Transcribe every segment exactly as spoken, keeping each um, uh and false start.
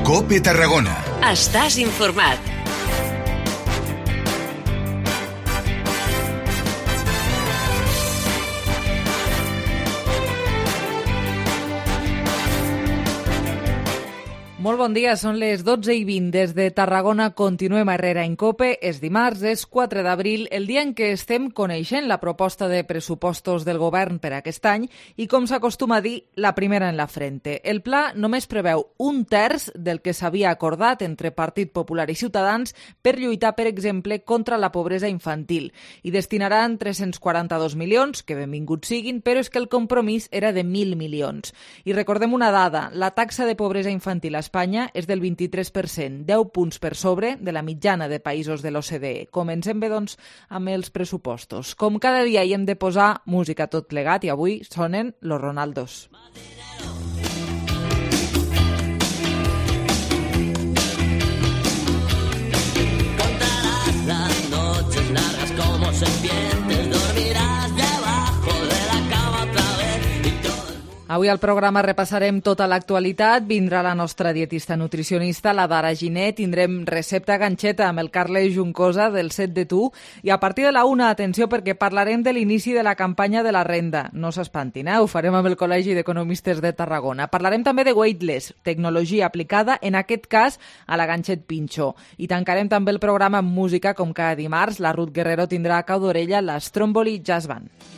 COPE Tarragona. Estàs informat. Molt bon dia, són les dotze i vint. Des de Tarragona continuem a Herrera en COPE. És dimarts, és quatre d'abril, el dia en què estem coneixent la proposta de pressupostos del govern per aquest any i, com s'acostuma a dir, la primera en la frente. El pla només preveu un terç del que s'havia acordat entre Partit Popular i Ciutadans per lluitar, per exemple, contra la pobresa infantil. I destinaran tres-cents quaranta-dos milions, que benvinguts siguin, però és que el compromís era de mil milions. I recordem una dada, la taxa de pobresa infantil a Espanya és del vint-i-tres per cent, deu punts per sobre de la mitjana de països de l'O C D E. Comencem bé, doncs, amb els pressupostos. Com cada dia hi hem de posar música tot plegat i avui sonen Los Ronaldos. Contarás las noches largas como serpientes, dormirás debajo de la cama otra vez y todo. Avui al programa repassarem tota l'actualitat. Vindrà la nostra dietista nutricionista, la Dara Giné. Tindrem recepta ganxeta amb el Carles Juncosa del Set de Tu. I a partir de la una, atenció, perquè parlarem de l'inici de la campanya de la renda. No s'espantin, eh? Ho farem amb el Col·legi d'Economistes de Tarragona. Parlarem també de Weightless, tecnologia aplicada, en aquest cas, a la ganxet pinxo. I tancarem també el programa amb música, com cada dimarts. La Ruth Guerrero tindrà a cau d'orella la Stromboli Jazz Band.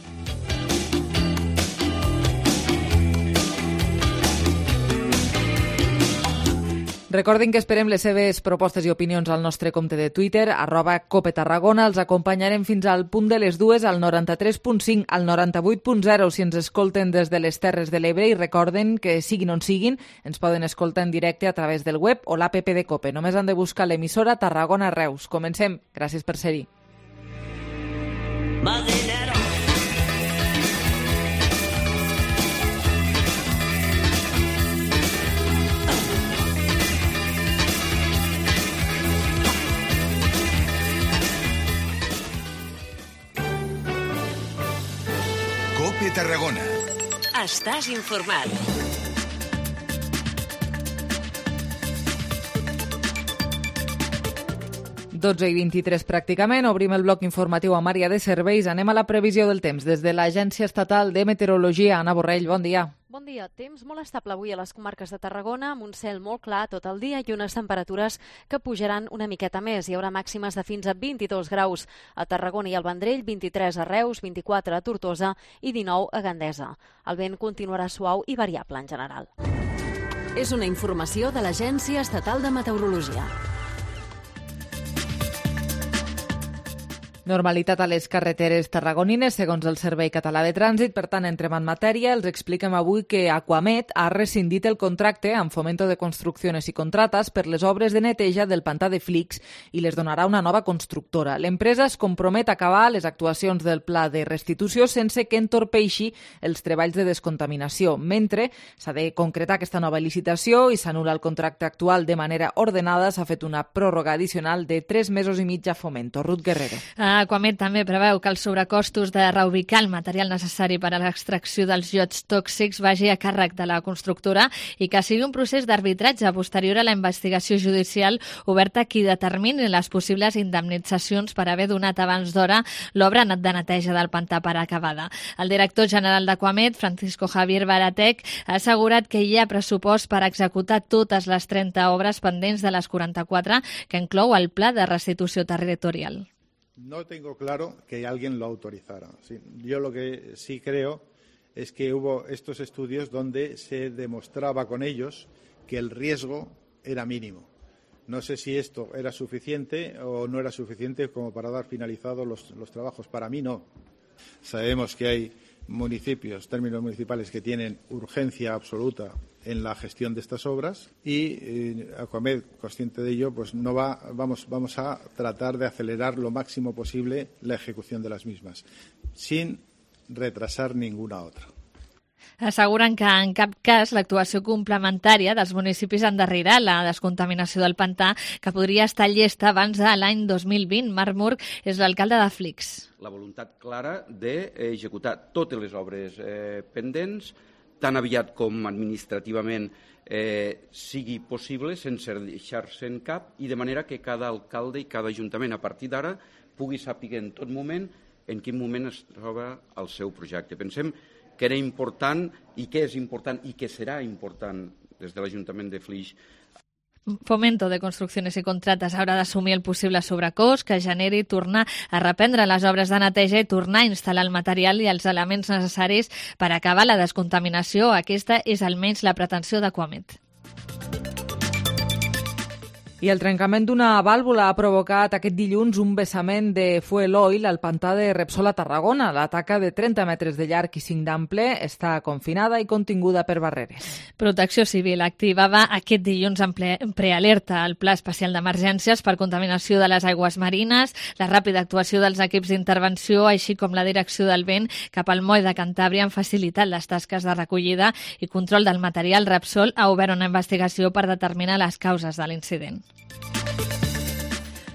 Recordin que esperem les seves propostes i opinions al nostre compte de Twitter, arroba Cope Tarragona. Els acompanyarem fins al punt de les dues, al noranta-tres punt cinc, al noranta-vuit punt zero, si ens escolten des de les Terres de l'Ebre, i recorden que, siguin on siguin, ens poden escoltar en directe a través del web o l'app de Cope. Només han de buscar l'emissora Tarragona Reus. Comencem. Gràcies per ser-hi. Más dinero. COPE Tarragona. Estàs informat. dotze i vint-i-tres pràcticament. Obrim el bloc informatiu amb àrea de serveis. Anem a la previsió del temps. Des de l'Agència Estatal de Meteorologia, Anna Borrell, bon dia. Bon dia. Temps molt estable avui a les comarques de Tarragona, amb un cel molt clar tot el dia i unes temperatures que pujaran una miqueta més. Hi haurà màximes de fins a vint-i-dos graus a Tarragona i al Vendrell, vint-i-tres a Reus, vint-i-quatre a Tortosa i dinou a Gandesa. El vent continuarà suau i variable en general. És una informació de l'Agència Estatal de Meteorologia. Normalitat a les carreteres tarragonines, segons el Servei Català de Trànsit. Per tant, entrem en matèria. Els expliquem avui que Aquamet ha rescindit el contracte amb Fomento de Construcciones i Contratas per les obres de neteja del pantà de Flix i les donarà una nova constructora. L'empresa es compromet a acabar les actuacions del pla de restitució sense que entorpeixi els treballs de descontaminació, mentre s'ha de concretar aquesta nova licitació i s'anul·la el contracte actual de manera ordenada. S'ha fet una pròrroga addicional de tres mesos i mig a Fomento. Ruth Guerrero. Aquamet també preveu que els sobrecostos de reubicar el material necessari per a l'extracció dels llots tòxics vagi a càrrec de la constructora i que sigui un procés d'arbitratge posterior a la investigació judicial oberta qui determini les possibles indemnitzacions per haver donat abans d'hora l'obra de neteja del pantà per acabada. El director general d'Aquamet, Francisco Javier Baratec, ha assegurat que hi ha pressupost per executar totes les trenta obres pendents de les quaranta-quatre que inclou el pla de restitució territorial. No tengo claro que alguien lo autorizara. Sí, yo lo que sí creo es que hubo estos estudios donde se demostraba con ellos que el riesgo era mínimo. No sé si esto era suficiente o no era suficiente como para dar finalizados los, los trabajos. Para mí no. Sabemos que hay municipios, términos municipales, que tienen urgencia absoluta en la gestión de estas obras y eh, Aquamed, consciente de ello, pues no va, vamos, vamos a tratar de acelerar lo máximo posible la ejecución de las mismas, sin retrasar ninguna otra. Asseguren que en cap cas l'actuació complementària dels municipis endarrerà la descontaminació del pantà, que podria estar llesta abans de l'any dos mil vint. Marc Murg és l'alcalde de Flix. La voluntat clara d'executar totes les obres eh, pendents, tan aviat com administrativament eh, sigui possible sense deixar-se en cap i de manera que cada alcalde i cada ajuntament a partir d'ara pugui saber en tot moment en quin moment es troba el seu projecte. Pensem que era important i que és important i que serà important des de l'Ajuntament de Flix. Fomento de Construcciones i Contrates haurà d'assumir el possible sobrecost que generi tornar a reprendre les obres de neteja i tornar a instal·lar el material i els elements necessaris per acabar la descontaminació. Aquesta és almenys la pretensió d'Aquamet. I el trencament d'una vàlvula ha provocat aquest dilluns un vessament de fuel oil al pantà de Repsol a Tarragona. La taca de trenta metres de llarg i cinc d'ample està confinada i continguda per barreres. Protecció Civil activava aquest dilluns en prealerta el Pla Especial d'Emergències per contaminació de les aigües marines, la ràpida actuació dels equips d'intervenció, així com la direcció del vent cap al moll de Cantàbria han facilitat les tasques de recollida i control del material. Repsol ha obert una investigació per determinar les causes de l'incident.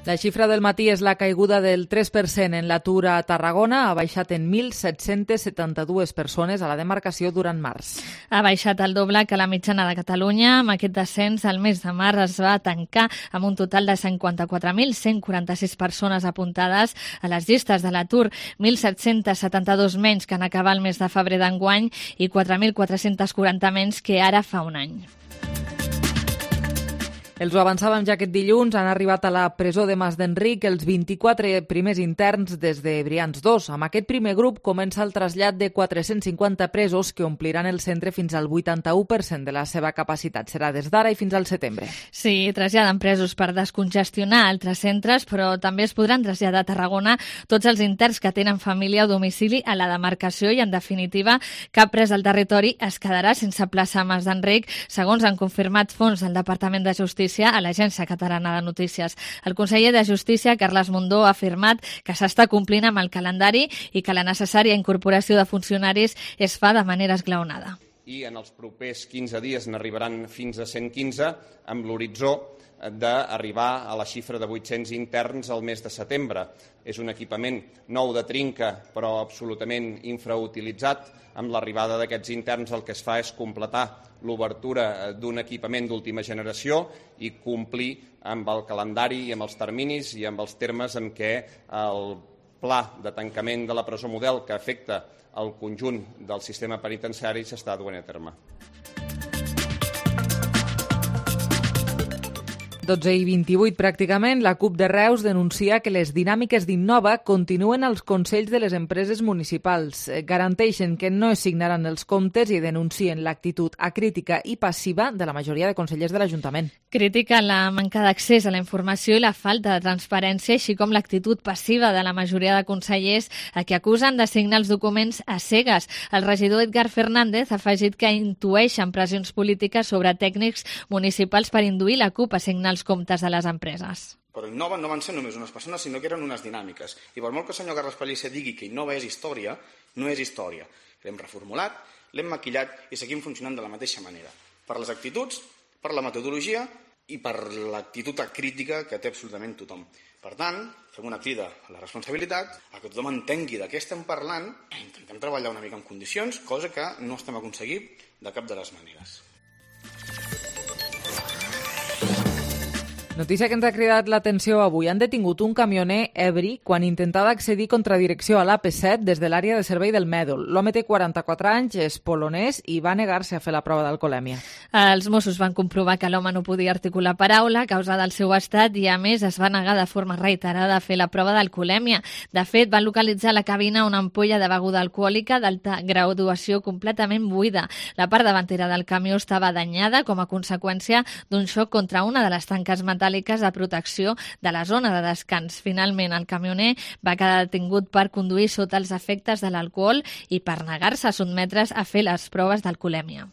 La xifra del matí és la caiguda del tres per cent en l'atur a Tarragona. Ha baixat en mil set-cents setanta-dues persones a la demarcació durant març. Ha baixat el doble que la mitjana de Catalunya. Amb aquest descens, el mes de març es va tancar amb un total de cinquanta-quatre mil cent quaranta-sis persones apuntades a les llistes de l'atur, mil set-cents setanta-dos menys que en acabar el mes de febrer d'enguany i quatre mil quatre-cents quaranta menys que ara fa un any. Els ho avançàvem ja aquest dilluns, han arribat a la presó de Mas d'Enric els vint-i-quatre primers interns des de Brians dos. Amb aquest primer grup comença el trasllat de quatre-cents cinquanta presos que ompliran el centre fins al vuitanta-u per cent de la seva capacitat. Serà des d'ara i fins al setembre. Sí, traslladen presos per descongestionar altres centres, però també es podran traslladar a Tarragona tots els interns que tenen família o domicili a la demarcació i, en definitiva, cap pres al territori es quedarà sense plaça a Mas d'Enric, segons han confirmat fons del Departament de Justícia a l'Agència Catalana de Notícies. El conseller de Justícia, Carles Mundó, ha afirmat que s'està complint amb el calendari i que la necessària incorporació de funcionaris es fa de manera esglaonada. I en els propers quinze dies n'arribaran fins a cent quinze, amb l'horitzó d'arribar a la xifra de vuit-cents interns al mes de setembre. És un equipament nou de trinca, però absolutament infrautilitzat. Amb l'arribada d'aquests interns el que es fa és completar l'obertura d'un equipament d'última generació i complir amb el calendari i amb els terminis i amb els termes en què el pla de tancament de la presó model que afecta el conjunt del sistema penitenciari s'està duent a terme. dotze i vint-i-vuit pràcticament, la CUP de Reus denuncia que les dinàmiques d'Innova continuen als consells de les empreses municipals. Garanteixen que no es signaran els comptes i denuncien l'actitud acrítica i passiva de la majoria de consellers de l'Ajuntament. Critica la manca d'accés a la informació i la falta de transparència, així com l'actitud passiva de la majoria de consellers a qui acusen de signar els documents a cegues. El regidor Edgar Fernández ha afegit que intueixen pressions polítiques sobre tècnics municipals per induir la CUP a signar els comptes de les empreses. Però Innova no van ser només unes persones, sinó que eren unes dinàmiques. I per molt que el senyor Carles Pellicer digui que Innova és història, no és història. L'hem reformulat, l'hem maquillat i seguim funcionant de la mateixa manera. Per les actituds, per la metodologia i per l'actitud crítica que té absolutament tothom. Per tant, fem una crida a la responsabilitat, a que tothom entengui de què estem parlant i intentem treballar una mica en condicions, cosa que no estem aconseguint de cap de les maneres. Notícia que ens ha cridat l'atenció avui. Han detingut un camioner ebri quan intentava accedir contra direcció a l'A P set des de l'àrea de servei del Mèdol. L'home té quaranta-quatre anys, és polonès i va negar-se a fer la prova d'alcoholèmia. Els Mossos van comprovar que l'home no podia articular paraula a causa del seu estat i, a més, es va negar de forma reiterada a fer la prova d'alcoholèmia. De fet, van localitzar a la cabina una ampolla de beguda alcohòlica d'alta graduació completament buida. La part davantera del camió estava danyada com a conseqüència d'un xoc contra una de les tanques metàl·liques de protecció de la zona de descans. Finalment, el camioner va quedar detingut per conduir sota els efectes de l'alcohol i per negar-se a sotmetre's a fer les proves d'alcoholèmia.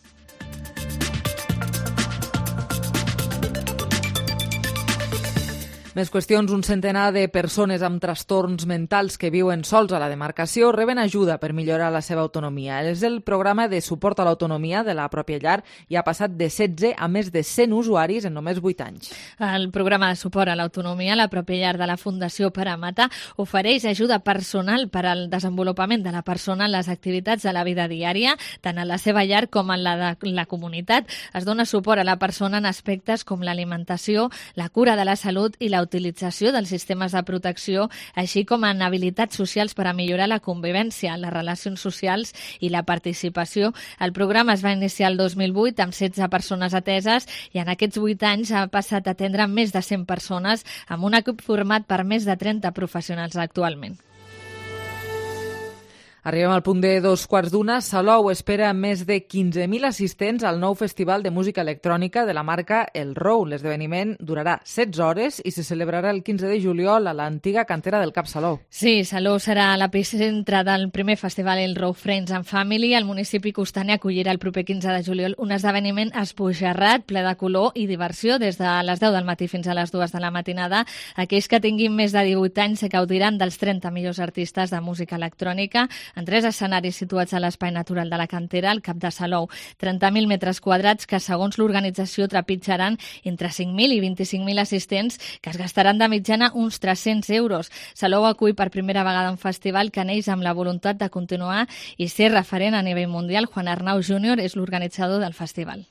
Més qüestions, un centenar de persones amb trastorns mentals que viuen sols a la demarcació reben ajuda per millorar la seva autonomia. És el programa de suport a l'autonomia de la pròpia llar i ha passat de setze a més de cent usuaris en només vuit anys. El programa de suport a l'autonomia, la pròpia llar de la Fundació Paramata, ofereix ajuda personal per al desenvolupament de la persona en les activitats de la vida diària, tant en la seva llar com en la de la comunitat. Es dona suport a la persona en aspectes com l'alimentació, la cura de la salut i la utilització dels sistemes de protecció, així com en habilitats socials per a millorar la convivència, les relacions socials i la participació. El programa es va iniciar el dos mil vuit amb setze persones ateses i en aquests vuit anys ha passat a atendre més de cent persones amb un equip format per més de trenta professionals actualment. Arribem al punt de dos quarts d'una. Salou espera més de quinze mil assistents al nou Festival de Música Electrònica de la marca El Rou. L'esdeveniment durarà setze hores i se celebrarà el quinze de juliol a l'antiga cantera del Cap Salou. Sí, Salou serà l'epicentre del primer festival El Rou Friends and Family. El municipi costaner acollirà el proper quinze de juliol un esdeveniment esbojarrat, ple de color i diversió des de les deu del matí fins a les dues de la matinada. Aquells que tinguin més de divuit anys se gaudiran dels trenta millors artistes de música electrònica en tres escenaris situats a l'espai natural de la cantera, al Cap de Salou. trenta mil metres quadrats que, segons l'organització, trepitjaran entre cinc mil i vint-i-cinc mil assistents que es gastaran de mitjana uns tres-cents euros. Salou acull per primera vegada un festival que neix amb la voluntat de continuar i ser referent a nivell mundial. Juan Arnau júnior és l'organitzador del festival.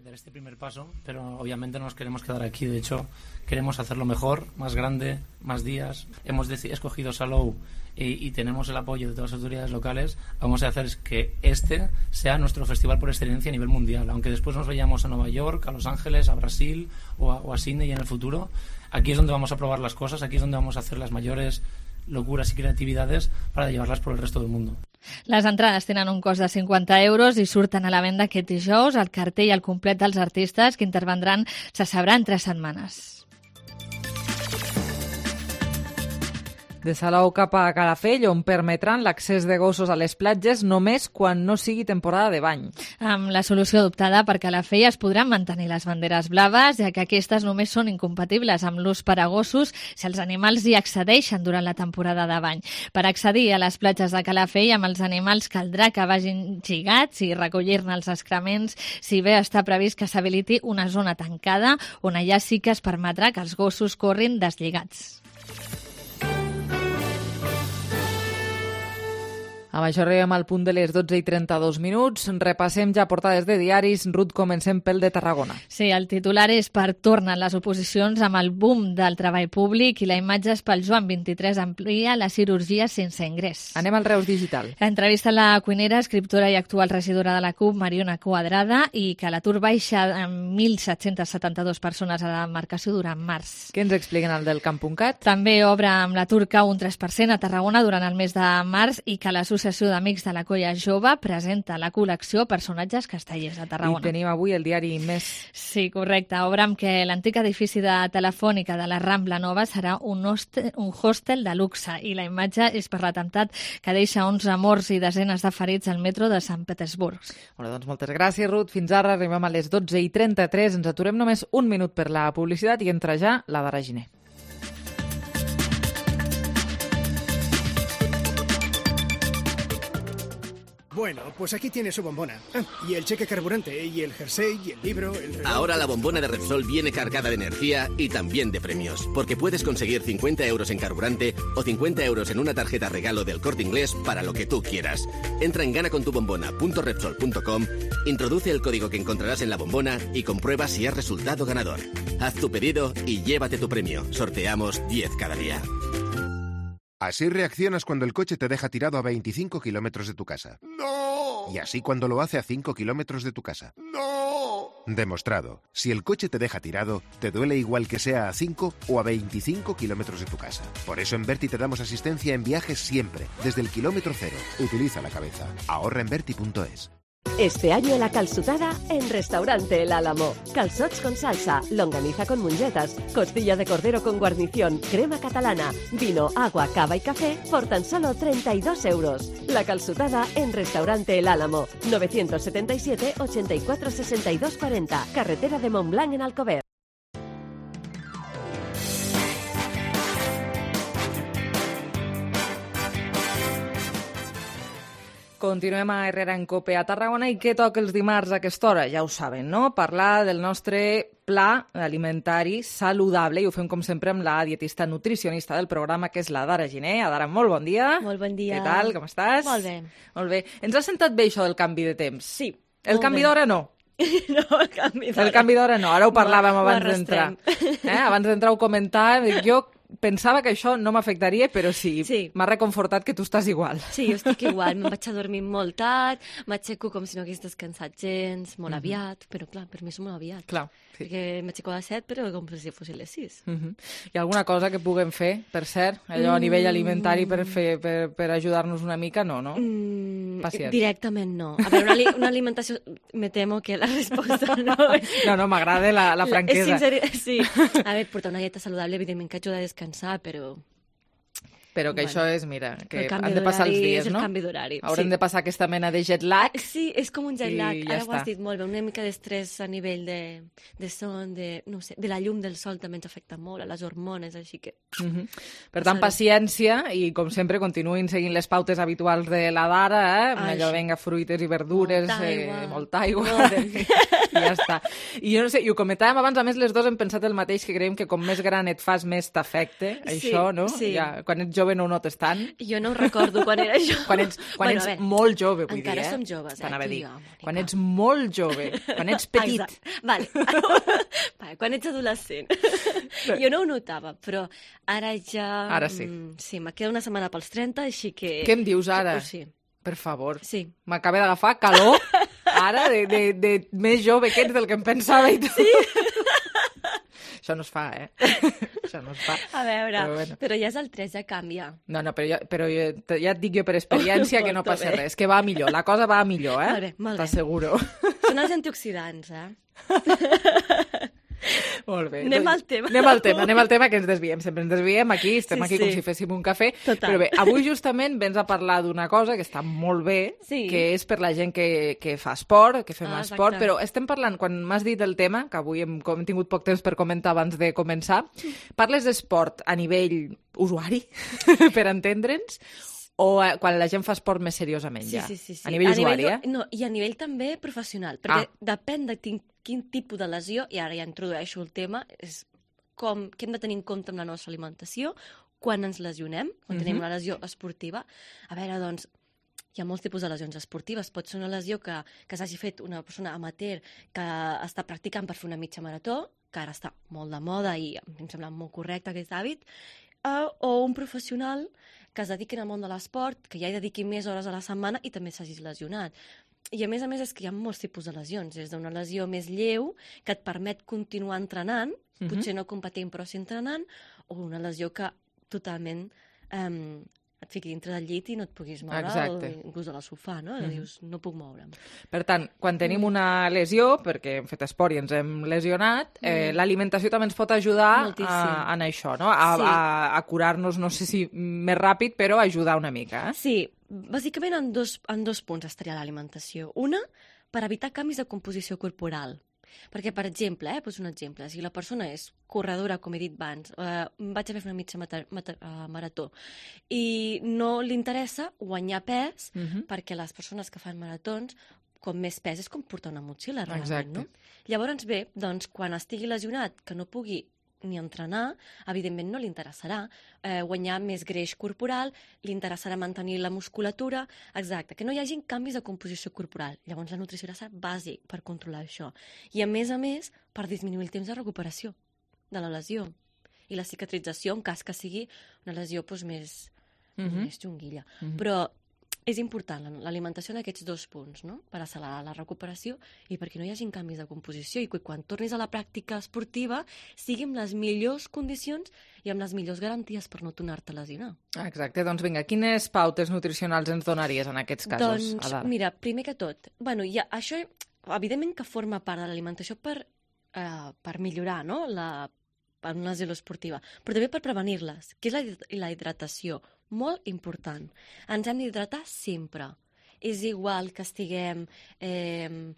Dar este primer paso, pero obviamente no nos queremos quedar aquí. De hecho, queremos hacerlo mejor, más grande, más días. Hemos escogido Salou y, y tenemos el apoyo de todas las autoridades locales. Vamos a hacer que este sea nuestro festival por excelencia a nivel mundial. Aunque después nos vayamos a Nueva York, a Los Ángeles, a Brasil o a, o a Sydney en el futuro, aquí es donde vamos a probar las cosas, aquí es donde vamos a hacer las mayores locuras y creatividades para llevarlas por el resto del mundo. Les entrades tenen un cost de cinquanta euros i surten a la venda aquest dijous. El cartell al complet dels artistes que intervendran se sabrà en tres setmanes. De Salou cap a Calafell, on permetran l'accés de gossos a les platges només quan no sigui temporada de bany. Amb la solució adoptada per Calafell es podran mantenir les banderes blaves, ja que aquestes només són incompatibles amb l'ús per a gossos si els animals hi accedeixen durant la temporada de bany. Per accedir a les platges de Calafell amb els animals caldrà que vagin lligats i recollir-ne els excrements, si bé està previst que s'habiliti una zona tancada on allà sí que es permetrà que els gossos corrin deslligats. Amb això arribem al punt de les dotze i trenta-dos minuts. Repassem ja portades de diaris. Ruth, comencem pel de Tarragona. Sí, el titular és per tornen les oposicions amb el boom del treball públic i la imatge és pel Joan vint-i-tres amplia la cirurgia sense ingrés. Anem al Reus Digital. Entrevista a la cuinera, escriptora i actual regidora de la C U P, Mariona Quadrada, i que l'atur baixa amb mil set-cents setanta-dues persones a la demarcació durant març. Què ens expliquen al del Camp.cat? També obre amb l'atur cau un tres per cent a Tarragona durant el mes de març i que l'associació d'Amics de la Colla Jove presenta la col·lecció Personatges Castellers de Tarragona. I tenim avui el diari Més. Sí, correcte. Obre amb que l'antic edifici de Telefònica de la Rambla Nova serà un hostel, un hostel de luxe i la imatge és per l'atemptat que deixa onze morts i desenes de ferits al metro de Sant Petersburg. Bueno, doncs moltes gràcies, Ruth. Fins ara arribem a les dotze i trenta-tres. Ens aturem només un minut per la publicitat i entra ja la Dara Giner. Bueno, pues aquí tiene su bombona. Ah, y el cheque carburante, y el jersey, y el libro, el reloj. Ahora la bombona de Repsol viene cargada de energía y también de premios, porque puedes conseguir cincuenta euros en carburante o cincuenta euros en una tarjeta regalo del Corte Inglés para lo que tú quieras. Entra en ganacontubombona punto repsol punto com, introduce el código que encontrarás en la bombona y comprueba si has resultado ganador. Haz tu pedido y llévate tu premio. Sorteamos diez cada día. Así reaccionas cuando el coche te deja tirado a veinticinco kilómetros de tu casa. ¡No! Y así cuando lo hace a cinco kilómetros de tu casa. ¡No! Demostrado. Si el coche te deja tirado, te duele igual que sea a cinco o a veinticinco kilómetros de tu casa. Por eso en Berti te damos asistencia en viajes siempre, desde el kilómetro cero. Utiliza la cabeza. Ahorra en berti punto es. Este año la calçotada en Restaurante El Álamo. Calzots con salsa, longaniza con mungetas, costilla de cordero con guarnición, crema catalana, vino, agua, cava y café por tan solo treinta y dos euros. La calçotada en Restaurante El Álamo. novecientos setenta y siete, ochenta y cuatro, sesenta y dos cuarenta. Carretera de Montblanc en Alcover. Continuem a Herrera en Cope a Tarragona i què toca els dimarts a aquesta hora? Ja ho saben, no? Parlar del nostre pla alimentari saludable i ho fem com sempre amb la dietista nutricionista del programa, que és la Dara Giner. Adara, molt bon dia. Molt bon dia. Què tal? Com estàs? Molt bé. Molt bé. Ens ha sentat bé això del canvi de temps? Sí. El canvi d'hora no? No, el canvi d'hora. El canvi d'hora no, ara ho parlàvem Ho- ho abans d'entrar. arrastrem. Eh? Abans d'entrar ho comentàvem. Jo pensava que això no m'afectaria, però sí, Sí. m'ha reconfortat que tu estàs igual. Sí, jo estic igual. Me'n vaig a dormir molt tard, m'aixeco com si no hagués descansat gens, molt Mhm. aviat, però clar, per mi és molt aviat. Clar, sí. Perquè m'aixeco a les set, però com si fossin les sis. Mhm. Hi ha alguna cosa que puguem fer, per cert, allò a nivell Mm. alimentari per, fer, per, per ajudar-nos una mica? No, no? Mm, Paciència. directament no. A veure, una, ali- una alimentació... Me temo que la resposta no és... No, no, m'agrada la, la franquesa. Sinceri... Sí. A veure, portar una dieta saludable, evidentment que ajuda a descansar, però... Però que Bueno, això és, mira, que el canvi han de passar els d'horari dies, és el no? canvi d'horari, Haurem sí. de passar aquesta mena de jet lag. Sí, és com un jet lag. I ja Ara ho està. has dit molt bé, una mica d'estrès a nivell de, de son, de, no sé, de la llum del sol també ens afecta molt, a les hormones, així que... Mhm. Per tant, paciència i, com sempre, continuïn seguint les pautes habituals de la Dara, eh? Ai, Allò, sí. venga, fruites i verdures, Molta eh, aigua. molta aigua, Molt bé. i ja està. I jo no sé, i ho comentàvem abans, a més, les dues hem pensat el mateix, que creiem que com més gran et fas, més t'afecte, Sí, això, no? sí. Ja, quan ets jove no ho notes tant. Jo no ho recordo quan era jo. Quan ets, quan Bueno, ets a veure, molt jove, vull encara dir, eh? som joves, eh, T'anava a tu i dir. jo, Mònica. Quan ets molt jove, quan ets petit. Exacte. Vale. vale. Quan ets adolescent. jo no ho notava, però ara ja... Ara sí. mm, Sí, me queda una setmana pels trenta, així que... Què em dius ara? Sí. Per favor. Sí. M'acaba d'agafar calor, ara, de, de, de més jove que ets del que em pensava i tot. Sí. Això no es fa, eh? Això no es fa. A veure, Però però, bueno. però ja és el tres, ja canvia. No, no, però, jo, però jo, te- ja et dic jo per experiència que no Porto passa bé. res, que va millor, la cosa va millor, eh? Molt bé, molt bé. T'asseguro. Són els antioxidants, eh? Molt bé. Anem doncs al tema. Anem al tema, anem al tema, que ens desviem. Sempre ens desviem aquí, estem Sí, aquí sí. com si féssim un cafè. Total. Però bé, avui justament vens a parlar d'una cosa que està molt bé, Sí. que és per la gent que, que fa esport, que fem Ah, esport, exacte. però estem parlant, quan m'has dit el tema, que avui hem, com hem tingut poc temps per comentar abans de començar, parles d'esport a nivell usuari, per entendre'ns, o eh, quan la gent fa esport més seriosament Sí, ja? sí, sí, sí. A nivell usuari, nivell, eh? No, i a nivell també professional, perquè Ah. depèn de quin, quin tipus de lesió, i ara ja introdueixo el tema, és com, què hem de tenir en compte amb la nostra alimentació, quan ens lesionem, quan tenim Mhm. una lesió esportiva. A veure, doncs, hi ha molts tipus de lesions esportives. Pot ser una lesió que, que s'hagi fet una persona amateur que està practicant per fer una mitja marató, que ara està molt de moda i em sembla molt correcte aquest hàbit, eh, o un professional que es dediqui al món de l'esport, que ja hi dediqui més hores a la setmana i també s'hagi lesionat. I a més a més és que hi ha molts tipus de lesions, des d'una lesió més lleu que et permet continuar entrenant, Mhm. potser no competint però sí entrenant, o una lesió que totalment eh, et fiqui dintre del llit i no et puguis moure, Exacte. o inclús a la sofà, no? Mhm. Dius, no puc moure'm. Per tant, quan tenim Mm. una lesió, perquè hem fet esport i ens hem lesionat, eh, Mm. l'alimentació també ens pot ajudar Moltíssim. a, en això, no? A, Sí. a, a curar-nos, no sé si més ràpid, però ajudar una mica. Eh? Sí, bàsicament en dos, en dos punts estaria l'alimentació. Una, per evitar canvis de composició corporal. Perquè, per exemple, eh, poso un exemple, si la persona és corredora, com he dit abans, eh, vaig a fer una mitja mata, mata, uh, marató, i no li interessa guanyar pes, Mhm. perquè les persones que fan maratons, com més pes és com portar una motxilla, realment, Exacte. no? Llavors, bé, doncs, quan estigui lesionat, que no pugui ni entrenar, evidentment no li interessarà eh, guanyar més greix corporal, li interessarà mantenir la musculatura, exacte, que no hi hagin canvis de composició corporal. Llavors la nutrició ha de ser bàsic per controlar això. I a més a més, per disminuir el temps de recuperació de la lesió i la cicatrització en cas que sigui una lesió doncs, més, Mhm. més xunguilla. Mhm. Però és important la- l'alimentació en aquests dos punts, no? Per accelerar la recuperació i perquè no hi hagin canvis de composició i que quan tornis a la pràctica esportiva sigui amb les millors condicions i amb les millors garanties per no tornar-te a lesionar. Exacte, doncs vinga, quines pautes nutricionals ens donaries en aquests casos, Doncs, Adara? mira, primer que tot, bueno, ja, això evidentment que forma part de l'alimentació per, eh, per millorar, no?, la, per una lesió esportiva, però també per prevenir-les, que és la, hid- la hidratació, molt important. Ens hem d'hidratar sempre. És igual que estiguem eh,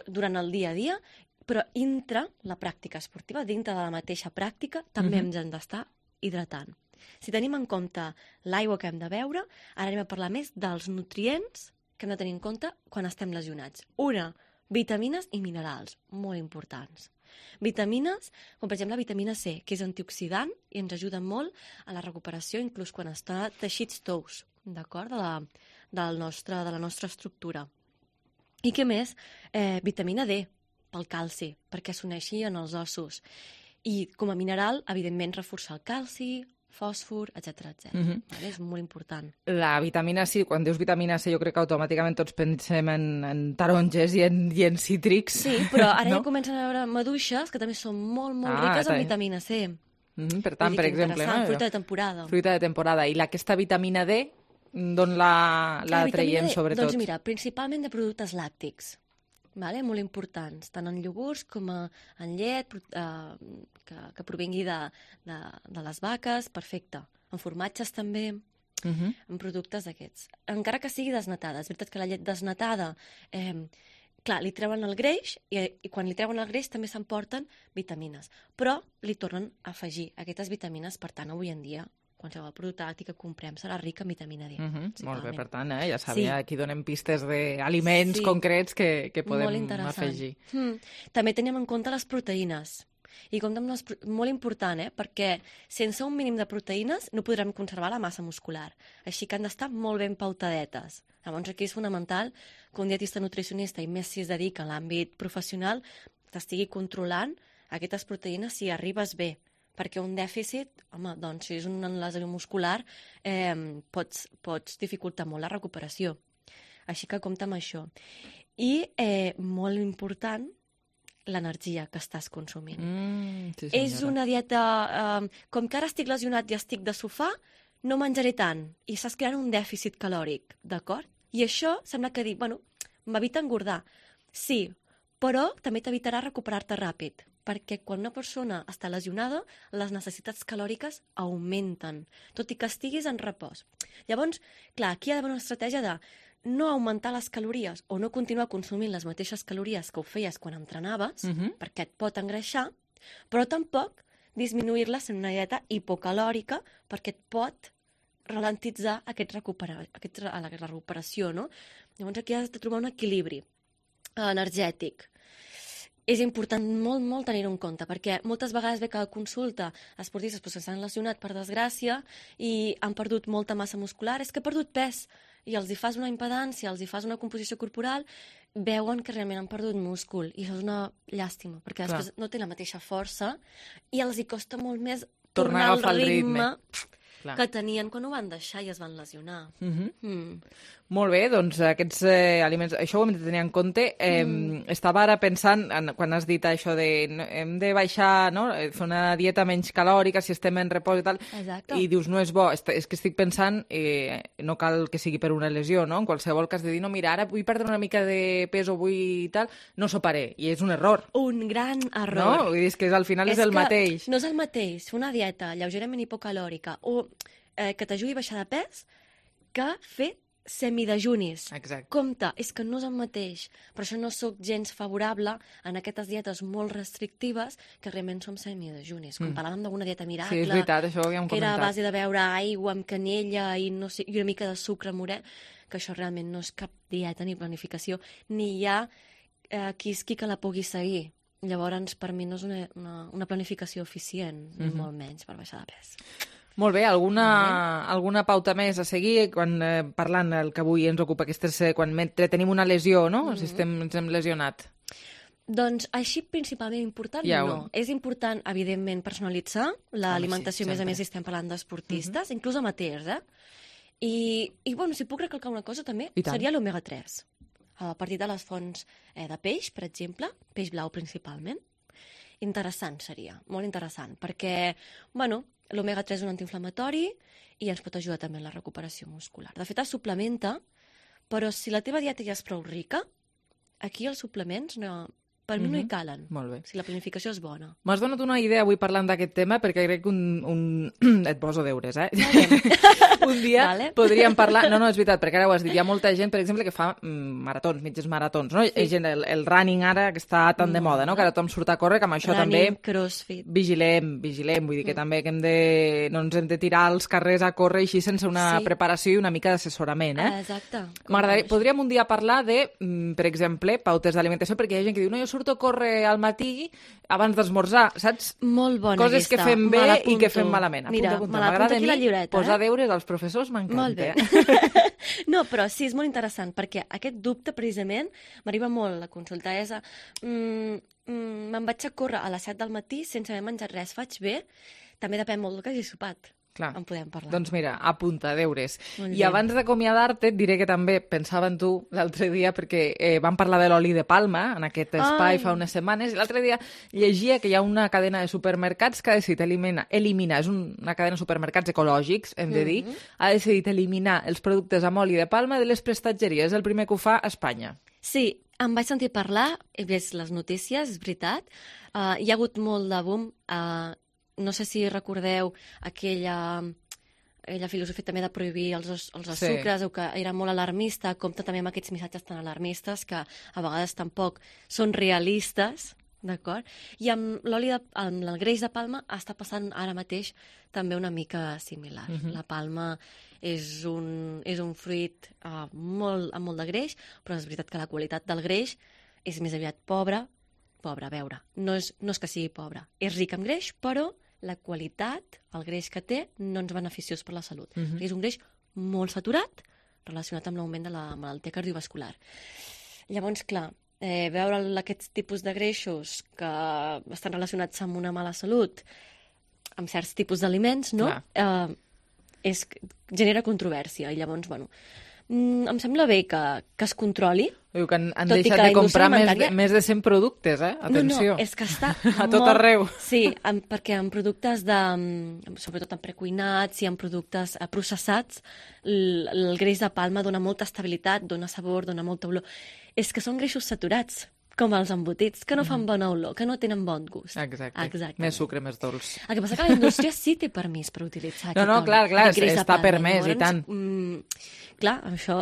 durant el dia a dia, però dintre la pràctica esportiva, dintre de la mateixa pràctica, també Mhm. ens hem d'estar hidratant. Si tenim en compte l'aigua que hem de beure, ara anem a parlar més dels nutrients que hem de tenir en compte quan estem lesionats. Una, vitamines i minerals, molt importants. Vitamines, com per exemple la vitamina C, que és antioxidant i ens ajuda molt a la recuperació, inclús quan està teixits tous, d'acord, de, la, del nostre, de la nostra estructura. I què més? Eh, vitamina D, pel calci, perquè s'uneixi en els ossos. I com a mineral, evidentment, reforçar el calci, fòsfor, etcètera, etcètera. Mhm. Vale? És molt important. La vitamina C, quan dius vitamina C, jo crec que automàticament tots pensem en, en taronges i en, i en cítrics. Sí, però ara no? ja comencen a veure maduixes que també són molt, molt Ah, riques en també. vitamina C. Mhm, per tant, Vull dir per que exemple... interessant, no? fruita de temporada. Fruita de temporada. I la, aquesta vitamina D, d'on la, la vitamina traiem, D, sobretot? Doncs mira, principalment de productes làctics, vale? Molt importants, tant en iogurts com a, en llet, pro- eh, que, que provingui de, de, de les vaques, perfecte. En formatges també, Mhm. en productes d'aquests. Encara que sigui desnatada, és veritat que la llet desnatada, eh, clar, li treuen el greix i, i quan li treuen el greix també s'emporten vitamines, però li tornen a afegir aquestes vitamines, per tant, avui en dia, qualsevol producte làctic que comprem serà ric en vitamina D. Mhm, molt bé, per tant, eh, ja Sí. sabia, aquí donem pistes d'aliments Sí. concrets que, que Molt podem interessant. afegir. Mm. També tenim en compte les proteïnes. I compte amb les, pro- molt important, eh? Perquè sense un mínim de proteïnes no podrem conservar la massa muscular. Així que han d'estar molt ben pautadetes. Llavors aquí és fonamental que un dietista nutricionista, i més si es dedica a l'àmbit professional, t'estigui controlant aquestes proteïnes si arribes bé. Perquè un dèficit, home, doncs si és una lesió muscular, eh, pots, pots dificultar molt la recuperació. Així que compta amb això. I, eh, molt important, l'energia que estàs consumint. Mm, sí, És senyora. una dieta... Eh, com que ara estic lesionat i estic de sofà, no menjaré tant. I estàs creant un dèficit calòric, d'acord? I això sembla que dir, bueno, m'evita engordar. Sí, però també t'evitarà recuperar-te ràpid, perquè quan una persona està lesionada, les necessitats calòriques augmenten, tot i que estiguis en repòs. Llavors, clar, aquí hi ha d'haver una estratègia de no augmentar les calories o no continuar consumint les mateixes calories que ho feies quan entrenaves, Mhm. perquè et pot engreixar, però tampoc disminuir-les en una dieta hipocalòrica perquè et pot ralentitzar aquest recupera, aquest, la, la recuperació, no? Llavors aquí has de trobar un equilibri energètic. És important molt, molt tenir-ho en compte, perquè moltes vegades ve que a consulta esportistes pues, s'han lesionat per desgràcia i han perdut molta massa muscular, és que ha perdut pes, i els hi fas una impedància, els hi fas una composició corporal, veuen que realment han perdut múscul, i això és una llàstima, perquè Clar. després no té la mateixa força i els hi costa molt més Tornar a tornar, agafar al el ritme, ritme. Clar. que tenien quan ho van deixar i es van lesionar. Mhm. Mm. Molt bé, doncs aquests eh, aliments, això ho hem de tenir en compte. Eh, Mm. Estava ara pensant, en, quan has dit això de no, hem de baixar, no, eh, fer una dieta menys calòrica si estem en repòs i tal, Exacte. i dius no és bo, Est és que estic pensant, eh, no cal que sigui per una lesió, no? En qualsevol cas de dir, no, mira, ara vull perdre una mica de pes o vull tal, no soparé, i és un error. Un gran error. No? Vull dir, és que al final és, el que mateix. No és el mateix fer una dieta lleugerament hipocalòrica o eh, que t'ajudi a baixar de pes que fer semidejunis. Exacte. Compte, és que no és el mateix. Per això no sóc gens favorable en aquestes dietes molt restrictives que realment som semidejunis. Com Mm. parlàvem d'una dieta miracle, Sí, és veritat, això ho havíem que era a comentat. base de beure aigua amb canella i, no sé, i una mica de sucre morè, que això realment no és cap dieta ni planificació, ni hi ha eh, qui és qui que la pugui seguir. Llavors, per mi no és una, una, una planificació eficient, ni Mhm. molt menys per baixar de pes. Molt bé, alguna, alguna pauta més a seguir quan eh, parlant el que avui ens ocupa, aquestes, eh, quan mentre tenim una lesió, no? Mhm. Si estem, ens hem lesionat. Doncs així principalment important Ja ho- no. És important, evidentment, personalitzar l'alimentació, sí, a més a sempre. més, si estem parlant d'esportistes, inclús amateurs, eh? I, I, bueno, si puc recalcar una cosa també, I tant. seria l'omega tres. A partir de les fonts eh, de peix, per exemple, peix blau principalment. Interessant seria, molt interessant, perquè, bueno, l'omega tres és un antiinflamatori i ens pot ajudar també en la recuperació muscular. De fet, es suplementa, però si la teva dieta ja és prou rica, aquí els suplements no, Per mi no hi Mhm. calen. Molt bé. Si la planificació és bona. M'has donat una idea avui parlant d'aquest tema perquè crec que un... un... et poso deures, eh? un dia Vale. podríem parlar... No, no, és veritat, perquè ara ho has dit. Hi ha molta gent, per exemple, que fa mm, maratons, mitges maratons, no? Sí. Hi ha gent, el, el running ara, que està tan de moda, no? Que ara tothom surt a córrer, que amb això Running, també... crossfit. Vigilem, vigilem. Vull dir que Mm. també que hem de... no ens hem de tirar als carrers a córrer així sense una Sí. preparació i una mica d'assessorament, eh? Ah, exacte. M'agradaria, podríem un dia parlar de, mm, per exemple, pautes d'alimentació, perquè hi ha gent que diu, no, jo surto a córrer al matí abans d'esmorzar, saps? Molt bona Coses que aquesta. fem Me bé i l'apunto. que fem malament. Mira, Apunta, apunta. me l'apunto M'agrada aquí a la mi llibreta, posar eh? deures als professors, m'encanta. Molt bé. Eh? No, però sí, és molt interessant, perquè aquest dubte, precisament, m'arriba molt a consultar. És a, mm, mm, me'n vaig a córrer a les set del matí sense haver menjat res. Faig bé? També depèn molt del que hagi sopat. Clar. En podem parlar. Doncs mira, apunta, deures. Molt I bé. abans d'acomiadar-te, et diré que també pensava en tu l'altre dia, perquè eh, vam parlar de l'oli de palma en aquest espai Ai. fa unes setmanes, i l'altre dia llegia que hi ha una cadena de supermercats que ha decidit eliminar, eliminar és un, una cadena de supermercats ecològics, hem de dir, Mhm. ha decidit eliminar els productes amb oli de palma de les prestatgeries. És el primer que ho fa a Espanya. Sí, em vaig sentir parlar, he vist les notícies, és veritat. Uh, hi ha hagut molt de boom. Uh, no sé si recordeu aquella, aquella filosofia també de prohibir els, els Sí. sucres, o que era molt alarmista, compta també amb aquests missatges tan alarmistes que a vegades tampoc són realistes, d'acord? I amb l'oli de, amb el greix de palma està passant ara mateix també una mica similar. Mhm. La palma és un, és un fruit uh, molt, amb molt de greix, però és veritat que la qualitat del greix és més aviat pobra. Pobra, a veure, no és, no és que sigui pobra. És ric en greix, però la qualitat, el greix que té, no és beneficiós per la salut. Mhm. És un greix molt saturat relacionat amb l'augment de la malaltia cardiovascular. Llavors, clar, eh, veure aquests tipus de greixos que estan relacionats amb una mala salut, amb certs tipus d'aliments, no? Eh, és, genera controvèrsia. I llavors, bueno, mm, em sembla bé que, que es controli. Diu que han, han Tot i deixat que la de comprar més de, indústria més de cent productes, eh? Atenció. No, no, és que està a tot molt... arreu. Sí, en, perquè en productes de... mm, sobretot en precuinats i en productes eh, processats, el, el greix de palma dona molta estabilitat, dona sabor, dona molta olor. És que són greixos saturats, com els embotits, que no fan bona olor, que no tenen bon gust. Exacte. Exacte. Més sucre, més dolç. El que passa que la indústria sí té permís per utilitzar No, aquest no, oli, clar, clar, aquest greix de està palma. permès, i tant. Mm, clar, això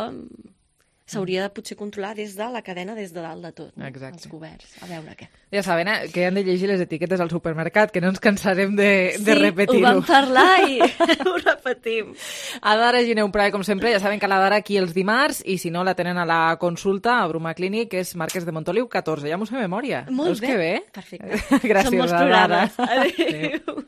s'hauria de potser controlar des de la cadena, des de dalt de tot, no? Exacte. Els governs. A veure què. Ja saben, eh, que han de llegir les etiquetes al supermercat, que no ens cansarem de, de Sí, repetir-ho. ho vam parlar i ho repetim. A Dara Gineu Prai, com sempre, ja saben que la Dara aquí els dimarts, i si no la tenen a la consulta a Bruma Clínic, que és Marquès de Montoliu catorze. Ja m'ho sé de memòria. Molt Veus bé. que bé? Perfecte. Gràcies, Són molts Dara. programes. Adéu.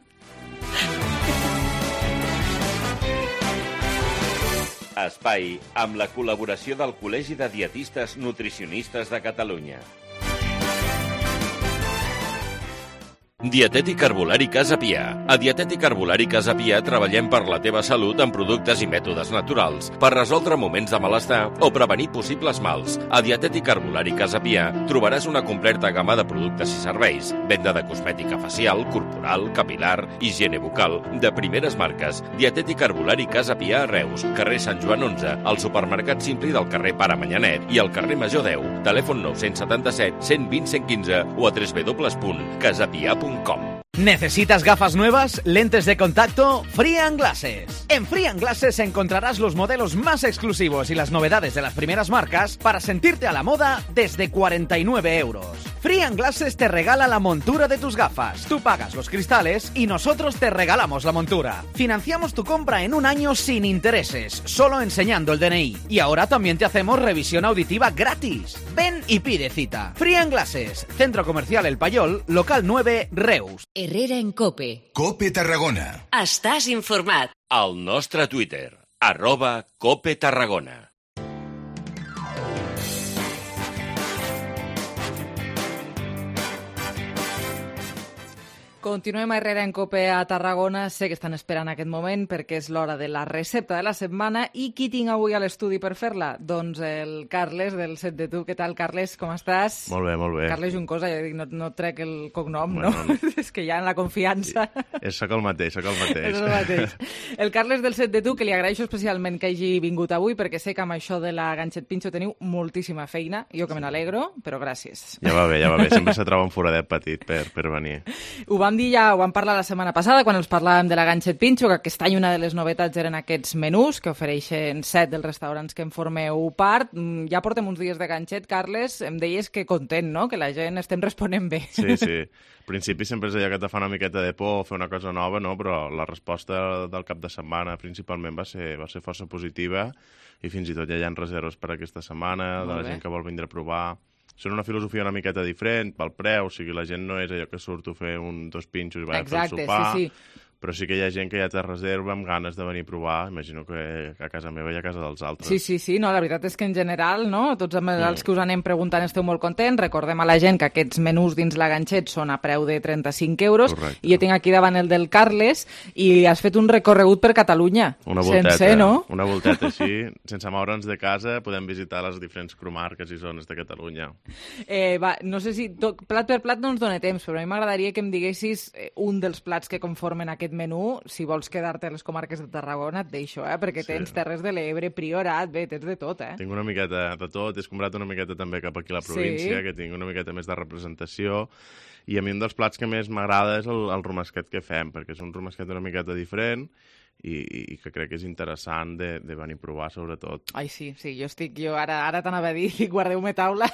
Espai amb la col·laboració del Col·legi de Dietistes Nutricionistes de Catalunya. Dietètic Herbolari Casa Pia. A Dietètic Herbolari Casa Pia treballem per la teva salut amb productes i mètodes naturals per resoldre moments de malestar o prevenir possibles mals. A Dietètic Herbolari Casa Pia trobaràs una completa gamma de productes i serveis, venda de cosmètica facial, corporal, capilar, higiene bucal, de primeres marques. Dietètic Herbolari Casa Pia a Reus, carrer Sant Joan onze, al supermercat Simpli del carrer Pare Manyanet i al carrer Major deu. Telèfon nou set set, cent vint, cent quinze o a w w w punt casapia punt com. ¿Necesitas gafas nuevas? ¿Lentes de contacto? Free and Glasses. En Free and Glasses encontrarás los modelos más exclusivos y las novedades de las primeras marcas para sentirte a la moda desde cuarenta y nueve euros. Free and Glasses te regala la montura de tus gafas. Tú pagas los cristales y nosotros te regalamos la montura. Financiamos tu compra en un año sin intereses, solo enseñando el D N I. Y ahora también te hacemos revisión auditiva gratis. Ven y pide cita. Free and Glasses, Centro Comercial El Payol, local nueve, Reus. Herrera en Cope. Cope Tarragona. Estàs informat. Al nostre Twitter, arroba Cope Tarragona. Continuem a Herrera en Cope a Tarragona. Sé que estan esperant aquest moment perquè és l'hora de la recepta de la setmana. I qui tinc avui a l'estudi per fer-la? Doncs el Carles, del Set de Tu. Què tal, Carles? Com estàs? Molt bé, molt bé. Carles Juncosa, ja dic, no, no trec el cognom, Bueno, no? És que ja en la confiança... És sóc el mateix, sóc el mateix. És el mateix. El Carles del Set de Tu, que li agraeixo especialment que hagi vingut avui, perquè sé que amb això de la ganxet pinxo teniu moltíssima feina. Jo que me n'alegro, però gràcies. Ja va bé, ja va bé. Sempre se troba un foradet petit per, per venir. Ho vam dir ja, ho vam parlar la setmana passada, quan els parlàvem de la ganxet pinxo, que aquest any una de les novetats eren aquests menús que ofereixen set dels restaurants que en formeu part. Ja portem uns dies de ganxet, Carles. Em deies que content, no?, que la gent estem responent bé. Sí, sí. Al principi sempre és allò que te fa una miqueta de por fer una cosa nova, no? Però la resposta del cap de setmana principalment va ser, va ser força positiva i fins i tot ja hi ha reserves per aquesta setmana, de la gent que vol vindre a provar. Són una filosofia una miqueta diferent pel preu, o sigui, la gent no és allò que surto a fer un, dos pinxos i vaig a fer el sopar, sí, sí. Però sí que hi ha gent que ja té reserva amb ganes de venir a provar. Imagino que a casa meva i a casa dels altres. Sí, sí, sí. No, la veritat és que en general, no, tots els que us anem preguntant esteu molt contents. Recordem a la gent que aquests menús dins la ganxet són a preu de trenta-cinc euros. Correcte. I jo tinc aquí davant el del Carles i has fet un recorregut per Catalunya. Una volteta, sencer, no? Una volteta així. Sense moure'ns de casa podem visitar les diferents comarques i zones de Catalunya. Eh, va, no sé si tot, plat per plat no ens dona temps, però a mi m'agradaria que em diguessis un dels plats que conformen aquest menú. Si vols quedar-te a les comarques de Tarragona, et deixo, eh? Perquè Sí. tens Terres de l'Ebre, Priorat, bé, tens de tot, eh? Tinc una miqueta de tot, he escombrat una miqueta també cap aquí a la província, Sí. que tinc una miqueta més de representació, i a mi un dels plats que més m'agrada és el, el romesquet que fem, perquè és un romesquet una miqueta diferent i, i que crec que és interessant de, de venir a provar, sobretot. Ai, sí, sí, jo estic, jo ara, ara t'anava a dir, guardeu-me taula,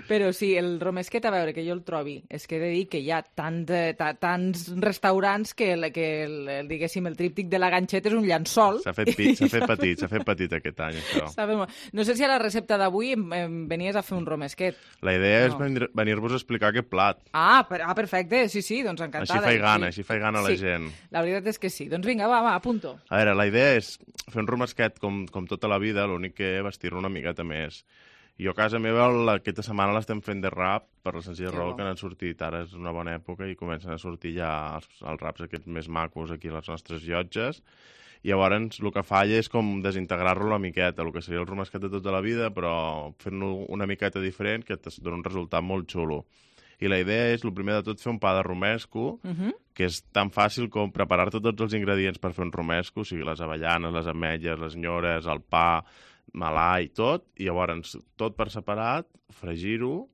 però sí, el romesquet, a veure, que jo el trobi, és que he de dir que hi ha tant, eh, ta- tants restaurants que, el, que el, el, diguéssim, el tríptic de la ganxet és un llençol. S'ha fet, pit, s'ha fet petit, s'ha fet petit aquest any, això. Sabe molt. No sé si a la recepta d'avui em, em venies a fer un romesquet. La idea és No. venir- venir-vos a explicar aquest plat. Ah, per, ah, perfecte, sí, sí, doncs encantada. Així faig gana, sí. així faig gana a la Sí, gent. la veritat és que sí. Doncs vinga, va, va, apunto. A veure, la idea és fer un romesquet com, com tota la vida, l'únic que vestir-lo una miqueta més. Jo a casa meva la- aquesta setmana l'estem fent de rap per la senzilla Que raó bo. que han sortit, ara és una bona època i comencen a sortir ja els, els raps aquests més macos aquí a les nostres llotges. I llavors el que falla és com desintegrar-lo una miqueta, el que seria el romesquet de tota la vida, però fent-lo una miqueta diferent que et dona un resultat molt xulo. I la idea és, el primer de tot, fer un pa de romesco, Mhm. que és tan fàcil com preparar-te tots els ingredients per fer un romesco, o sigui, les avellanes, les ametlles, les nyores, el pa, malai, tot, i llavors tot per separat, fregir-ho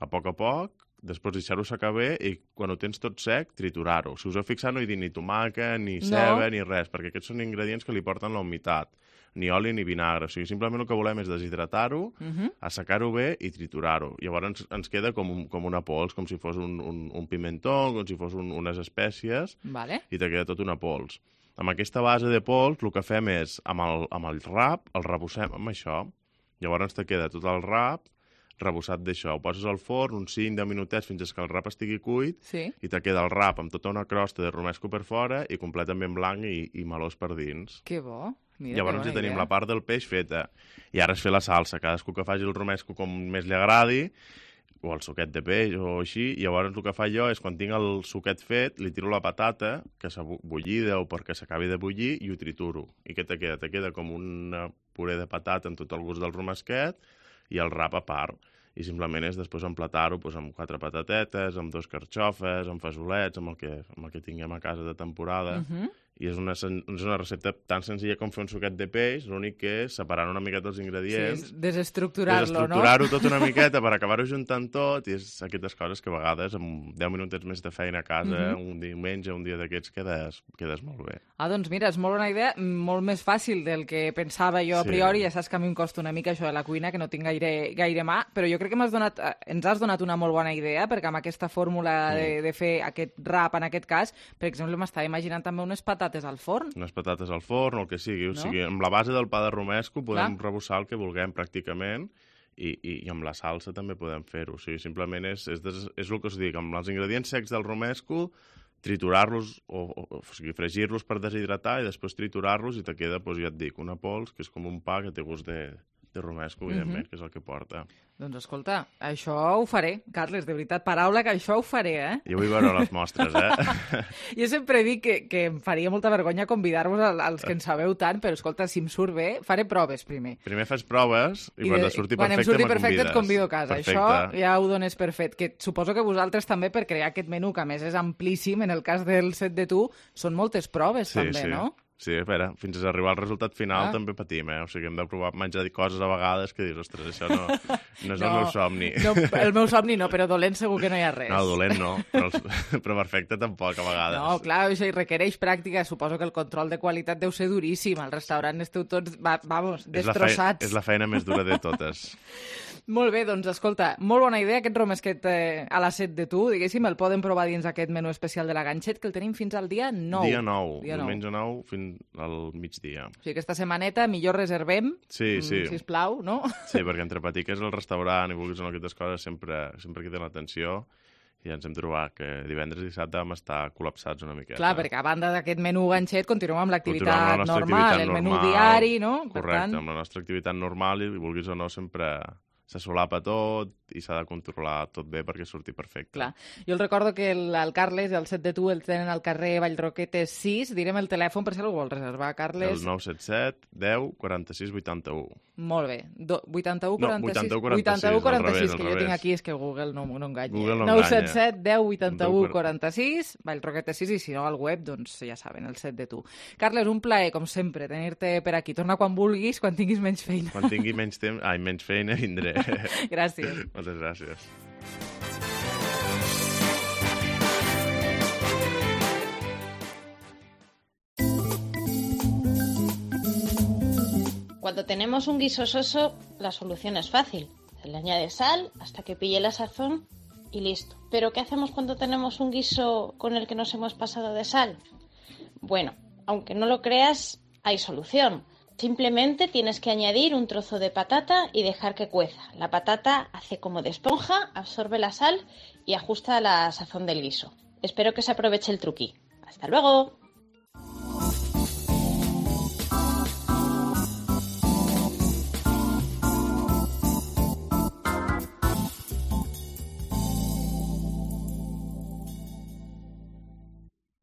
a poc a poc, després deixar-ho secar bé i quan ho tens tot sec, triturar-ho. Si us heu fixat no hi dic ni tomàquet, ni No. ceba, ni res, perquè aquests són ingredients que li porten la humitat, ni oli ni vinagre. O sigui, simplement el que volem és deshidratar-ho, Mhm. assecar-ho bé i triturar-ho. Llavors ens, ens queda com, un, com una pols, com si fos un, un, un pimentó, com si fos un, unes espècies, Vale. i te queda tot una pols. Amb aquesta base de pols, el que fem és, amb el, amb el rap, el rebossem amb això. Llavors te queda tot el rap rebossat d'això. Ho poses al forn uns cinc deu minutets fins que el rap estigui cuit Sí. i te queda el rap amb tota una crosta de romesco per fora i completament blanc i, i melós per dins. Que bo. Mira, Llavors que ja bona tenim idea. la part del peix feta. I ara és fer la salsa. Cadascú que faci el romesco com més li agradi, o el suquet de peix o així, i llavors el que fa jo és quan tinc el suquet fet, li tiro la patata, que s'ha bu- bullida o perquè s'acabi de bullir, i ho trituro. I què te queda? Te queda com una puré de patata amb tot el gust del romesquet i el rap a part. I simplement és després emplatar-ho doncs, amb quatre patatetes, amb dos carxofes, amb fesolets, amb el que, amb el que tinguem a casa de temporada. Mhm. I és una, sen- és una recepta tan senzilla com fer un suquet de peix, l'únic que és separar una miqueta els ingredients, Sí, desestructurar-lo, no? desestructurar-ho tot una miqueta per acabar-ho juntant tot, i és aquestes coses que a vegades amb deu minutets més de feina a casa, Mhm. un diumenge, un dia d'aquests, quedes, quedes molt bé. Ah, doncs mira, és molt bona idea, molt més fàcil del que pensava jo a Sí. priori. Ja saps que a mi em costa una mica això de la cuina, que no tinc gaire, gaire mà, però jo crec que m'has donat, eh, ens has donat una molt bona idea, perquè amb aquesta fórmula de, de fer aquest rap, en aquest cas, per exemple, m'estava imaginant també unes patates al forn. Unes patates al forn o el que sigui. O No? sigui, amb la base del pa de romesco podem Clar. rebossar el que vulguem pràcticament i, i, i amb la salsa també podem fer-ho. O sigui, simplement és, és, des, és el que us dic, amb els ingredients secs del romesco, triturar-los, o, o, o sigui, fregir-los per deshidratar i després triturar-los i te queda, doncs, ja et dic, una pols que és com un pa que té gust de, de romesco, evidentment, uh-huh. que és el que porta. Doncs escolta, això ho faré, Carles, de veritat, paraula que això ho faré, eh? Jo vull veure les mostres, eh? Jo sempre dic que, que em faria molta vergonya convidar-vos als que en sabeu tant, però escolta, si em surt bé, faré proves primer. Primer fas proves i, I quan de, et surti quan perfecte, em surti me perfecte convides. et convido a casa. Perfecte. Això ja ho dones per fet. Que suposo que vosaltres també, per crear aquest menú, que a més és amplíssim, en el cas del set de tu, són moltes proves sí, també, sí. no? Sí, a veure, fins a arribar al resultat final ah. també patim, eh? O sigui, hem de provar menjar coses a vegades que dius, ostres, això no, no és no, el meu somni. No, el meu somni no, però dolent segur que no hi ha res. No, dolent no, però, els, però perfecte tampoc a vegades. No, clar, això hi requereix pràctica. Suposo que el control de qualitat deu ser duríssim. Al restaurant esteu tots, va, vamos, destrossats. És la, feina, és la feina més dura de totes. Molt bé, doncs escolta, molt bona idea aquest romesquet eh, a la set de tu, diguéssim, el poden provar dins aquest menú especial de la Ganxet, que el tenim fins al dia nou. Dia nou, dia diumenge nou fins al migdia. O sigui, aquesta setmaneta millor reservem, sí, sí. Mm, sisplau, no? Sí, perquè entre patir que és el restaurant i vulguis o no aquestes coses sempre, sempre queda l'atenció. I ens hem trobat que divendres i dissabte vam estar col·lapsats una miqueta. Clar, perquè a banda d'aquest menú ganxet continuem amb l'activitat amb la normal, activitat el menú normal, diari, no? Correcte, per tant... amb la nostra activitat normal i vulguis o no sempre se solapa tot i s'ha de controlar tot bé perquè surti perfecte. Clar. Jo el recordo que el, el Carles i el set de tu el tenen al carrer Vallroquetes sis. Direm el telèfon per si algú vol reservar, Carles. El nou set set deu quaranta-sis vuitanta-u. Molt bé. Do, vuitanta-u quaranta-sis? No, vuitanta-u quaranta-sis, que jo tinc aquí, és que Google no, no enganya. Google no nou set set deu vuitanta-u quaranta-sis, Vallroquetes sis, i si no al web, doncs ja saben, el set de tu. Carles, un plaer, com sempre, tenir-te per aquí. Torna quan vulguis, quan tinguis menys feina. Quan tingui menys temps, ai, menys feina, vindré. Gràcies. Moltes gràcies. Cuando tenemos un guiso soso, la solución es fácil. Se le añade sal hasta que pille la sazón y listo. ¿Pero qué hacemos cuando tenemos un guiso con el que nos hemos pasado de sal? Bueno, aunque no lo creas, hay solución. Simplemente tienes que añadir un trozo de patata y dejar que cueza. La patata hace como de esponja, absorbe la sal y ajusta la sazón del guiso. Espero que se aproveche el truqui. ¡Hasta luego!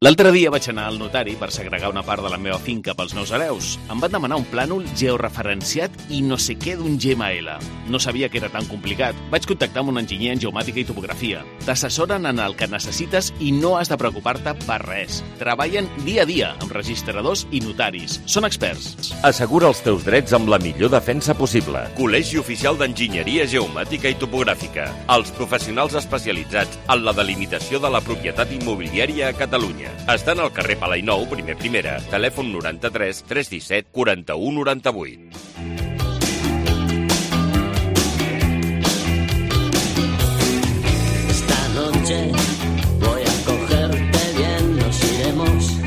L'altre dia vaig anar al notari per segregar una part de la meva finca pels meus hereus. Em van demanar un plànol georreferenciat i no sé què d'un G M L. No sabia que era tan complicat. Vaig contactar amb un enginyer en geomàtica i topografia. T'assessoren en el que necessites i no has de preocupar-te per res. Treballen dia a dia amb registradors i notaris. Són experts. Assegura els teus drets amb la millor defensa possible. Col·legi Oficial d'Enginyeria Geomàtica i Topogràfica. Els professionals especialitzats en la delimitació de la propietat immobiliària a Catalunya. Estan al carrer Palainou, primer primera, telèfon noranta-tres tres disset quaranta-u noranta-vuit. Esta noche voy a cogerte bien, nos iremos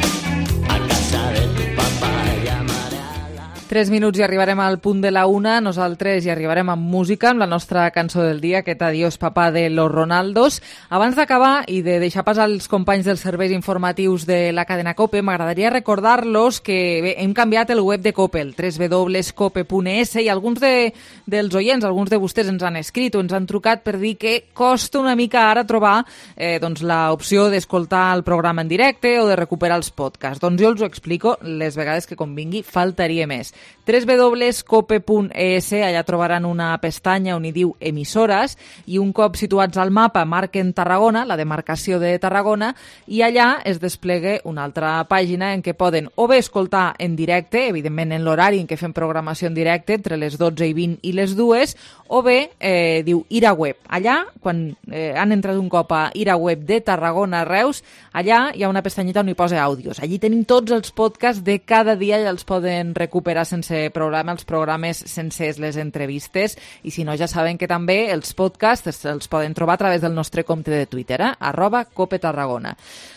a casa de tu papá, llamaré a la... Tres minuts i arribarem al punt de la una. Nosaltres hi arribarem amb música, amb la nostra cançó del dia, aquest Adiós papà de Los Ronaldos. Abans d'acabar i de deixar passar els companys dels serveis informatius de la cadena COPE, m'agradaria recordar-los que bé, hem canviat el web de COPE, el w w w punt cope punt e s, i alguns de, dels oients, alguns de vostès ens han escrit o ens han trucat per dir que costa una mica ara trobar eh, doncs, l'opció d'escoltar el programa en directe o de recuperar els podcasts. Doncs jo els ho explico les vegades que convingui, faltaria més. w w w punt cope punt e s, allà trobaran una pestanya on hi diu emissores i un cop situats al mapa marquen Tarragona, la demarcació de Tarragona, i allà es desplega una altra pàgina en què poden o bé escoltar en directe, evidentment en l'horari en què fem programació en directe, entre les dotze i vint i les dues, o bé eh, diu ir a web. Allà, quan eh, han entrat un cop a ir a web de Tarragona Reus, allà hi ha una pestanyeta on hi posa àudios. Allí tenim tots els podcasts de cada dia i els poden recuperar sense problema, els programes sencers, les entrevistes, i si no ja saben que també els podcasts els poden trobar a través del nostre compte de Twitter, eh? arroba Cope Tarragona.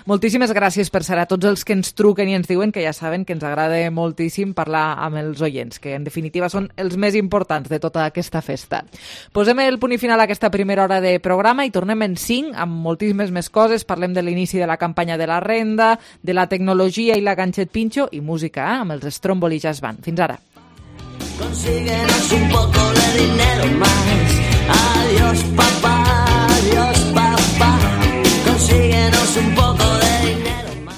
Moltíssimes gràcies per ser a tots els que ens truquen i ens diuen que ja saben que ens agrada moltíssim parlar amb els oients, que en definitiva són els més importants de tota aquesta festa. Posem el punt i final a aquesta primera hora de programa i tornem en cinc amb moltíssimes més coses. Parlem de l'inici de la campanya de la renda, de la tecnologia i la Ganxet Pinxo i música, eh? amb els Stromboli Jazz Band. Fins ara. Consíguenos un poco de dinero más. Adiós papá, adiós papá. Consíguenos un poco de dinero más.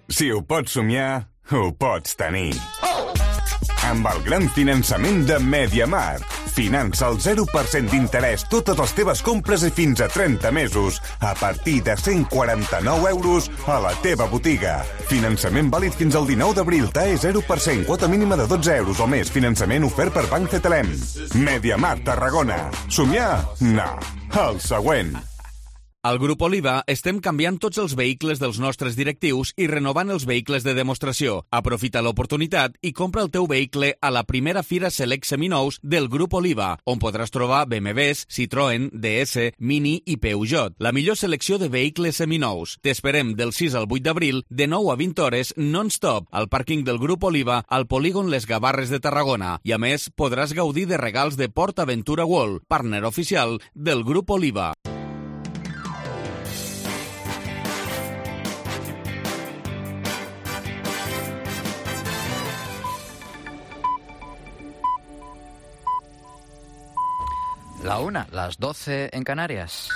Si ho pots somiar, ho pots tenir. Amb el gran finançament de MediaMarkt. Finança al zero per cent d'interès totes les teves compres i fins a trenta mesos a partir de cent quaranta-nou euros a la teva botiga. Finançament vàlid fins al dinou d'abril. T A E zero per cent, quota mínima de dotze euros o més. Finançament ofert per Banc Cetelem. MediaMarkt Tarragona. Somiar? No. El següent. Al Grup Oliva estem canviant tots els vehicles dels nostres directius i renovant els vehicles de demostració. Aprofita l'oportunitat i compra el teu vehicle a la primera Fira Select Seminous del Grup Oliva, on podràs trobar B M Ws, Citroën, D S, Mini i Peugeot. La millor selecció de vehicles seminous. T'esperem del sis al vuit d'abril, de nou a vint hores, non-stop, al pàrquing del Grup Oliva, al polígon Les Gavarres de Tarragona. I a més, podràs gaudir de regals de PortAventura World, partner oficial del Grup Oliva. La una, las doce en Canarias.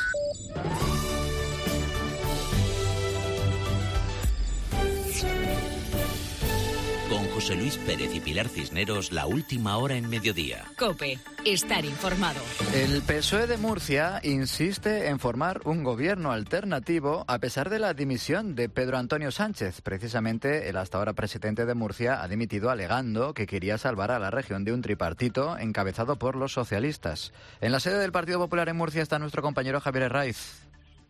Con José Luis Pérez y Pilar Cisneros, la última hora en mediodía. COPE, estar informado. El P S O E de Murcia insiste en formar un gobierno alternativo a pesar de la dimisión de Pedro Antonio Sánchez. Precisamente, el hasta ahora presidente de Murcia ha dimitido alegando que quería salvar a la región de un tripartito encabezado por los socialistas. En la sede del Partido Popular en Murcia está nuestro compañero Javier Herraiz.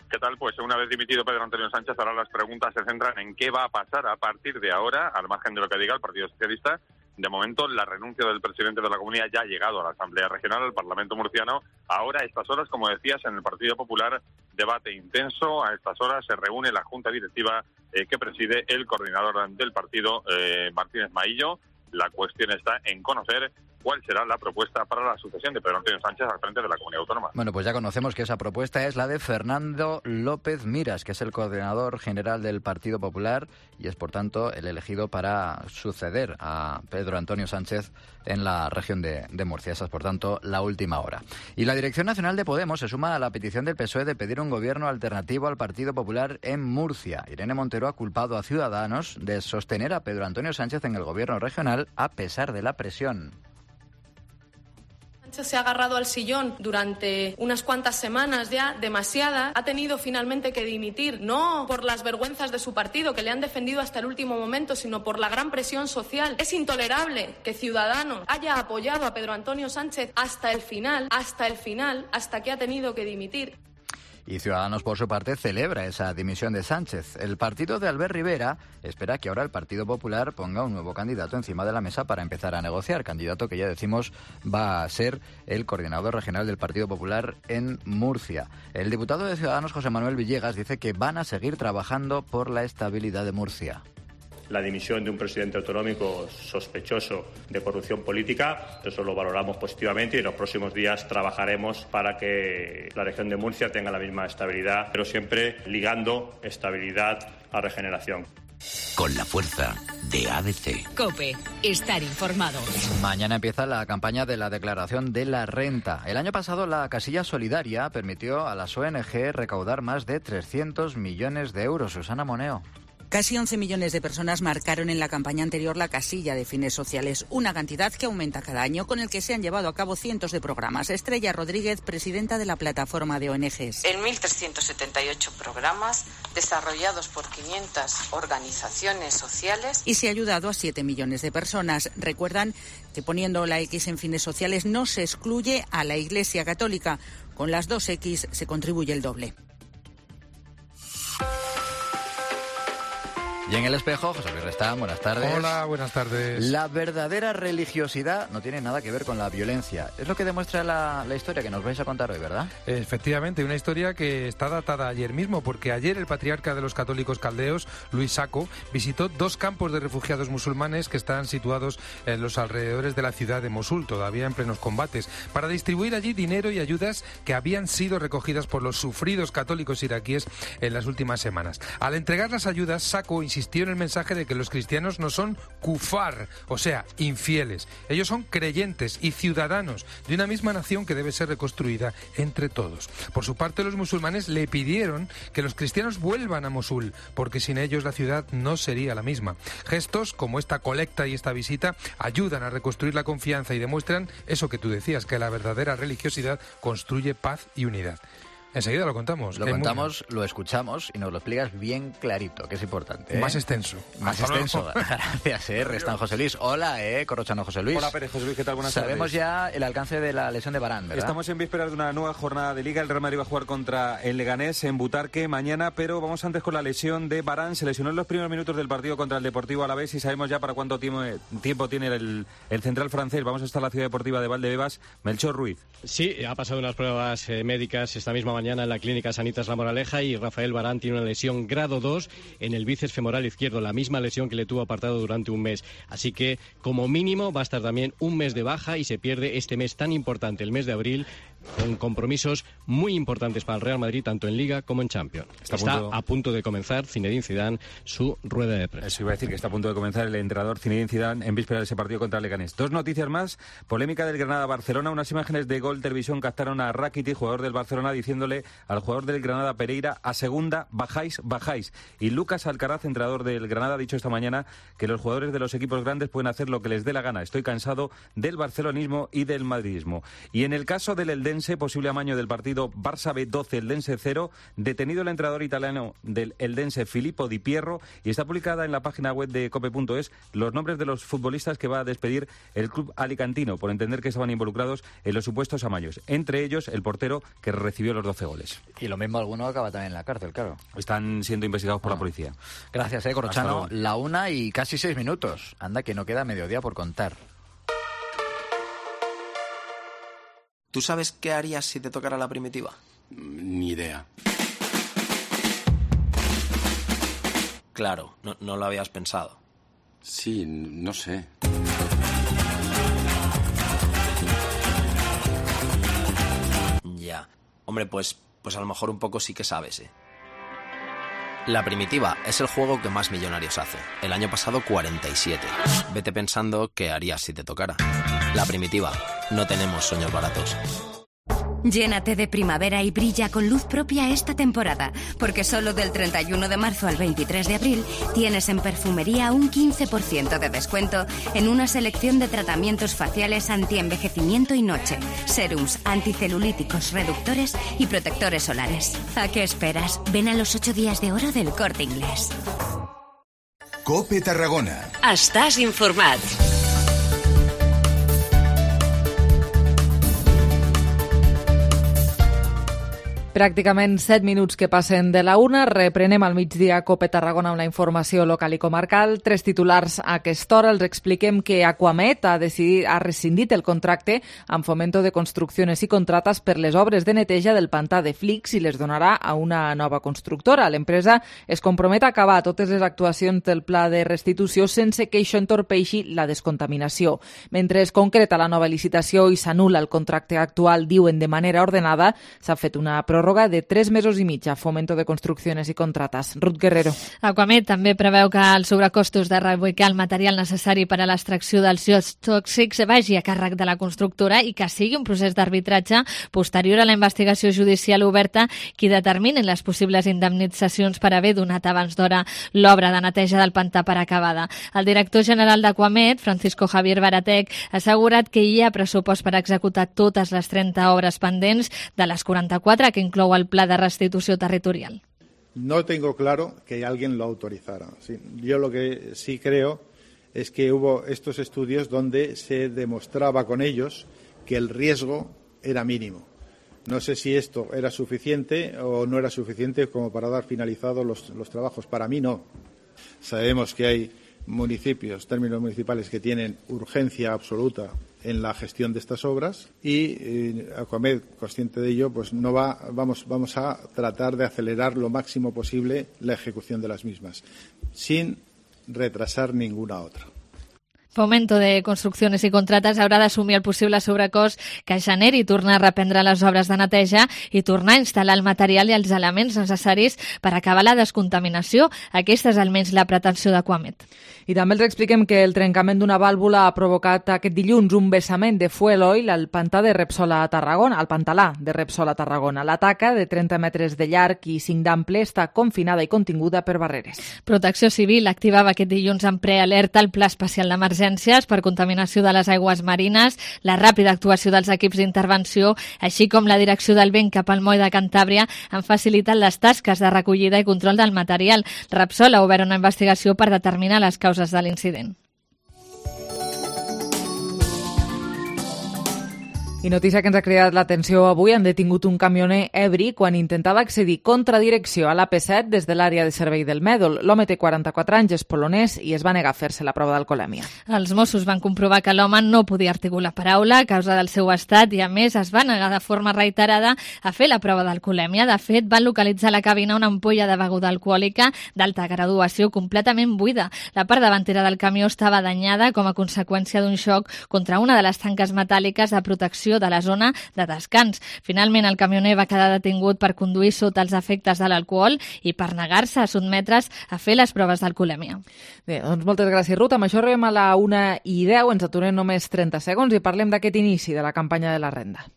¿Qué tal? Pues una vez dimitido Pedro Antonio Sánchez, ahora las preguntas se centran en qué va a pasar a partir de ahora, al margen de lo que diga el Partido Socialista. De momento, la renuncia del presidente de la comunidad ya ha llegado a la Asamblea Regional, al Parlamento murciano. Ahora, a estas horas, como decías, en el Partido Popular, debate intenso. A estas horas se reúne la Junta Directiva eh, que preside el coordinador del partido, eh, Martínez Maillo. La cuestión está en conocer cuál será la propuesta para la sucesión de Pedro Antonio Sánchez al frente de la Comunidad Autónoma. Bueno, pues ya conocemos que esa propuesta es la de Fernando López Miras, que es el coordinador general del Partido Popular y es, por tanto, el elegido para suceder a Pedro Antonio Sánchez en la región de, de Murcia. Esa es, por tanto, la última hora. Y la Dirección Nacional de Podemos se suma a la petición del P S O E de pedir un gobierno alternativo al Partido Popular en Murcia. Irene Montero ha culpado a Ciudadanos de sostener a Pedro Antonio Sánchez en el gobierno regional a pesar de la presión. Sánchez se ha agarrado al sillón durante unas cuantas semanas ya, demasiadas. Ha tenido finalmente que dimitir, no por las vergüenzas de su partido, que le han defendido hasta el último momento, sino por la gran presión social. Es intolerable que Ciudadanos haya apoyado a Pedro Antonio Sánchez hasta el final, hasta el final, hasta que ha tenido que dimitir. Y Ciudadanos, por su parte, celebra esa dimisión de Sánchez. El partido de Albert Rivera espera que ahora el Partido Popular ponga un nuevo candidato encima de la mesa para empezar a negociar. Candidato que ya decimos va a ser el coordinador regional del Partido Popular en Murcia. El diputado de Ciudadanos, José Manuel Villegas, dice que van a seguir trabajando por la estabilidad de Murcia. La dimisión de un presidente autonómico sospechoso de corrupción política, eso lo valoramos positivamente y en los próximos días trabajaremos para que la región de Murcia tenga la misma estabilidad, pero siempre ligando estabilidad a regeneración. Con la fuerza de A D C. COPE, estar informado. Mañana empieza la campaña de la declaración de la renta. El año pasado la casilla solidaria permitió a las O N G recaudar más de trescientos millones de euros. Susana Moneo. Casi once millones de personas marcaron en la campaña anterior la casilla de fines sociales, una cantidad que aumenta cada año, con el que se han llevado a cabo cientos de programas. Estrella Rodríguez, presidenta de la plataforma de O N Ges. En mil trescientos setenta y ocho programas desarrollados por quinientas organizaciones sociales. Y se ha ayudado a siete millones de personas. Recuerdan que poniendo la X en fines sociales no se excluye a la Iglesia Católica. Con las dos X se contribuye el doble. Y en El Espejo, José Luis Restán, buenas tardes. Hola, buenas tardes. La verdadera religiosidad no tiene nada que ver con la violencia. Es lo que demuestra la, la historia que nos vais a contar hoy, ¿verdad? Efectivamente, una historia que está datada ayer mismo, porque ayer el patriarca de los católicos caldeos, Luis Sacco, visitó dos campos de refugiados musulmanes que están situados en los alrededores de la ciudad de Mosul, todavía en plenos combates, para distribuir allí dinero y ayudas que habían sido recogidas por los sufridos católicos iraquíes en las últimas semanas. Al entregar las ayudas, Sacco insistió insistió en el mensaje de que los cristianos no son kufar, o sea, infieles. Ellos son creyentes y ciudadanos de una misma nación que debe ser reconstruida entre todos. Por su parte, los musulmanes le pidieron que los cristianos vuelvan a Mosul, porque sin ellos la ciudad no sería la misma. Gestos como esta colecta y esta visita ayudan a reconstruir la confianza y demuestran eso que tú decías, que la verdadera religiosidad construye paz y unidad. Enseguida lo contamos. Lo contamos, lo escuchamos y nos lo explicas bien clarito, que es importante. ¿eh? Más extenso. Más Hasta extenso. luego. Gracias, eh. Restan José Luis. Hola, eh, Corrochano José Luis. Hola, Pérez José Luis, ¿qué tal? Buenas Sabemos tardes. ya el alcance de la lesión de Varane, ¿verdad? Estamos en vísperas de una nueva jornada de Liga. El Real Madrid va a jugar contra el Leganés en Butarque mañana, pero vamos antes con la lesión de Varane. Se lesionó en los primeros minutos del partido contra el Deportivo Alavés y sabemos ya para cuánto tiempo, tiempo tiene el, el central francés. Vamos hasta la ciudad deportiva de Valdebebas. Melchor Ruiz. Sí, ha pasado unas pruebas eh, médicas esta misma mañana en la clínica Sanitas La Moraleja y Rafael Varane tiene una lesión grado dos en el bíceps femoral izquierdo, la misma lesión que le tuvo apartado durante un mes. Así que, como mínimo, va a estar también un mes de baja y se pierde este mes tan importante, el mes de abril, con compromisos muy importantes para el Real Madrid, tanto en Liga como en Champions. Está, está a, punto... a punto de comenzar Zinedine Zidane su rueda de prensa. Eso iba a decir, que está a punto de comenzar el entrenador Zinedine Zidane en víspera de ese partido contra el Leganés. Dos noticias más. Polémica del Granada-Barcelona. Unas imágenes de Gol Televisión captaron a Rakitic, jugador del Barcelona, diciéndole al jugador del Granada, Pereira, a segunda, bajáis, bajáis. Y Lucas Alcaraz, entrenador del Granada, ha dicho esta mañana que los jugadores de los equipos grandes pueden hacer lo que les dé la gana. Estoy cansado del barcelonismo y del madridismo. Y en el caso del Eldense, posible amaño del partido Barça B doce, Eldense cero, detenido el entrenador italiano del Eldense, Filippo Di Pierro, y está publicada en la página web de cope punto es los nombres de los futbolistas que va a despedir el club alicantino por entender que estaban involucrados en los supuestos amaños. Entre ellos, el portero que recibió los doce goles. Y lo mismo alguno acaba también en la cárcel, claro. Están siendo investigados por ah. la policía. Gracias, eh, Corrochano. La una y casi seis minutos. Anda, que no queda mediodía por contar. ¿Tú sabes qué harías si te tocara la primitiva? Ni idea. Claro, no, no lo habías pensado. Sí, no sé. Ya. Hombre, pues, pues a lo mejor un poco sí que sabes, ¿eh? La primitiva es el juego que más millonarios hace. El año pasado cuarenta y siete. Vete pensando qué harías si te tocara. La primitiva. No tenemos sueños baratos. Llénate de primavera y brilla con luz propia esta temporada, porque solo del treinta y uno de marzo al veintitrés de abril tienes en perfumería un quince por ciento de descuento en una selección de tratamientos faciales anti-envejecimiento y noche, serums, anticelulíticos, reductores y protectores solares. ¿A qué esperas? Ven a los ocho días de oro del Corte Inglés. COPE Tarragona. Estàs informat. Pràcticament set minuts que passen de la una. Reprenem al migdia COPE Tarragona amb la informació local i comarcal. Tres titulars a aquesta hora. Els expliquem que Aquamet ha, decidit, ha rescindit el contracte amb Fomento de Construcciones i Contratas per les obres de neteja del pantà de Flix i les donarà a una nova constructora. L'empresa es compromet a acabar totes les actuacions del pla de restitució sense que això entorpeixi la descontaminació. Mentre es concreta la nova licitació i s'anul·la el contracte actual, diuen de manera ordenada, s'ha fet una pròrroga de tres mesos i mig a Fomento de Construcciones i Contratas. Ruth Guerrero. Aquamet també preveu que els sobrecostos de reubicar el material necessari per a l'extracció dels llots tòxics vagi a càrrec de la constructora i que sigui un procés d'arbitratge posterior a la investigació judicial oberta qui determinin les possibles indemnitzacions per haver donat abans d'hora l'obra de neteja del pantà per acabada. El director general d'Aquamet, Francisco Javier Baratec, ha assegurat que hi ha pressupost per executar totes les trenta obres pendents de les quaranta-quatre que inclou el pla de restitució territorial. No tengo claro que alguien lo autorizara. Sí, yo lo que sí creo es que hubo estos estudios donde se demostraba con ellos que el riesgo era mínimo. No sé si esto era suficiente o no era suficiente como para dar finalizados los, los trabajos. Para mí no. Sabemos que hay municipios, términos municipales, que tienen urgencia absoluta en la gestión de estas obras y eh, Aquamed, consciente de ello, pues no va, vamos, vamos a tratar de acelerar lo máximo posible la ejecución de las mismas, sin retrasar ninguna otra. Fomento de Construcciones i Contrates haurà d'assumir el possible sobrecost que generi tornar a reprendre les obres de neteja i tornar a instal·lar el material i els elements necessaris per acabar la descontaminació. Aquesta és almenys la pretensió d'Aquamet. I també els expliquem que el trencament d'una vàlvula ha provocat aquest dilluns un vessament de fuel oil al pantà de Repsol a Tarragona, al pantalà de Repsol a Tarragona. La taca, de trenta metres de llarg i cinc d'ample, està confinada i continguda per barreres. Protecció Civil activava aquest dilluns en prealerta el Pla Especial d'Emergències per contaminació de les aigües marines, la ràpida actuació dels equips d'intervenció, així com la direcció del vent cap al moll de Cantàbria han facilitat les tasques de recollida i control del material. Repsol ha obert una investigació per determinar les causes de l'incident. I notícia que ens ha cridat l'atenció avui, han detingut un camioner ebri quan intentava accedir contra direcció a l'A P set des de l'àrea de servei del Mèdol. L'home té quaranta-quatre anys, és polonès i es va negar a fer-se la prova d'alcoholèmia. Els Mossos van comprovar que l'home no podia articular paraula a causa del seu estat i, a més, es va negar de forma reiterada a fer la prova d'alcoholèmia. De fet, van localitzar a la cabina una ampolla de beguda alcohòlica d'alta graduació completament buida. La part davantera del camió estava danyada com a conseqüència d'un xoc contra una de les tanques metàl·liques de protecció de la zona de descans. Finalment, el camioner va quedar detingut per conduir sota els efectes de l'alcohol i per negar-se a sotmetre's a fer les proves d'alcoholèmia. Bé, doncs moltes gràcies, Ruth. Amb això arribem a la una i deu, ens aturem només trenta segons i parlem d'aquest inici de la campanya de la renda.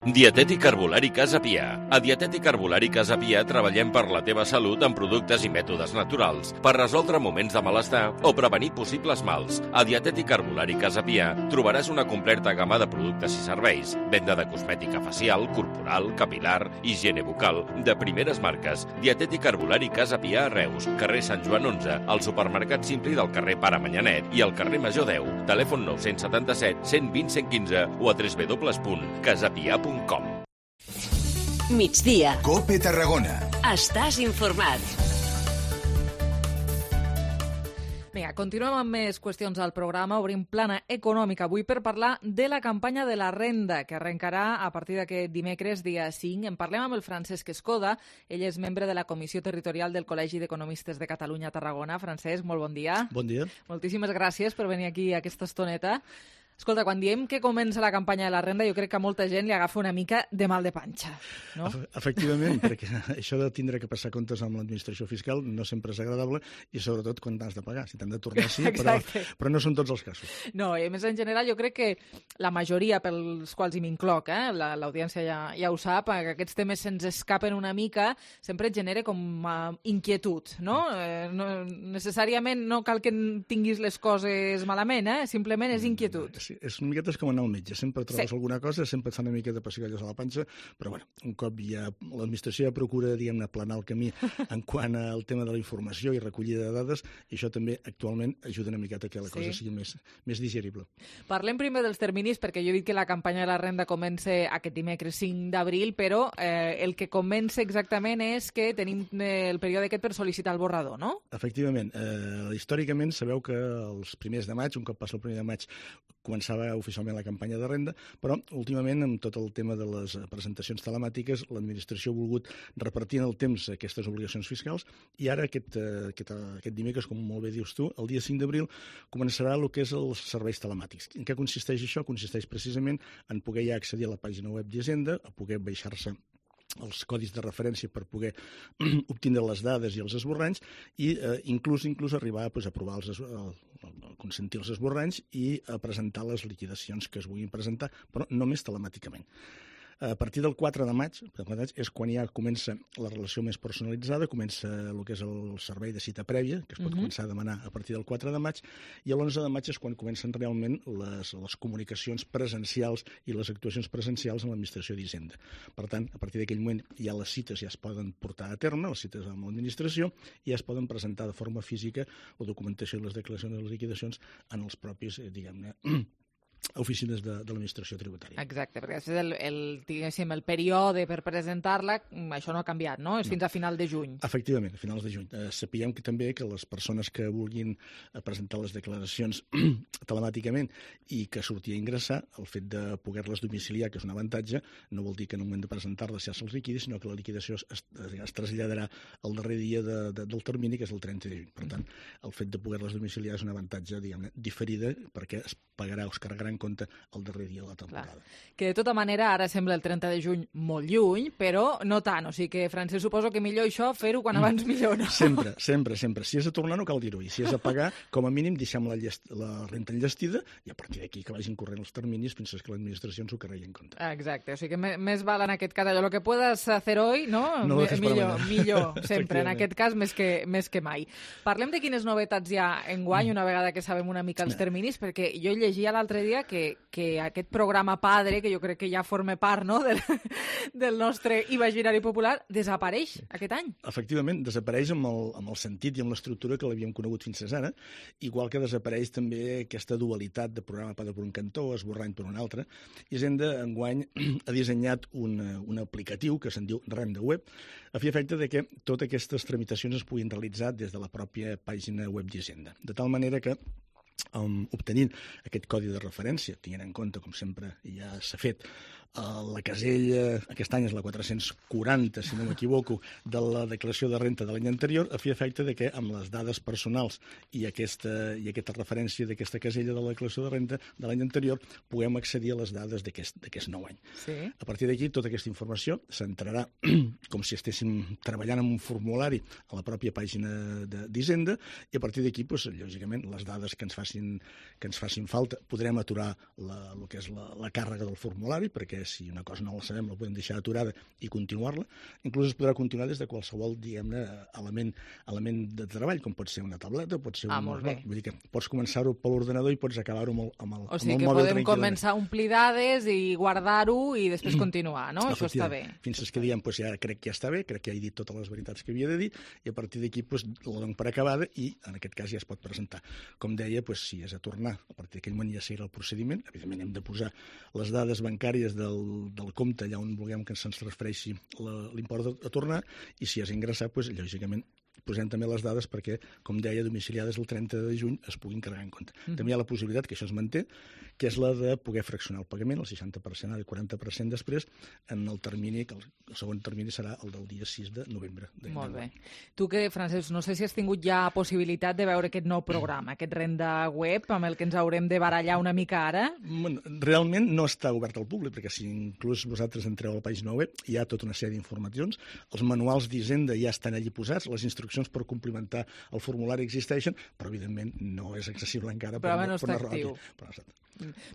Dietètic Herbolari Casa Pia. A Dietètic Herbolari Casa Pia treballem per la teva salut amb productes i mètodes naturals, per resoldre moments de malestar o prevenir possibles mals. A Dietètic Herbolari Casa Pia trobaràs una completa gamma de productes i serveis, venda de cosmètica facial, corporal, capilar, higiene bucal, de primeres marques. Dietètic Herbolari Casa Pia a Reus, carrer Sant Joan onze, al supermercat Simpli del carrer Pare Manyanet i al carrer Major deu. Telèfon nou set set, cent vint, cent quinze o a w w w punt casapia punt com. Migdia. Cope Tarragona. Estàs informat. Vinga, continuem amb més qüestions al programa. Obrim plana econòmica avui per parlar de la campanya de la renda, que arrencarà a partir d'aquest dimecres, dia cinc. En parlem amb el Francesc Escoda. Ell és membre de la Comissió Territorial del Col·legi d'Economistes de Catalunya a Tarragona. Francesc, molt bon dia. Bon dia. Moltíssimes gràcies per venir aquí a aquesta estoneta. Escolta, quan diem que comença la campanya de la renda, jo crec que a molta gent li agafa una mica de mal de panxa, no? Efectivament, perquè això de tindre que passar comptes amb l'administració fiscal no sempre és agradable i sobretot quan t'has de pagar. Si t'han de tornar, sí, però, però no són tots els casos. No, i a més en general jo crec que la majoria, pels quals hi m'incloc, eh, l'audiència ja, ja ho sap, que aquests temes se'ns escapen una mica, sempre et genera com uh, inquietud, no? Eh, no? Necessàriament no cal que tinguis les coses malament, eh? Simplement és inquietud. Sí, és una miqueta com anar al metge. Sempre trobes sí. alguna cosa, sempre et fa una mica de pessigolles a la panxa, però bueno, un cop ja l'administració ja procura, diguem-ne, aplanar el camí en quant al tema de la informació i recollida de dades, i això també actualment ajuda una miqueta que la cosa sí. sigui més, més digerible. Parlem primer dels terminis, perquè jo he dit que la campanya de la renda comença aquest dimecres cinc d'abril, però eh, el que comença exactament és que tenim eh, el període aquest per sol·licitar el borrador, no? Efectivament. Eh, històricament sabeu que els primers de maig, un cop passa el primer de maig, començava oficialment la campanya de renda, però últimament amb tot el tema de les presentacions telemàtiques l'administració ha volgut repartir en el temps aquestes obligacions fiscals i ara aquest, aquest, aquest dimecres, com molt bé dius tu, el dia cinc d'abril començarà el que és els serveis telemàtics. En què consisteix això? Consisteix precisament en poder ja accedir a la pàgina web d'Hisenda, a poder baixar-se els codis de referència per poder obtindre les dades i els esborranys i eh, inclús inclús arribar pues, a aprovar els, el, el consentir els esborranys i a presentar les liquidacions que es vulguin presentar, però només telemàticament. A partir del quatre de maig és quan ja comença la relació més personalitzada, comença el que és el servei de cita prèvia, que es pot uh-huh. començar a demanar a partir del quatre de maig, i l'onze de maig és quan comencen realment les, les comunicacions presencials i les actuacions presencials en l'administració d'Hisenda. Per tant, a partir d'aquell moment ja les cites ja es poden portar a terme, les cites amb l'administració, i ja es poden presentar de forma física la documentació i les declaracions de les liquidacions en els propis, eh, diguem-ne, oficines de, de l'administració tributària. Exacte, perquè després el, el, diguéssim, el període per presentar-la, això no ha canviat, no? És no. fins a final de juny. Efectivament, a finals de juny. Eh, sapiguem que també que les persones que vulguin presentar les declaracions telemàticament i que surti a ingressar, el fet de poder-les domiciliar, que és un avantatge, no vol dir que en un moment de presentar-les ja se'ls liquidi, sinó que la liquidació es, es, es traslladarà al darrer dia de, de, del termini, que és el trenta de juny. Per tant, el fet de poder-les domiciliar és un avantatge, diguem-ne, diferida, perquè es pagarà o es carregarà en compte el darrer dia de la temporada. Clar. Que de tota manera ara sembla el trenta de juny molt lluny, però no tant. O sigui que, Francesc, suposo que millor això fer-ho quan abans millor, no? Sempre, sempre, sempre. Si és a tornar no cal dir-ho. I si és a pagar, com a mínim deixem la, llest... la renta enllestida i a partir d'aquí que vagin corrent els terminis fins que l'administració ens ho carregui en compte. Exacte. O sigui que més val en aquest cas allò, lo que puedas hacer hoy, no? No lo millor, millor, sempre. En aquest cas, més que, més que mai. Parlem de quines novetats hi ha enguany, una vegada que sabem una mica els terminis, perquè jo llegia l'altre dia que, que aquest programa padre, que jo crec que ja forma part, no?, del, del nostre imaginari popular, desapareix aquest any. Efectivament, desapareix amb el, amb el sentit i amb l'estructura que l'havíem conegut fins ara, igual que desapareix també aquesta dualitat de programa padre per un cantó, esborrany per un altre. Hisenda, enguany, ha dissenyat un, un aplicatiu que se'n diu Renda Web, a fi efecte de que totes aquestes tramitacions es puguin realitzar des de la pròpia pàgina web d'Hisenda. De tal manera que Um, obtenint aquest codi de referència, tenint en compte, com sempre ja s'ha fet, uh, la casella, aquest any és la quatre-cents quaranta, si no m'equivoco, de la declaració de renta de l'any anterior, a fi efecte de que amb les dades personals i aquesta, i aquesta referència d'aquesta casella de la declaració de renta de l'any anterior puguem accedir a les dades d'aquest nou any. Sí. A partir d'aquí, tota aquesta informació s'entrarà com si estéssim treballant en un formulari a la pròpia pàgina d'Hisenda i a partir d'aquí, doncs, lògicament, les dades que ens facin que ens facin falta, podrem aturar la, el que és la, la càrrega del formulari, perquè si una cosa no la sabem la podem deixar aturada i continuar-la. Inclús es podrà continuar des de qualsevol, diguem-ne, element, element de treball, com pot ser una tableta, pot ser ah, un... molt bé. Vull dir que pots començar-ho per l'ordenador i pots acabar-ho amb el, amb el, o sigui amb el mòbil tranquil·lament. O sigui que podem començar a omplir dades i guardar-ho i després continuar, no? Això està bé. Fins que diem, doncs ja crec que ja està bé, crec que ja he dit totes les veritats que havia de dir i a partir d'aquí doncs, la dono per acabada i en aquest cas ja es pot presentar. Com deia, doncs, si és a tornar, a partir d'aquell moment ja seguirà el procediment. Evidentment hem de posar les dades bancàries del, del compte allà on vulguem que se'ns transfereixi l'import a tornar i si és ingressar, doncs, lògicament posem també les dades perquè, com deia, domiciliades el trenta de juny es puguin carregar en compte. Mm-hmm. També hi ha la possibilitat, que això es manté, que és la de poder fraccionar el pagament, el seixanta per cent ara i quaranta per cent després, en el termini, que el, el segon termini serà el del dia sis de novembre. Molt bé. Tu que, Francesc, no sé si has tingut ja possibilitat de veure aquest nou programa, aquest Renda Web, amb el que ens haurem de barallar una mica ara? Bueno, realment no està obert al públic, perquè si inclús vosaltres entreu a la pàgina web hi ha tota una sèrie d'informacions, els manuals d'Hisenda ja estan allí posats, les instruccions per complementar el formulari existeixen, però evidentment no és accessible encara. Però per, no per està actiu. Però no està.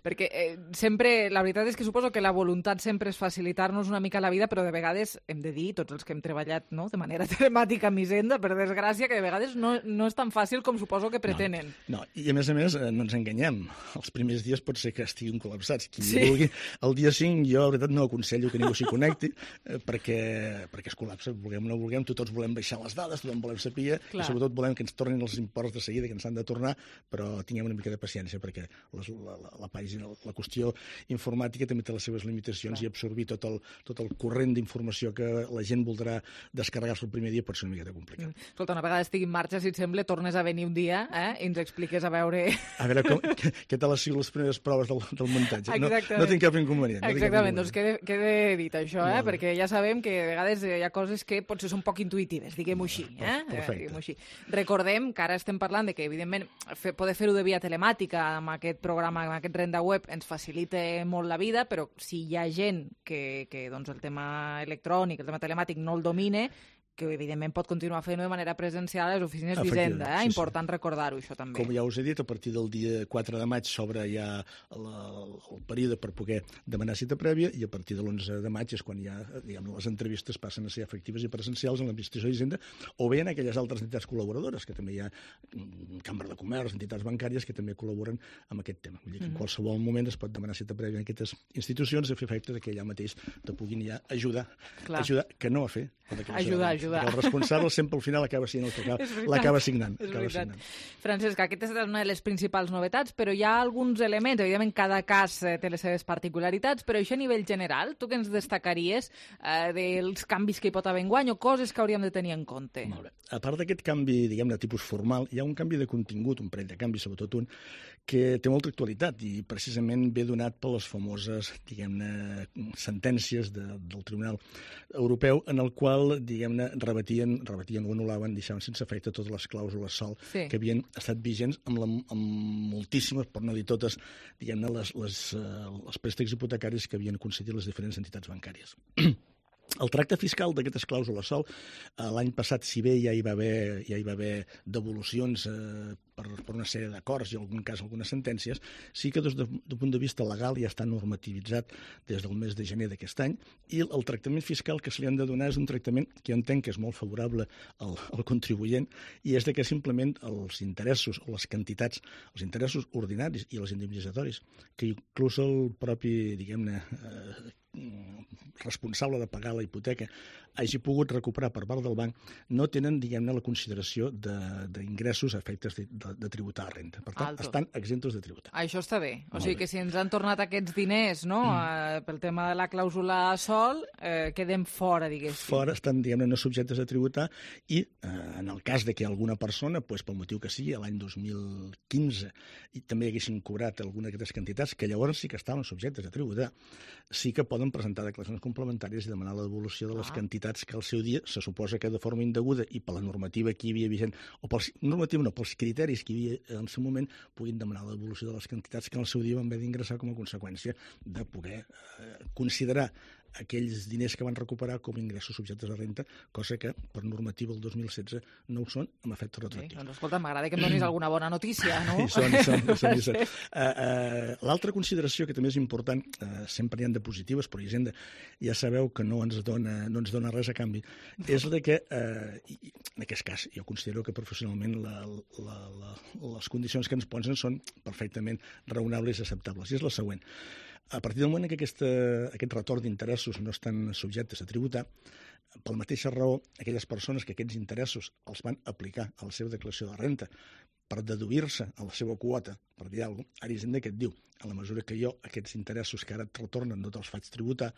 Perquè eh, sempre, la veritat és que suposo que la voluntat sempre és facilitar-nos una mica la vida, però de vegades hem de dir, tots els que hem treballat, no?, de manera telemàtica amb Hisenda, per desgràcia, que de vegades no, no és tan fàcil com suposo que pretenen. No, no, i a més a més no ens enganyem, els primers dies pot ser que estiguin col·lapsats. Qui sí. vulgui, el dia cinc jo, la veritat, no aconsello que ningú s'hi connecti, eh, perquè, perquè es col·lapsa, vulguem o no vulguem, tots volem baixar les dades, tothom volem saber, i sobretot volem que ens tornin els imports de seguida, que ens han de tornar, però tinguem una mica de paciència, perquè les, la, la, la pàgina, la qüestió informàtica també té les seves limitacions Clar. I absorbir tot el, tot el corrent d'informació que la gent voldrà descarregar-se el primer dia pot ser una mica complicat. Mm. Escolta, una vegada estigui en marxa, si et sembla, tornes a venir un dia eh, i ens expliques a veure... A veure com, què, què tal han sigut les primeres proves del, del muntatge. No, no tinc cap inconvenient. No Exactament, doncs quede, quede dit això, eh, perquè ja sabem que a vegades hi ha coses que potser són poc intuïtives, diguem-ho així. Eh? Perfecte. Així. Recordem que ara estem parlant de que, evidentment, fer, poder fer-ho de via telemàtica amb aquest programa, amb aquest Renda Web, ens facilita molt la vida, però si hi ha gent que, que doncs, el tema electrònic, el tema telemàtic no el domine, que evidentment pot continuar fent-ho de manera presencial a les oficines d'Hisenda. Eh? Sí, Important sí. recordar-ho, això també. Com ja us he dit, a partir del dia quatre de maig s'obre ja la, el període per poder demanar cita prèvia i a partir de l'onze de maig és quan ja diguem, les entrevistes passen a ser efectives i presencials en l'administració d'Hisenda o bé en aquelles altres entitats col·laboradores, que també hi ha Cambra de Comerç, entitats bancàries que també col·laboren amb aquest tema. Vull dir que en qualsevol moment es pot demanar cita prèvia en aquestes institucions a fer efecte que allà mateix te puguin ja ajudar, Clar. ajudar que no a fer. Ajudar, ajudar. El responsable sempre al final acaba sent el que l'acaba signant. Acaba signant. Francesc, aquesta és una de les principals novetats, però hi ha alguns elements, evidentment cada cas té les seves particularitats, però això a nivell general, tu què ens destacaries eh, dels canvis que hi pot haver enguany o coses que hauríem de tenir en compte? Molt bé. A part d'aquest canvi, diguem de tipus formal, hi ha un canvi de contingut, un parell de canvis, sobretot un, que té molta actualitat i precisament ve donat per les famoses, diguem-ne, sentències de, del Tribunal Europeu en el qual, diguem-ne, rebatien, rebatien o anul·laven, deixaven sense efecte totes les clàusules sol sí. que havien estat vigents amb, la, amb moltíssimes, per no dir totes, diguem-ne, les, les, els préstecs hipotecaris que havien concedit les diferents entitats bancàries. El tracte fiscal d'aquestes clàusules sol, l'any passat, si bé ja hi va haver, ja hi va haver devolucions eh, per, per una sèrie d'acords i en algun cas algunes sentències, sí que des d'un de, punt de vista legal ja està normativitzat des del mes de gener d'aquest any i el, el tractament fiscal que se li han de donar és un tractament que jo entenc que és molt favorable al, al contribuent i és de que simplement els interessos o les quantitats, els interessos ordinaris i els indemnitzatoris, que inclús el propi, diguem-ne, eh, responsable de pagar la hipoteca hagi pogut recuperar per part del banc, no tenen, diguem-ne, la consideració d'ingressos a efectes de, de, de tributar a renta. Per tant, Alto. estan exemptos de tributar. Això està bé. O Molt sigui bé. que si ens han tornat aquests diners, no?, mm. eh, pel tema de la clàusula sol, eh, quedem fora, diguéssim. Fora, estan, diguem-ne, no subjectes a tributar i, eh, en el cas de que alguna persona, pues, pel motiu que sigui, l'any dos mil quinze, i també haguessin cobrat alguna d'aquestes quantitats, que llavors sí que estaven subjectes a tributar, sí que poden presentar declaracions complementàries i demanar la devolució de les ah. quantitats que al seu dia se suposa que de forma indeguda i per la normativa que hi havia vigent, o pels, normativa no, pels criteris que hi havia en el seu moment, puguin demanar la devolució de les quantitats que al seu dia van haver d'ingressar com a conseqüència de poder eh, considerar aquells diners que van recuperar com a ingressos subjectes a renta, cosa que per normativa el dos mil setze no ho són amb efecte retroactiu. Sí, doncs escolta, m'agrada que em donis alguna bona notícia, no? I són, i són, i són, i són. Sí. Uh, uh, L'altra consideració que també és important, uh, sempre n'hi ha de positives, però Hisenda ja sabeu que no ens dona, no ens dona res a canvi, és la que, uh, i, en aquest cas, jo considero que professionalment la, la, la, les condicions que ens posen són perfectament raonables i acceptables, i és la següent. A partir del moment que aquesta, aquest retorn d'interessos no estan subjectes a tributar, per la mateixa raó, aquelles persones que aquests interessos els van aplicar a la seva declaració de renta per deduir-se a la seva quota, per dir alguna cosa, ara Hisenda que et diu, a la mesura que jo aquests interessos que ara et retornen no te'ls faig tributar,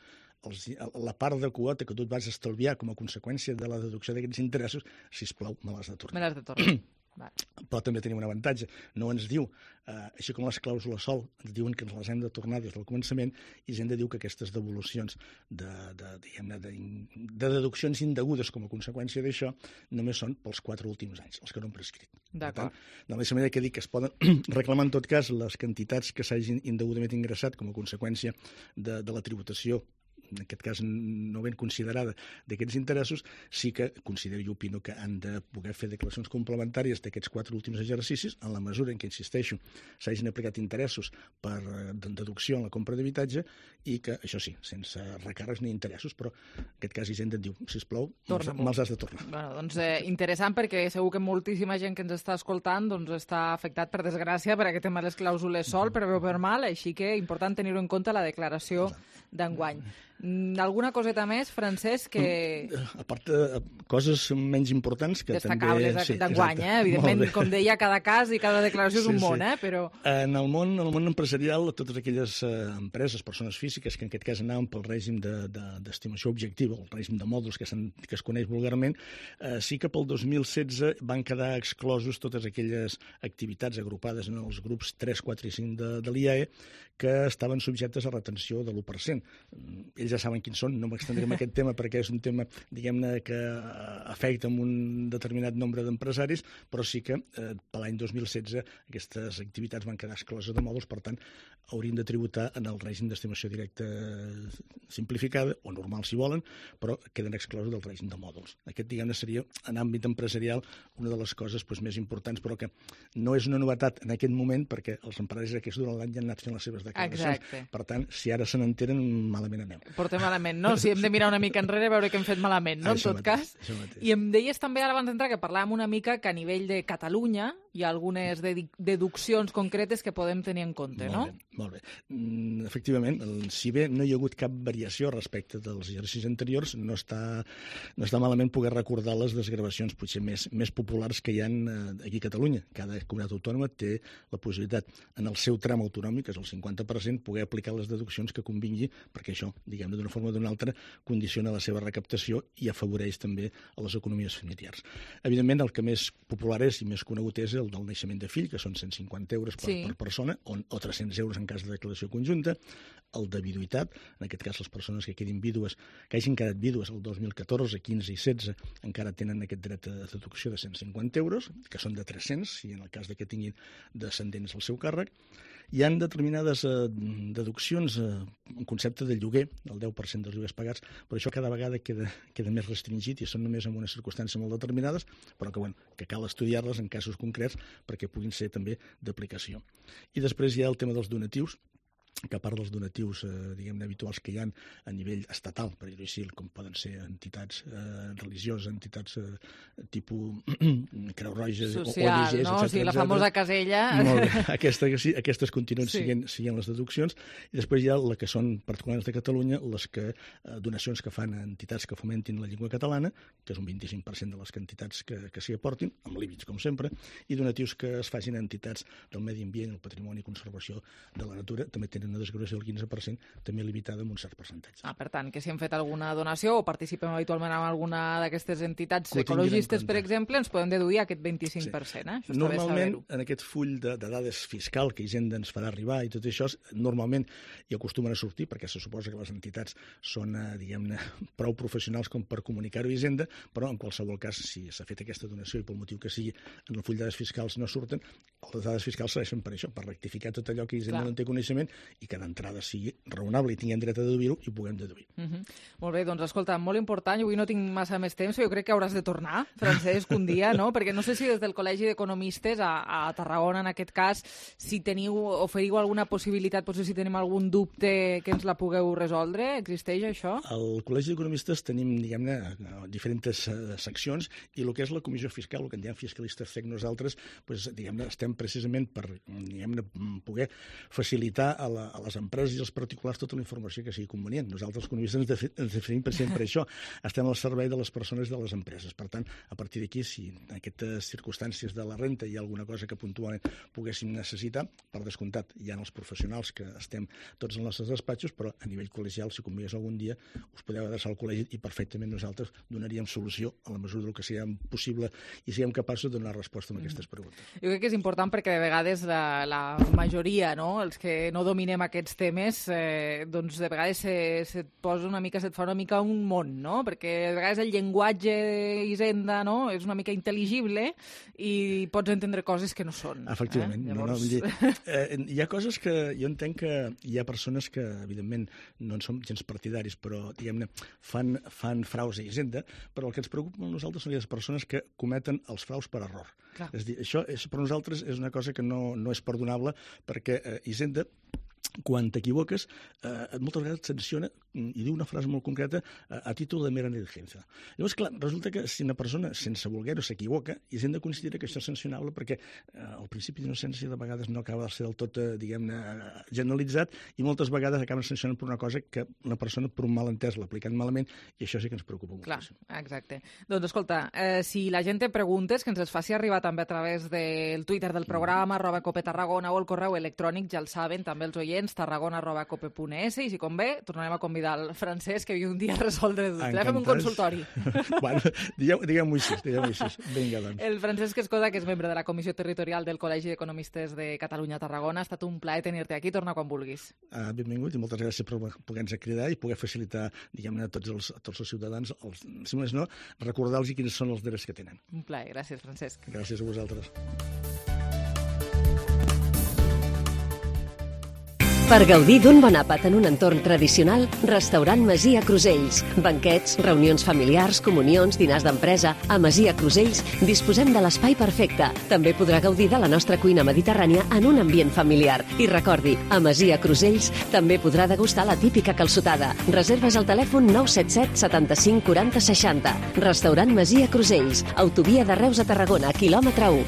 els, la part de quota que tu et vas estalviar com a conseqüència de la deducció d'aquests interessos, sisplau, me l'has de tornar. Me l'has de tornar. Va. Però també tenim un avantatge. No ens diu, eh, així com les clàusules sol, ens diuen que ens les hem de tornar des del començament, i ens hem de dir que aquestes devolucions de, de, diguem-ne, de, de deduccions indegudes com a conseqüència d'això només són pels quatre últims anys, els que no han prescrit. D'acord. De la mateixa manera que dic que es poden reclamar en tot cas les quantitats que s'hagin indegudament ingressat com a conseqüència de, de la tributació, en aquest cas no ben considerada, d'aquests interessos, sí que considero i opino que han de poder fer declaracions complementàries d'aquests quatre últims exercicis en la mesura en què, insisteixo, s'hagin aplicat interessos per deducció en la compra d'habitatge i que, això sí, sense recàrrecs ni interessos, però en aquest cas Hisenda et diu, sisplau, me'ls has de tornar. Bueno, doncs eh, interessant perquè segur que moltíssima gent que ens està escoltant doncs està afectat per desgràcia per aquest tema de les clàusules sol, per bé o per mal, així que important tenir-ho en compte la declaració d'enguany. Alguna coseta més, Francesc, que... A part de coses menys importants que destacables també... Sí, d'enguany, eh? Evidentment, com deia, cada cas i cada declaració és sí, un món, sí. eh? Però... En el món, en el món empresarial, totes aquelles eh, empreses, persones físiques, que en aquest cas anaven pel règim d'estimació de, de, objectiva, el règim de mòduls que, que es coneix vulgarment, eh, sí que pel dos mil setze van quedar exclosos totes aquelles activitats agrupades en els grups tres, quatre i cinc de, de l'I A E que estaven subjectes a retenció de l'u per cent. Ells ja saben quins són, no m'extendré en aquest tema perquè és un tema, diguem-ne, que afecta un determinat nombre d'empresaris, però sí que eh, per l'any dos mil setze aquestes activitats van quedar excloses de mòduls, per tant, haurien de tributar en el règim d'estimació directa simplificada, o normal si volen, però queden exclosos del règim de mòduls. Aquest, diguem-ne, seria, en àmbit empresarial, una de les coses doncs, més importants, però que no és una novetat en aquest moment, perquè els empresaris aquests durant l'any ja han anat fent les seves declaracions. Exacte. Per tant, si ara se n'entenen, malament anem. Portem malament, no? Si hem de mirar una mica enrere, veure que hem fet malament, no? En tot cas. I em deies també, ara abans d'entrar, que parlàvem una mica que a nivell de Catalunya hi ha algunes deduccions concretes que podem tenir en compte, no? Molt bé, molt bé. Efectivament, si bé no hi ha hagut cap variació respecte dels exercicis anteriors, no està, no està malament poder recordar les desgravacions potser més, més populars que hi ha aquí a Catalunya. Cada comunitat autònoma té la possibilitat, en el seu tram autonòmic, que és el cinquanta per cent, poder aplicar les deduccions que convingui, perquè això, diguem-ne, d'una forma o d'una altra, condiciona la seva recaptació i afavoreix també a les economies familiars. Evidentment, el que més popular és i més conegut és el del naixement de fill, que són cent cinquanta euros per, sí. per persona, o, o tres-cents euros en cas de declaració conjunta, el de viduïtat, en aquest cas les persones que quedin vídues, que hagin quedat vídues el dos mil catorze, quinze i setze, encara tenen aquest dret a deducció de cent cinquanta euros, que són de tres-cents, si en el cas de que tinguin descendents al seu càrrec. Hi ha determinades eh, deduccions, eh, en concepte de lloguer, el deu per cent dels lloguers pagats, però això cada vegada queda, queda més restringit i són només en unes circumstàncies molt determinades, però que, bueno, que cal estudiar-les en casos concrets perquè puguin ser també d'aplicació. I després hi ha el tema dels donatius, que a part dels donatius eh, diguem-ne habituals que hi ha a nivell estatal, per dir-ho així, com poden ser entitats eh, religioses, entitats eh, tipus Creu Roja, social, O N Ges, no? etcètera. Sí, la famosa casella. Molt bé. Aquesta, sí, aquestes continuen sí. siguent, siguent les deduccions. I després hi ha la que són particulars de Catalunya, les que, eh, donacions que fan a entitats que fomentin la llengua catalana, que és un vint-i-cinc per cent de les entitats que, que s'hi aportin, amb límits, com sempre, i donatius que es facin a entitats del medi ambient, el patrimoni i conservació de la natura, també tenen una desgravació del quinze per cent, també limitada amb un cert percentatge. Ah, per tant, que si hem fet alguna donació o participem habitualment en alguna d'aquestes entitats ecologistes, per exemple, ens podem deduir aquest vint-i-cinc per cent. Eh? Això normalment, en aquest full de, de dades fiscal que Hisenda ens farà arribar i tot això, normalment hi acostumen a sortir, perquè se suposa que les entitats són, eh, diguem-ne, prou professionals com per comunicar-ho a Hisenda, però en qualsevol cas, si s'ha fet aquesta donació i pel motiu que sigui, en el full de dades fiscals no surten, les dades fiscals serveixen per això, per rectificar tot allò que Hisenda Clar. no en té coneixement i que d'entrada sigui raonable i tinguem dret a deduir-ho i ho puguem deduir. Uh -huh. Molt bé, doncs escolta, molt important, avui no tinc massa més temps, jo crec que hauràs de tornar, Francesc, un dia, no? Perquè no sé si des del Col·legi d'Economistes a, a Tarragona, en aquest cas, si teniu, oferiu alguna possibilitat, potser si tenim algun dubte que ens la pugueu resoldre, existeix això? Al Col·legi d'Economistes tenim, diguem-ne, diferents uh, seccions i el que és la comissió fiscal, el que en diem fiscalistes C E C nosaltres, pues, diguem-ne, estem precisament per, diguem-ne, poder facilitar a, la, a les empreses i als particulars tota la informació que sigui convenient. Nosaltres, els economistes, ens, defi ens definim per sempre això. Estem al servei de les persones i de les empreses. Per tant, a partir d'aquí, si en aquestes circumstàncies de la renta hi ha alguna cosa que puntualment poguéssim necessitar, per descomptat, hi ha els professionals que estem tots en els nostres despatxos, però a nivell col·legial, si convigués algun dia, us podeu adreçar al col·legi i perfectament nosaltres donaríem solució a la mesura del que siguem possible i siguem capaços de donar resposta a aquestes preguntes. Jo crec que és important perquè de vegades la, la majoria, no?, els que no dominem aquests temes, eh, doncs de vegades se, se posa una mica, se't fa una mica un món, no? Perquè de vegades el llenguatge Hisenda, no?, és una mica intel·ligible i pots entendre coses que no són. Efectivament. Eh? Llavors... no, no, eh, hi ha coses que jo entenc que hi ha persones que, evidentment, no en som gens partidaris, però, diguem-ne, fan, fan fraus a Hisenda, però el que ens preocupa a nosaltres són les persones que cometen els fraus per error. Clar. És a dir, això és, per nosaltres és una cosa que no, no és perdonable perquè eh, Hisenda, quan t'equivoques, eh, moltes vegades et sanciona i diu una frase molt concreta a, a títol de mera negligència. Llavors, clar, resulta que si una persona, sense voler-ho, s'equivoca, Hisenda considera que això és sancionable perquè eh, el principi d'innocència de vegades no acaba de ser del tot, eh, diguem-ne, generalitzat i moltes vegades acaben sancionant per una cosa que una persona, per un malentès, l'ha aplicat malament i això sí que ens preocupa molt. Clar, exacte. Doncs escolta, eh, si la gent té preguntes, que ens les faci arribar també a través del Twitter del programa, arroba Cope Tarragona, o el correu electrònic, ja el saben, també els oients, tarragona arroba cope punt es, i si convé, tornarem a convidar el Francesc, que havia un dia a resoldre dubtes. Fem un consultori. Bueno, diguem-ho així, diguem-ho així. Vinga, doncs. El Francesc Escoda, que és membre de la Comissió Territorial del Col·legi d'Economistes de Catalunya-Tarragona, ha estat un plaer tenir-te aquí, torna quan vulguis. Ah, benvingut i moltes gràcies per poder-nos cridar i poder facilitar, diguem-ne, a tots els, a tots els ciutadans, els, si més no, recordar-los quins són els drets que tenen. Un plaer, gràcies, Francesc. Gràcies a vosaltres. Per gaudir d'un bon àpat en un entorn tradicional, Restaurant Masia Crusells. Banquets, reunions familiars, comunions, dinars d'empresa. A Masia Crusells disposem de l'espai perfecte. També podrà gaudir de la nostra cuina mediterrània en un ambient familiar. I recordi, a Masia Crusells també podrà degustar la típica calçotada. Reserves al telèfon nou set set setanta-cinc quaranta seixanta. Restaurant Masia Crusells. Autovia de Reus a Tarragona, quilòmetre u.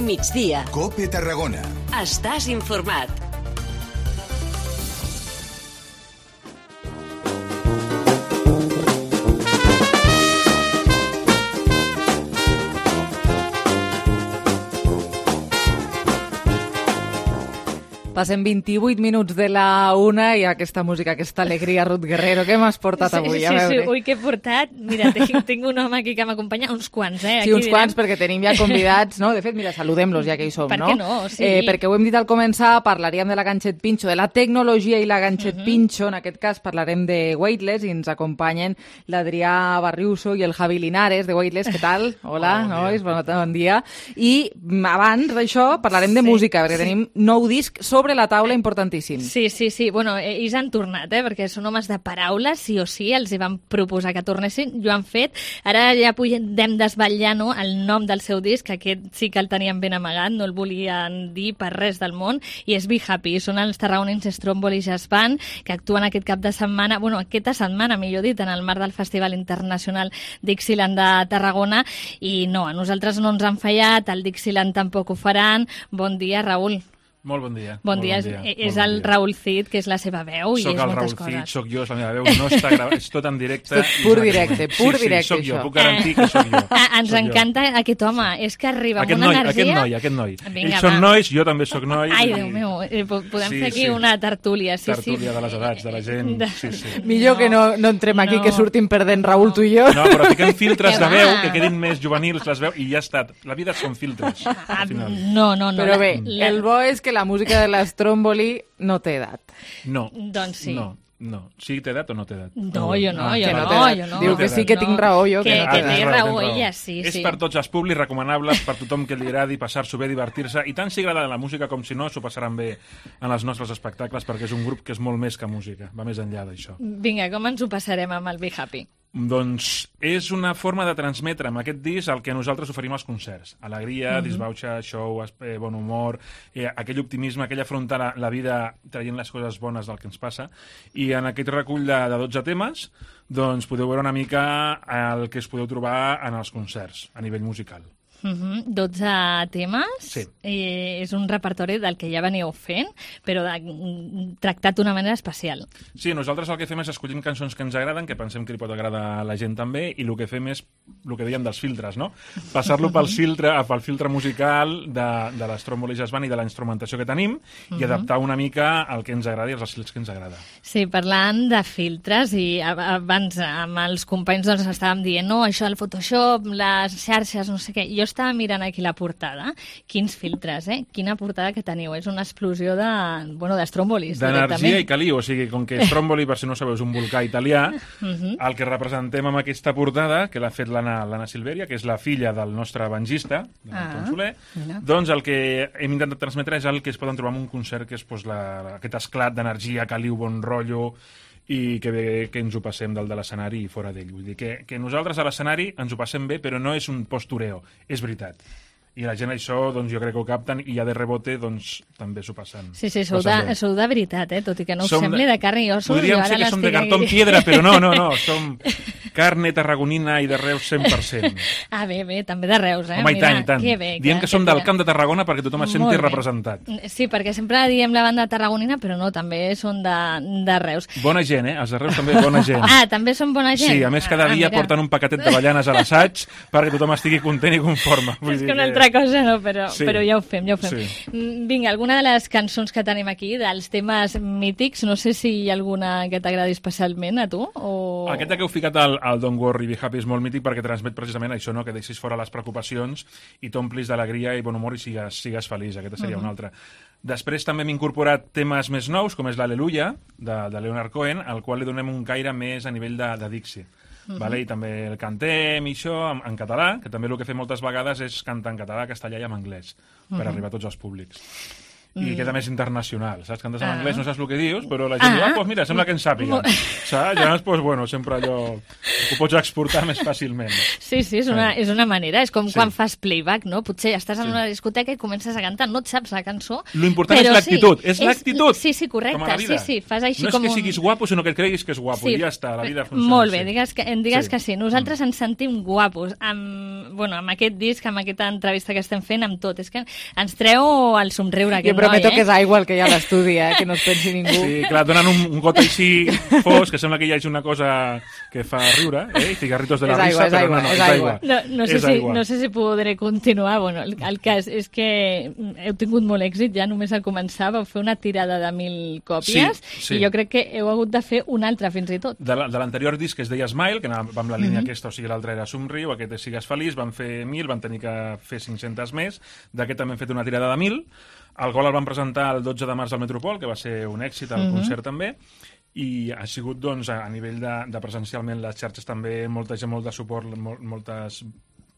migdia. COPE Tarragona. Estàs informat. Passen vint-i-vuit minuts de la una i aquesta música, aquesta alegria, Ruth Guerrero, què m'has portat avui? Sí, a sí, sí, veure. ui, què he portat? Mira, tinc, tinc un home aquí que m'acompanya, uns quants, eh? Sí, aquí uns direm. quants, perquè tenim ja convidats, no? De fet, mira, saludem-los ja que hi som, Per no? què no? Sí. Eh, perquè ho hem dit al començar, parlaríem de la Ganxet Pinxo, de la tecnologia i la Ganxet uh -huh. Pinxo, en aquest cas parlarem de Weightless i ens acompanyen l'Adrià Barriuso i el Javi Linares de Weightless. Què tal? Hola, oh, bon nois, bon, bon dia. I abans d'això parlarem de Sí, música, perquè sí. tenim nou disc sobre la taula importantíssim. Sí, sí, sí. Bueno, ells han tornat, eh? Perquè són homes de paraules, sí o sí, els hi van proposar que tornessin, i ho han fet. Ara ja podem desvetllar, no?, el nom del seu disc, que aquest sí que el tenien ben amagat, no el volien dir per res del món, i és Be Happy. Són els tarragonins Stromboli Jazz Band, que actuen aquest cap de setmana, bueno, aquesta setmana, millor dit, en el marc del Festival Internacional Dixieland de Tarragona, i no, a nosaltres no ens han fallat, el Dixieland tampoc ho faran. Bon dia, Raül. Molt bon dia. Bon Molt dia, bon dia. és, és Molt el bon dia. Raül Cid, que és la seva veu, i soc és el moltes Raül coses. Cid, soc jo, és la meva veu, no està gravat, és tot en directe. Tot pur directe, pur sí, directe, sí, soc jo, això. puc garantir que soc jo. Ah, ens Soc jo. encanta aquest home, és que arriba Aquest amb una noi, energia... aquest noi, aquest noi. Vinga, Ells són va. nois, jo també soc noi. Ai, i- Déu meu, eh, po- podem Sí, fer aquí sí. una tertúlia. Sí, Tertúlia sí. de les edats, de la gent, sí, sí. Millor que no, no entrem aquí, No. que sortim perdent Raül, tu i jo. No, però fiquem filtres Que de veu, va. que quedin més juvenils les veus, i ja està. La vida són filtres, al final. No, no, no. Però la- bé, la- el bo és que la música de l'Stromboli no té edat. No. Doncs sí. No, no. Sí, té edat o no té edat? No, jo no, Ah, jo que no, té edat. jo no. Diu que sí que tinc raó, jo. Que, Que, que, no Ah, té tens edat. té raó, raó, tens raó. ella, sí, És sí. per tots els públics, recomanables per tothom que li agradi passar-s'ho bé, divertir-se, i tant si agrada la música com si no, s'ho passaran bé en els nostres espectacles, perquè és un grup que és molt més que música, va més enllà d'això. Vinga, com ens ho passarem amb el Be Happy? Doncs és una forma de transmetre amb aquest disc el que nosaltres oferim als concerts. Alegria, Mhm. disbauxa, show, eh, bon humor, eh, aquell optimisme, aquell afrontar la, la vida traient les coses bones del que ens passa. I en aquest recull de, de dotze temes doncs podeu veure una mica el que es podeu trobar en els concerts a nivell musical. Uh-huh. dotze temes. Sí. Eh, és un repertori del que ja veníeu fent, però de, tractat d'una manera especial. Sí, nosaltres el que fem és escollim cançons que ens agraden, que pensem que li pot agradar a la gent també, i el que fem és el que dèiem dels filtres, no? Passar-lo pel filtre, pel filtre musical de, de l'Stromboli Jazz Band i de la instrumentació que tenim, i Mhm. adaptar una mica el que ens agrada i els estils que ens agrada. Sí, parlant de filtres, i a- abans amb els companys doncs estàvem dient, no, això del Photoshop, les xarxes, no sé què. Jo estava mirant aquí la portada. Quins filtres, eh? Quina portada que teniu. És una explosió de, bueno, d'estrombolis, D'energia i caliu, o sigui, com que Stromboli, per si no ho sabeu, és un volcà italià, Mhm. el que representem amb aquesta portada, que l'ha fet l'Anna l'Anna Silveria, que és la filla del nostre bangista, de l'Anton Ah, Soler, mira. doncs el que hem intentat transmetre és el que es poden trobar en un concert, que és doncs, la, aquest esclat d'energia, caliu, bon rotllo, i que bé que ens ho passem dalt de l'escenari i fora d'ell. Vull dir que, que nosaltres a l'escenari ens ho passem bé, però no és un postureo, és veritat. I la gent això, doncs jo crec que ho capten, i ja de rebote, doncs també s'ho passen. Sí, sí, sou passen de, bé. sou de veritat, eh? Tot i que no us Som sembli de carn i ossos. Podríem jo ser ara que som de l'estic cartó aquí. piedra, però no, no, no, som carne tarragonina i de Reus cent per cent. Ah, bé, bé, també de Reus, eh? Home, i Mira, tant, i tant. Que bé, Diem que som del tira. Camp de Tarragona perquè tothom es Molt senti bé. representat. Sí, perquè sempre diem la banda tarragonina, però no, també són de, de Reus. Bona gent, eh? Els de Reus també bona gent. Ah, també són bona gent? Sí, a més cada ah, dia mira. porten un paquetet de ballanes a l'assaig perquè tothom estigui content i conforme. Vull És dir que una altra cosa no, però, Sí. però ja ho fem, ja ho fem. Sí. Mm, Vinga, alguna de les cançons que tenim aquí, dels temes mítics, no sé si hi ha alguna que t'agradi especialment a tu, o... Aquesta que heu ficat al, al Don't Worry, Be Happy és molt mític perquè transmet precisament això, no? Que deixis fora les preocupacions i t'omplis d'alegria i bon humor i sigues, sigues feliç. Aquesta seria Mhm. una altra. Després també hem incorporat temes més nous, com és l'Aleluia, de, de Leonard Cohen, al qual li donem un caire més a nivell de, de Dixie. Mhm. Vale? I també el cantem i això en, en català, que també el que fem moltes vegades és cantar en català, castellà i en anglès, per Mhm. arribar a tots els públics. i queda més internacional, saps? Cantes en Ah. anglès, no saps el que dius, però la gent Ah. diu, ah, doncs mira, sembla que en sàpiga. Saps? Llavors, doncs, bueno, sempre allò ho pots exportar més fàcilment. Sí, sí, és una, és una manera. És com Sí. quan fas playback, no? Potser estàs en una discoteca i comences a cantar, no et saps la cançó. Lo important però és l'actitud, sí, és l'actitud. Sí, sí, correcte. Com a la vida. Sí, sí, fas així no és com que un... siguis guapo, sinó que et creguis que és guapo, Sí. i ja està, la vida funciona. Molt bé, així. digues que, digues Sí. que sí. Nosaltres ens sentim guapos amb, bueno, amb aquest disc, amb aquesta entrevista que estem fent, amb tot. És que ens treu el somriure aquest Jo prometo noi, eh? que és aigua el que hi ha a l'estudi, eh? Que no es pensi ningú. Sí, clar, donen un, un got així fos, que sembla que hi hagi una cosa que fa riure, eh? Cigarritos de la És aigua, risa, és però aigua, no, no, és és aigua. aigua. No, no, sé És si, aigua. no sé si podré continuar. Bueno, el, el cas és que heu tingut molt èxit ja només al començar. Vau fer una tirada de mil còpies Sí, sí. i jo crec que heu hagut de fer una altra fins i tot. De la- de l'anterior disc que es deia Smile, que anava amb la línia Mhm. aquesta, o sigui, l'altre era Somriu, aquest és Sigues Feliç, van fer mil, van tenir que fer cinc-centes més, d'aquest també hem fet una tirada de mil, el Gol el van presentar el dotze de març al Metropol, que va ser un èxit, el Mhm. concert també, i ha sigut, doncs, a, a nivell de, de presencialment les xarxes també, molta gent, molt de suport, mol, moltes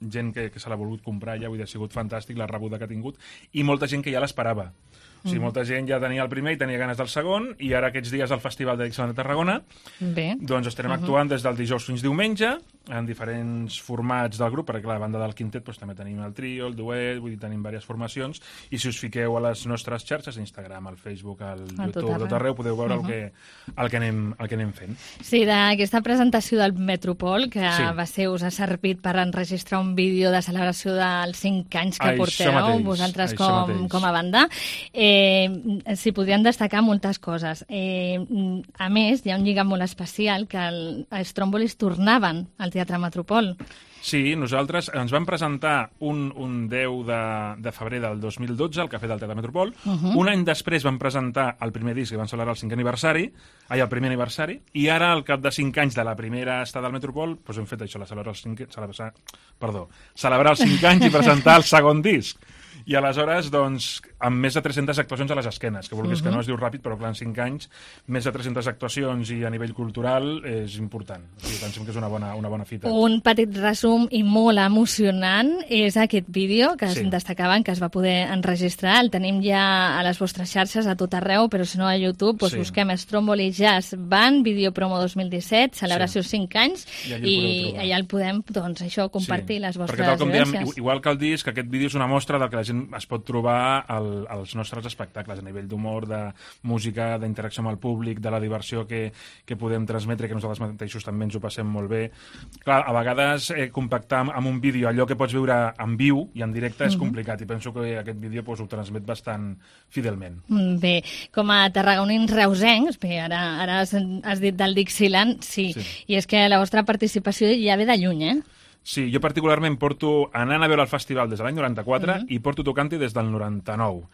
gent que, que se l'ha volgut comprar ja, vull dir, ha sigut fantàstic la rebuda que ha tingut, i molta gent que ja l'esperava. O sigui, Mhm. molta gent ja tenia el primer i tenia ganes del segon, i ara aquests dies al Festival de Dixieland de Tarragona Bé. doncs estarem Mhm. actuant des del dijous fins diumenge en diferents formats del grup, perquè a la banda del quintet doncs, també tenim el trio, el duet, vull dir, tenim diverses formacions, i si us fiqueu a les nostres xarxes, Instagram, al Facebook, al A tot YouTube, arreu. tot arreu, podeu veure Mhm. el, que, el, que anem, el que anem fent. Sí, d'aquesta presentació del Metropol, que Sí. va ser, us ha servit per enregistrar un vídeo de celebració dels cinc anys que Això porteu, mateix, vosaltres això com, mateix. com a banda. Eh, S'hi podrien destacar moltes coses. Eh, a més, hi ha un lligam molt especial que el, els Trombolis tornaven al Teatre Metropol. Sí, nosaltres ens vam presentar un, un deu de, de febrer del dos mil dotze al Cafè del Teatre Metropol. Mhm. Un any després vam presentar el primer disc i vam celebrar el cinquè aniversari, ai, el primer aniversari, i ara, al cap de cinc anys de la primera estada al Metropol, doncs hem fet això, la celebrar el cinquè, celebrar, perdó, celebrar els cinc anys i presentar el segon disc. I aleshores, doncs, amb més de tres-centes actuacions a les esquenes, que vulguis Mhm. que no es diu ràpid, però clar, en cinc anys, més de tres-centes actuacions i a nivell cultural és important. O sigui, pensem que és una bona, una bona fita. Un petit resum i molt emocionant és aquest vídeo que Sí. sí. destacaven que es va poder enregistrar. El tenim ja a les vostres xarxes a tot arreu, però si no a YouTube, doncs Sí. busquem Stromboli Jazz Band, Video Promo dos mil disset, celebració Sí. cinc anys, I allà el i podeu trobar. allà el podem, doncs això, compartir les vostres Perquè tal com dèiem, vivències. igual que el disc, aquest vídeo és una mostra del que la gent es pot trobar al, als nostres espectacles, a nivell d'humor, de música, d'interacció amb el públic, de la diversió que, que podem transmetre, que nosaltres mateixos també ens ho passem molt bé. Clar, a vegades eh, compactar amb, amb un vídeo allò que pots veure en viu i en directe és Mhm. complicat, i penso que aquest vídeo doncs, ho transmet bastant fidelment. Mm, Bé, com a tarragonins reusencs, bé, ara, ara has, has dit del Dixieland, sí, Sí. i és que la vostra participació ja ve de lluny, eh? Sí, jo particularment porto anant a veure el festival des de l'any noranta-quatre Mhm. i porto tocant-hi des del noranta-nou.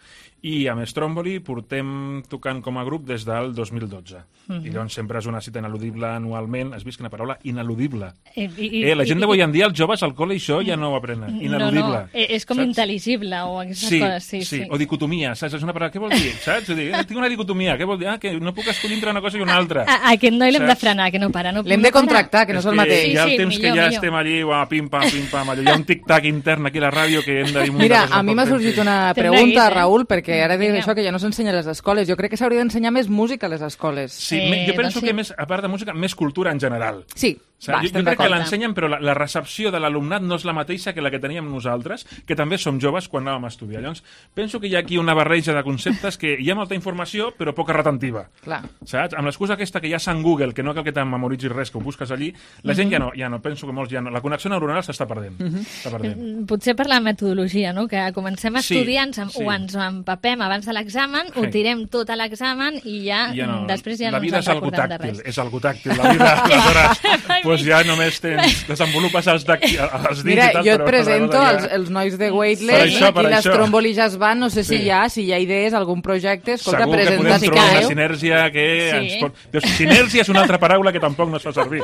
I amb Stromboli portem tocant com a grup des del dos mil dotze. Mhm. I llavors sempre és una cita ineludible anualment. Has vist quina paraula? Ineludible. I, i, Eh, la gent i- d'avui en dia, els joves al col·le, això ja no ho aprenen. Ineludible. No, no, eh, és com Saps? intel·ligible o aquestes Sí, coses, sí, sí, sí. o dicotomia, saps? És una paraula, què vol dir? Saps? O dir, eh, tinc una dicotomia, què vol dir? Ah, que no puc escollir entre una cosa i una altra. A, a aquest noi l'hem de Saps? frenar, que no para. No, L'hem no de para. contractar, que no és el mateix. Hi ha el Sí, sí, temps millor, que ja millor. estem allí, uah, pim-pam, pim-pam, allò. Hi ha un tic-tac intern aquí a la ràdio que hem de dir... Mira, a mi m'ha sorgit una T'hem pregunta, de dir, eh? Raül, perquè ara dius Vinga. això que ja no s'ensenya a les escoles. Jo crec que s'hauria d'ensenyar més música a les escoles. Sí, Eh, jo penso doncs sí. que més, a part de música, més cultura en general. Sí, Saps? va, jo, estem jo crec que d'acord. l'ensenyen, però la, la recepció de l'alumnat no és la mateixa que la que teníem nosaltres, que també som joves quan anàvem a estudiar. Llavors, penso que hi ha aquí una barreja de conceptes que hi ha molta informació, però poca retentiva. Clar. Saps? Amb l'excusa aquesta que ja s'ha en Google, que no cal que te'n memoritzis res, que ho busques allí, la gent Mhm. ja no, ja no, penso que molts ja no. La connexió neuronal s'està perdent. Mhm. S'està perdent. Mm, Potser per la metodologia, no? Que comencem a Sí, estudiar, ens, em- sí. o ens empapem abans de l'examen, ho Sí. tirem tot a l'examen i ja, Ja no. mm, després ja la no vida ens és en algo recordem de tàctil, res. és algo tàctil, la vida, aleshores, doncs ja només tens, desenvolupes els, dacti, els dits Mira, i tal, jo et però presento la cosa els, ja- els nois de Per Weightless, això, per aquí això. l'Stromboli Jazz Band, no sé si Sí. hi ha, si hi ha idees, algun projecte, escolta, Segur que podem presenta si trobar una cal. sinergia que Sí. ens pot... Dius, sinergia és una altra paraula que tampoc no es fa servir,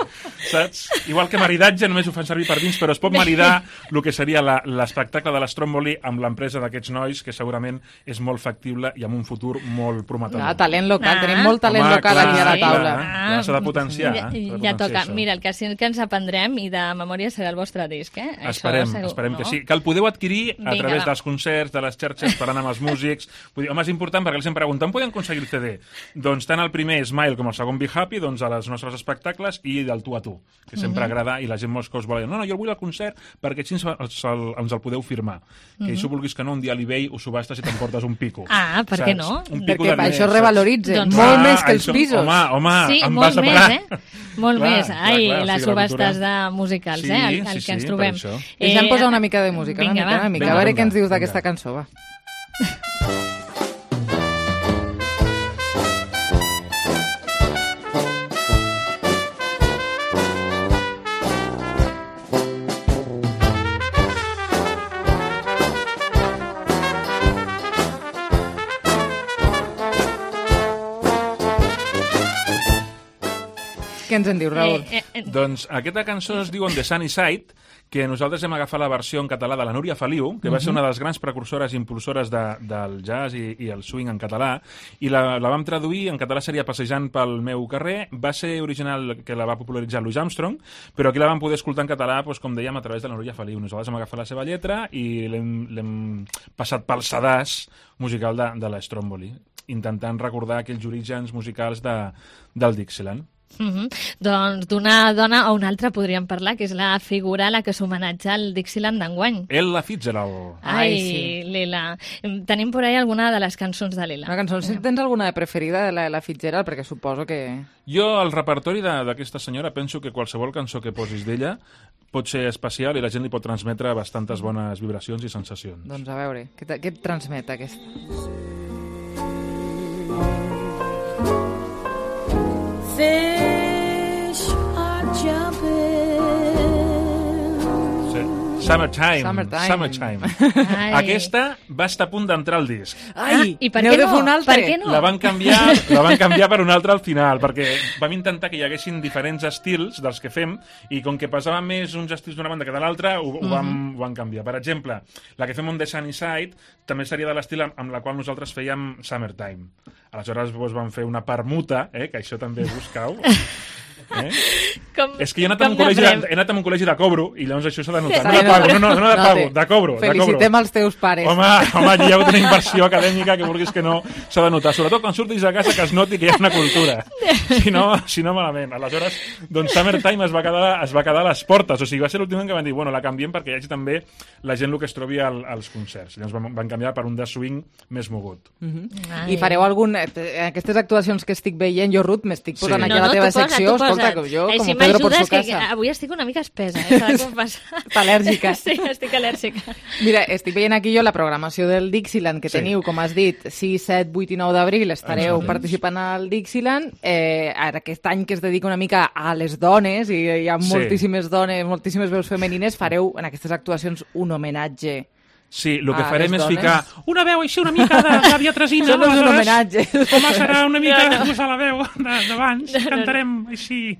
saps? Igual que maridatge només ho fan servir per dins, però es pot maridar el que seria la- l'espectacle de l'Stromboli amb l'empresa d'aquests nois, que segurament és molt factible i amb un futur molt prometedor. Ah, talent local, Ah. tenim molt talent Home, local clar, aquí a la sí, taula. clar. Ja s'ha de potenciar, Ja, s'ha de ja potenciar toca. això. Mira, el que sí que ens aprendrem i de memòria serà el vostre disc, eh? Esperem, Això, segur, esperem no? que sí. Que el podeu adquirir a Vinga, través va. dels concerts, de les xarxes, parlant amb els músics. Vull dir, home, és important perquè ells em pregunten, on podem aconseguir el C D? Doncs tant el primer Smile com el segon Be Happy, doncs a les nostres espectacles i del tu a tu, que sempre Mhm. agrada i la gent molts cops vol dir, no, no, jo el vull al concert perquè així ens, ens, el, ens el podeu firmar. Que Mhm. això vulguis que no, un dia a l'eBay ho subhastes i t'emportes un pico. Ah, per què Saps? no? Un pico Perquè de això diners, revaloritza saps? molt Clar, més que els això- pisos. Home, home, Sí, em molt vas a més, parar. eh? Molt Clar, més. clar, Ai, clar, o les sigui, la subhastes cultura- de musicals, Sí, eh? El, sí, el sí, que ens per trobem. això. Deixem posar una mica de música, vinga, una mica, va. una mica. Vinga, a veure vinga, què ens dius vinga. d'aquesta cançó, va. Què ens en dius, Raül? Eh, eh, Doncs aquesta cançó es diu On the Sunny Side, que nosaltres hem agafat la versió en català de la Núria Feliu, que va ser Mhm. una de les grans precursores i impulsores de, del jazz i, i el swing en català, i la, la vam traduir, en català seria Passejant pel meu carrer, va ser original que la va popularitzar Louis Armstrong, però aquí la vam poder escoltar en català, doncs, com dèiem, a través de la Núria Feliu. Nosaltres hem agafat la seva lletra i l'hem l'hem passat pel sedàs musical de, de la Stromboli, intentant recordar aquells orígens musicals de, del Dixieland. Mhm. Doncs d'una dona a una altra podríem parlar, que és la figura a la que s'homenatja el Dixieland d'enguany. Ella Fitzgerald. Ai, Ai, sí. Lila. Tenim por ahí alguna de les cançons de Lila. Una cançó, si tens alguna de preferida de la, la Fitzgerald? Perquè suposo que... Jo, el repertori de- d'aquesta senyora, penso que qualsevol cançó que posis d'ella pot ser especial i la gent li pot transmetre bastantes bones vibracions i sensacions. Doncs a veure, què, te- què et transmet aquest? Fish are jumping. Sí. Summertime. Summertime. Summertime. Ai. Aquesta va estar a punt d'entrar al disc. Ai, I per n'heu què de no? fer un altre? Per què no? La van canviar, la van canviar per una altra al final, perquè vam intentar que hi haguessin diferents estils dels que fem, i com que pesava més uns estils d'una banda que de l'altra, ho, ho, vam, ho vam canviar. Per exemple, la que fem on The Sunny Side també seria de l'estil amb, amb la qual nosaltres fèiem Summertime. Aleshores doncs, vam fer una permuta, eh, que això també buscau. Eh? Com, És que jo he anat, a un com col·legi n'aprem? de, he anat a un col·legi de cobro i llavors això s'ha de notar. S'ha No de de pago, notar. no, no, no de No pago, té. de cobro. De cobro. Felicitem els teus pares. Home, home, aquí hi ha hagut una inversió acadèmica que vulguis que no s'ha de notar. Sobretot quan surtis a casa que es noti que hi ha una cultura. Si no, si no malament. Aleshores, doncs Summertime es va quedar, es va quedar a les portes. O sigui, va ser l'últim any que van dir, bueno, la canviem perquè hi hagi també la gent el que es trobi al, als concerts. Llavors van, van canviar per un de swing més mogut. Mhm. Ai. I fareu algun... eh, Aquestes actuacions que estic veient, jo, Ruth, m'estic posant Sí. aquí a la teva tu posa, secció, tu posa. escolta, que jo, Ai, com si Pedro por m'ajudes, su que casa. avui estic una mica espesa, eh? S'ha de confessar. Està al·lèrgica. Sí, estic al·lèrgica. Mira, estic veient aquí jo la programació del Dixieland, que Sí. teniu, com has dit, sis, set, vuit i nou d'abril, estareu Exacte. participant al Dixieland. Eh, ara, aquest any que es dedica una mica a les dones, i hi ha Sí. moltíssimes dones, moltíssimes veus femenines, fareu en aquestes actuacions un homenatge. Sí, el que A farem les és dones. ficar una veu així una mica de Gàbia Tresina. Això no és un aleshores, homenatge. Home, serà una mica No, no. posar la veu de- d'abans, No, no, no. cantarem així.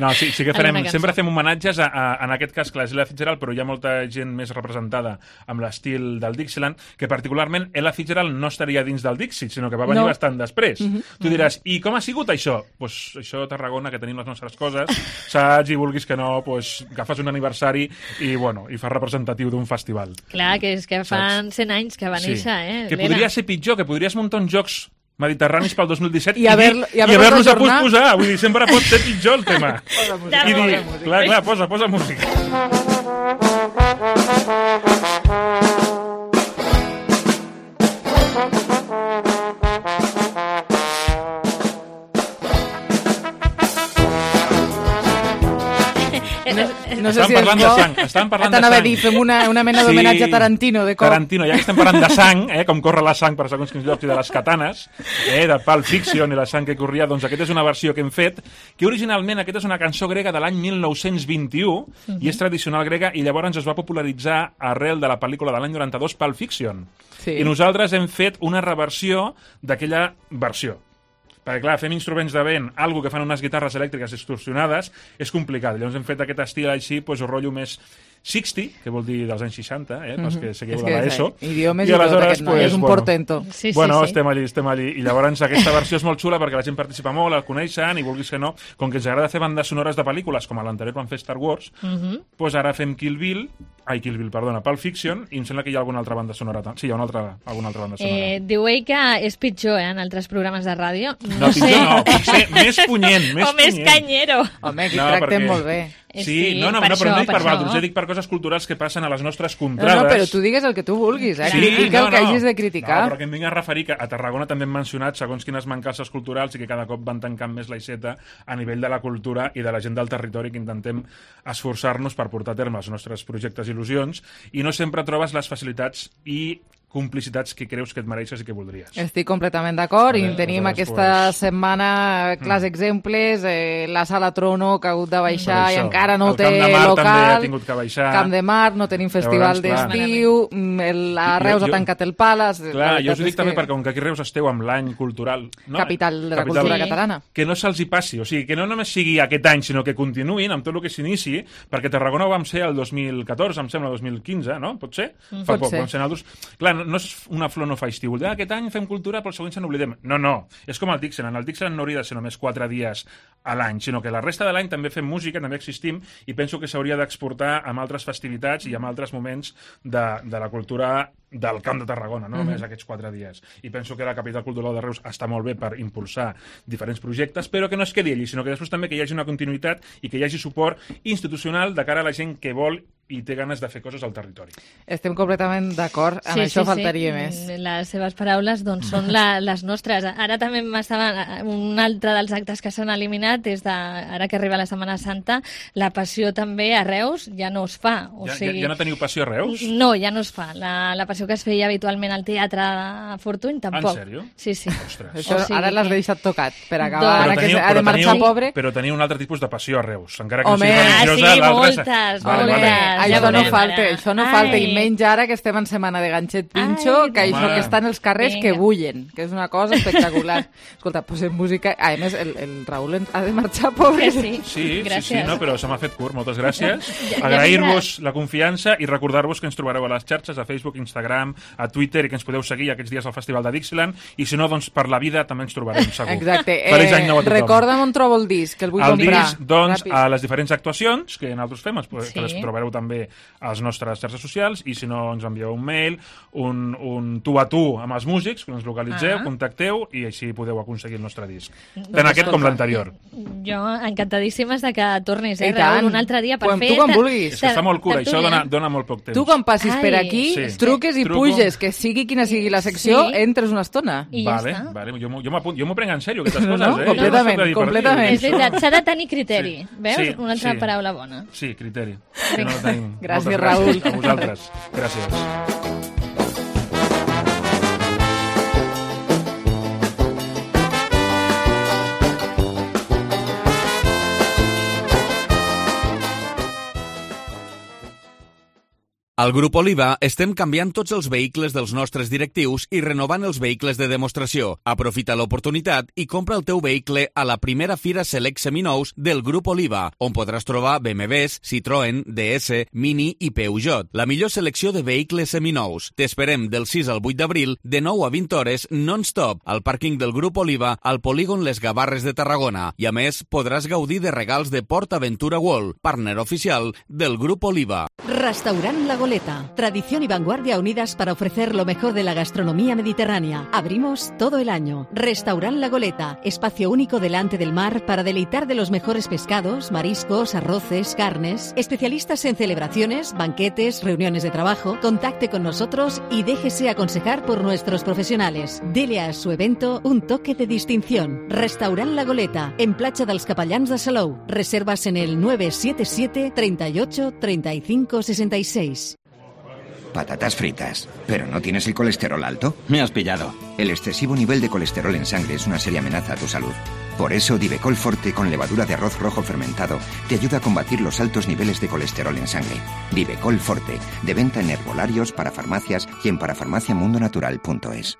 No, sí, sí que En farem, una cançó. sempre fem homenatges a, a, en aquest cas, clar, és Ella Fitzgerald, però hi ha molta gent més representada amb l'estil del Dixieland, que particularment Ella Fitzgerald no estaria dins del Dixie, sinó que va venir No. bastant després. Mhm. Tu diràs, i com ha sigut això? Pues això a Tarragona, que tenim les nostres coses, saps, i vulguis que no, pues, agafes un aniversari i, bueno, i fas representatiu d'un festival. Clar, que és que fan cent anys que va néixer, eh? Que Lila. podria ser pitjor, que podries muntar uns jocs mediterranis pel dos mil disset I haver- dir- i haver-los i haver-los a ajornat. posposar. Vull dir, sempre pot ser pitjor el tema. Posa música. I dir, Posa música. clar, clar, posa, posa música. No sé Estàvem si és parlant de bo. sang, estàvem parlant de T'anava a sang. dir, fem una, una mena d'homenatge a Tarantino, de cop. Tarantino, ja que estem parlant de sang, eh, com corre la sang per segons quins llocs i de les katanes, eh, de Pulp Fiction i la sang que corria, doncs aquesta és una versió que hem fet, que originalment aquesta és una cançó grega de l'any mil nou-cents vint-i-u, i és tradicional grega, i llavors es va popularitzar arrel de la pel·lícula de l'any noranta-dos, Pulp Fiction. Sí. I nosaltres hem fet una reversió d'aquella versió. Perquè, clar, fem instruments de vent, algo que fan unes guitarres elèctriques distorsionades, és complicat. Llavors hem fet aquest estil així, doncs, el rotllo més seixanta, que vol dir dels anys seixanta, eh, pels Mhm. que seguiu És de que l'ESO. és, eh, idiomes i tot aquest noi, és un portento. Sí, sí, bueno, sí. estem allí, estem allí. I llavors aquesta versió és molt xula perquè la gent participa molt, el coneixen, i vulguis que no, com que ens agrada fer bandes sonores de pel·lícules, com a l'anterior vam fer Star Wars, Mhm. doncs ara fem Kill Bill, ai, Kill Bill, perdona, Pulp Fiction, i em sembla que hi ha alguna altra banda sonora. tam- Sí, hi ha una altra, alguna altra banda sonora. Eh, diu ell que és pitjor eh, en altres programes de ràdio. No, No, sé. pitjor no, potser més punyent, més o més punyent. canyero. Home, aquí No, tractem perquè- molt bé. Sí, Sí, no, no, per no, però això, no dic per per vosaltres, això. jo dic per coses culturals que passen a les nostres No, contrades. no, però tu digues el que tu vulguis, eh? Critica el que hagis de criticar. No, però que em vinc a referir que a Tarragona també hem mencionat segons quines mancances culturals i que cada cop van tancant més l'aixeta a nivell de la cultura i de la gent del territori, que intentem esforçar-nos per portar a terme els nostres projectes i il·lusions, i no sempre trobes les facilitats i complicitats que creus que et mereixes i que voldries. Estic completament d'acord i Vale, tenim aleshores, aquesta pues... setmana clars exemples, eh, la sala Trono que ha hagut de baixar Per i això. encara no El té Camp de Mar local. també ha tingut que baixar. Camp de Mar, no tenim festival Llavors, clar. d'estiu, mm, el- a Reus Jo- ha jo- tancat el Palace. Clar, la jo us ho veritat dic és també que- perquè com que aquí a Reus esteu amb l'any cultural... No? Capital de la cultura catalana. Que no se'ls hi passi, o sigui, que no només sigui aquest any, sinó que continuïn amb tot el que s'inici, perquè Tarragona ho vam ser el dos mil catorze, em sembla, dos mil quinze, no? Pot ser? Mm. Fa Pot poc, ser. vam ser nosaltres. Clar, no, no és una flor no fa estiu. Ah, aquest any fem cultura, però el següent se n'oblidem. No, no. És com el Dixieland. El Dixieland no hauria de ser només quatre dies a l'any, sinó que la resta de l'any també fem música, també existim, i penso que s'hauria d'exportar amb altres festivitats i amb altres moments de, de la cultura del Camp de Tarragona, no només Mhm. aquests quatre dies. I penso que la capital cultural de Reus està molt bé per impulsar diferents projectes, però que no es quedi allí, sinó que després també que hi hagi una continuïtat i que hi hagi suport institucional de cara a la gent que vol i té ganes de fer coses al territori. Estem completament d'acord, amb això faltaria més. Les seves paraules doncs, són la, les nostres. Ara també m'estava... Un altre dels actes que s'han eliminat és, de, ara que arriba la Setmana Santa, la passió també a Reus ja no es fa. O Ja, sigui, ja, ja no teniu passió a Reus? No, ja no es fa. La, la passió que es feia habitualment al Teatre de Fortuny, tampoc. En sèrio? Sí, sí. Ostres. Això O sigui ara l'has que- deixat tocat, per acabar, Però ara que teniu- ha de però marxar teniu- pobre. Però teniu un altre tipus de passió a Reus, encara que Home, no sigui ah, religiosa. sí, l'altre- moltes, Vale, moltes. vale. Ja Això no veurem, falta, ara. això no falta, i Ai. menys ara que estem en setmana de ganxet pinxo, Ai, que això home. que està en els carrers que Vinga. bullen, que és una cosa espectacular. Escolta, posem música... A més, el, el Raül en- ha de marxar pobre. Que sí. Sí, sí, Gràcies. sí, no, però se m'ha fet curt, moltes gràcies. Ja- ja Agrair-vos la confiança i recordar-vos que ens trobareu a les xarxes, a Facebook, Instagram, a Twitter, i que ens podeu seguir aquests dies al Festival de Dixieland, i si no, doncs per la vida també ens trobarem, segur. Exacte. Feliç Eh, any nou a tothom. recorda'm on trobo el disc, que el vull el comprar. disc, doncs, Ràpid. a les diferents actuacions que nosaltres fem, que Sí. les trobareu també a les nostres xarxes socials, i si no, ens envieu un mail, un, un tu a tu amb els músics, que ens localitzeu, Ah. contacteu, i així podeu aconseguir el nostre disc. Doncs Tant aquest com escolta. l'anterior. Jo encantadíssimes de que tornis, eh, I Raül, tant. un altre dia per Quan- fer... tu quan ter- vulguis. És que està molt cura, tertúlia. això dona, dona molt poc temps. Tu quan passis per Ai. aquí, Sí. truques i Truco. puges, que sigui quina sigui la secció, Sí. entres una estona. I ja vale, està. vale, jo m'ho jo m'apunt- jo m'ho prenc en sèrio, aquestes No, coses, no, eh? completament, Jo no soc de dir per dir, completament. És això- veritat, s'ha de tenir criteri. Sí. Veus? Sí, Una altra sí. paraula bona. Sí, criteri. Que no el tenim. Gràcies, Moltes Raül. A vosaltres. Gràcies. Al Grup Oliva estem canviant tots els vehicles dels nostres directius i renovant els vehicles de demostració. Aprofita l'oportunitat i compra el teu vehicle a la primera Fira Select Seminous del Grup Oliva, on podràs trobar B M Ws, Citroën, D S, Mini i Peugeot. La millor selecció de vehicles seminous. T'esperem del sis al vuit d'abril, de nou a vint hores, non-stop, al pàrquing del Grup Oliva, al polígon Les Gavarres de Tarragona. I a més, podràs gaudir de regals de Port Aventura World, partner oficial del Grup Oliva. Restaurant La Goleta. Tradición y vanguardia unidas para ofrecer lo mejor de la gastronomía mediterránea. Abrimos todo el año. Restaurant La Goleta. Espacio único delante del mar para deleitar de los mejores pescados, mariscos, arroces, carnes. Especialistas en celebraciones, banquetes, reuniones de trabajo. Contacte con nosotros y déjese aconsejar por nuestros profesionales. Dele a su evento un toque de distinción. Restaurant La Goleta. En Platja dels Capellans de Salou. Reservas en el nueve siete siete, treinta y ocho, treinta y cinco, sesenta y seis. Patatas fritas. ¿Pero no tienes el colesterol alto? Me has pillado. El excesivo nivel de colesterol en sangre es una seria amenaza a tu salud. Por eso, Divecol Forte con levadura de arroz rojo fermentado te ayuda a combatir los altos niveles de colesterol en sangre. Divecol Forte, de venta en herbolarios, parafarmacias y en parafarmaciamundonatural punto es.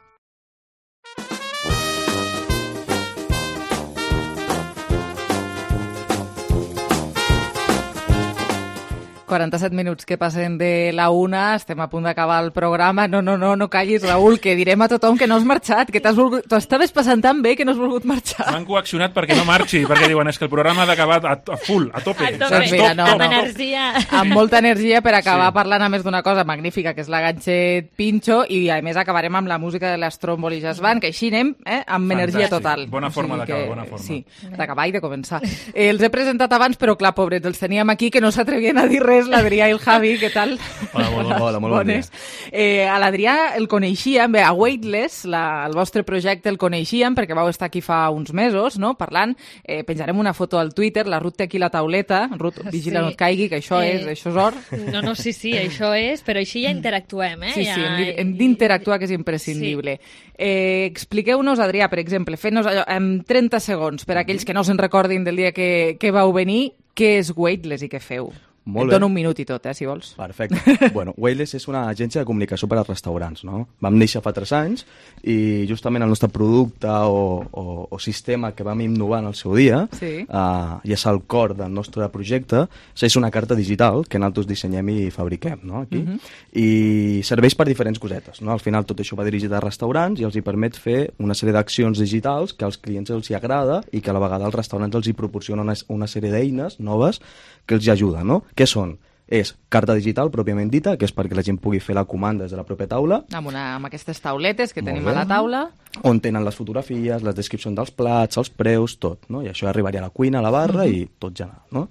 quaranta-set minuts que passen de la una, estem a punt d'acabar el programa. No, no, no, no callis, Raül, que direm a tothom que no has marxat, que t'has volgut... T'ho estaves passant tan bé que no has volgut marxar. M'han coaccionat perquè no marxi, perquè diuen, és que el programa ha d'acabar a, a full, a tope. A tope, Doncs mira, no, amb no. energia. Amb molta energia per acabar Sí. parlant a més d'una cosa magnífica, que és la Ganxet Pinxo, i a més acabarem amb la música de l'Stromboli Jazz Band, que així anem eh, amb energia Fantàstic. total. Bona forma O sigui d'acabar, que- bona forma. Sí, d'acabar i de començar. Eh, els he presentat abans, però clar, pobrets, els teníem aquí, que no s'atrevien a dir res, l'Adrià i el Javi, què tal? Hola, molt bon- hola, molt bon dia. Eh, a l'Adrià el coneixíem, bé, a Weightless, la, el vostre projecte el coneixíem, perquè vau estar aquí fa uns mesos, no?, parlant. Eh, penjarem una foto al Twitter, la Ruth té aquí la tauleta. Ruth, vigila, Sí. no et caigui, que això Eh, és, això és or. No, no, sí, sí, això és, però així ja interactuem, eh? Sí, sí, ja... hem de- hem d'interactuar, que és imprescindible. Sí. Eh, expliqueu-nos, Adrià, per exemple, fent-nos allò en trenta segons, per a aquells que no se'n recordin del dia que, que vau venir, què és Weightless i què feu? Molt Et bé. dono un minut i tot, eh, si vols. Perfecte. Bueno, Weightless és una agència de comunicació per als restaurants, no? Vam néixer fa tres anys i justament el nostre producte o, o, o sistema que vam innovar en el seu dia, Sí. uh, i és el cor del nostre projecte, és una carta digital que nosaltres dissenyem i fabriquem, no?, aquí. Mhm. I serveix per diferents cosetes, no? Al final tot això va dirigit a restaurants i els hi permet fer una sèrie d'accions digitals que als clients els hi agrada i que a la vegada els restaurants els hi proporcionen una, una sèrie d'eines noves que els hi ajuden, no? Què són? És carta digital pròpiament dita, que és perquè la gent pugui fer la comanda des de la pròpia taula, Amb, una, amb aquestes tauletes que Molt tenim bé. a la taula. on tenen les fotografies, les descripcions dels plats, els preus, tot, no? I això arribaria a la cuina, a la barra Mhm. i tot general, no?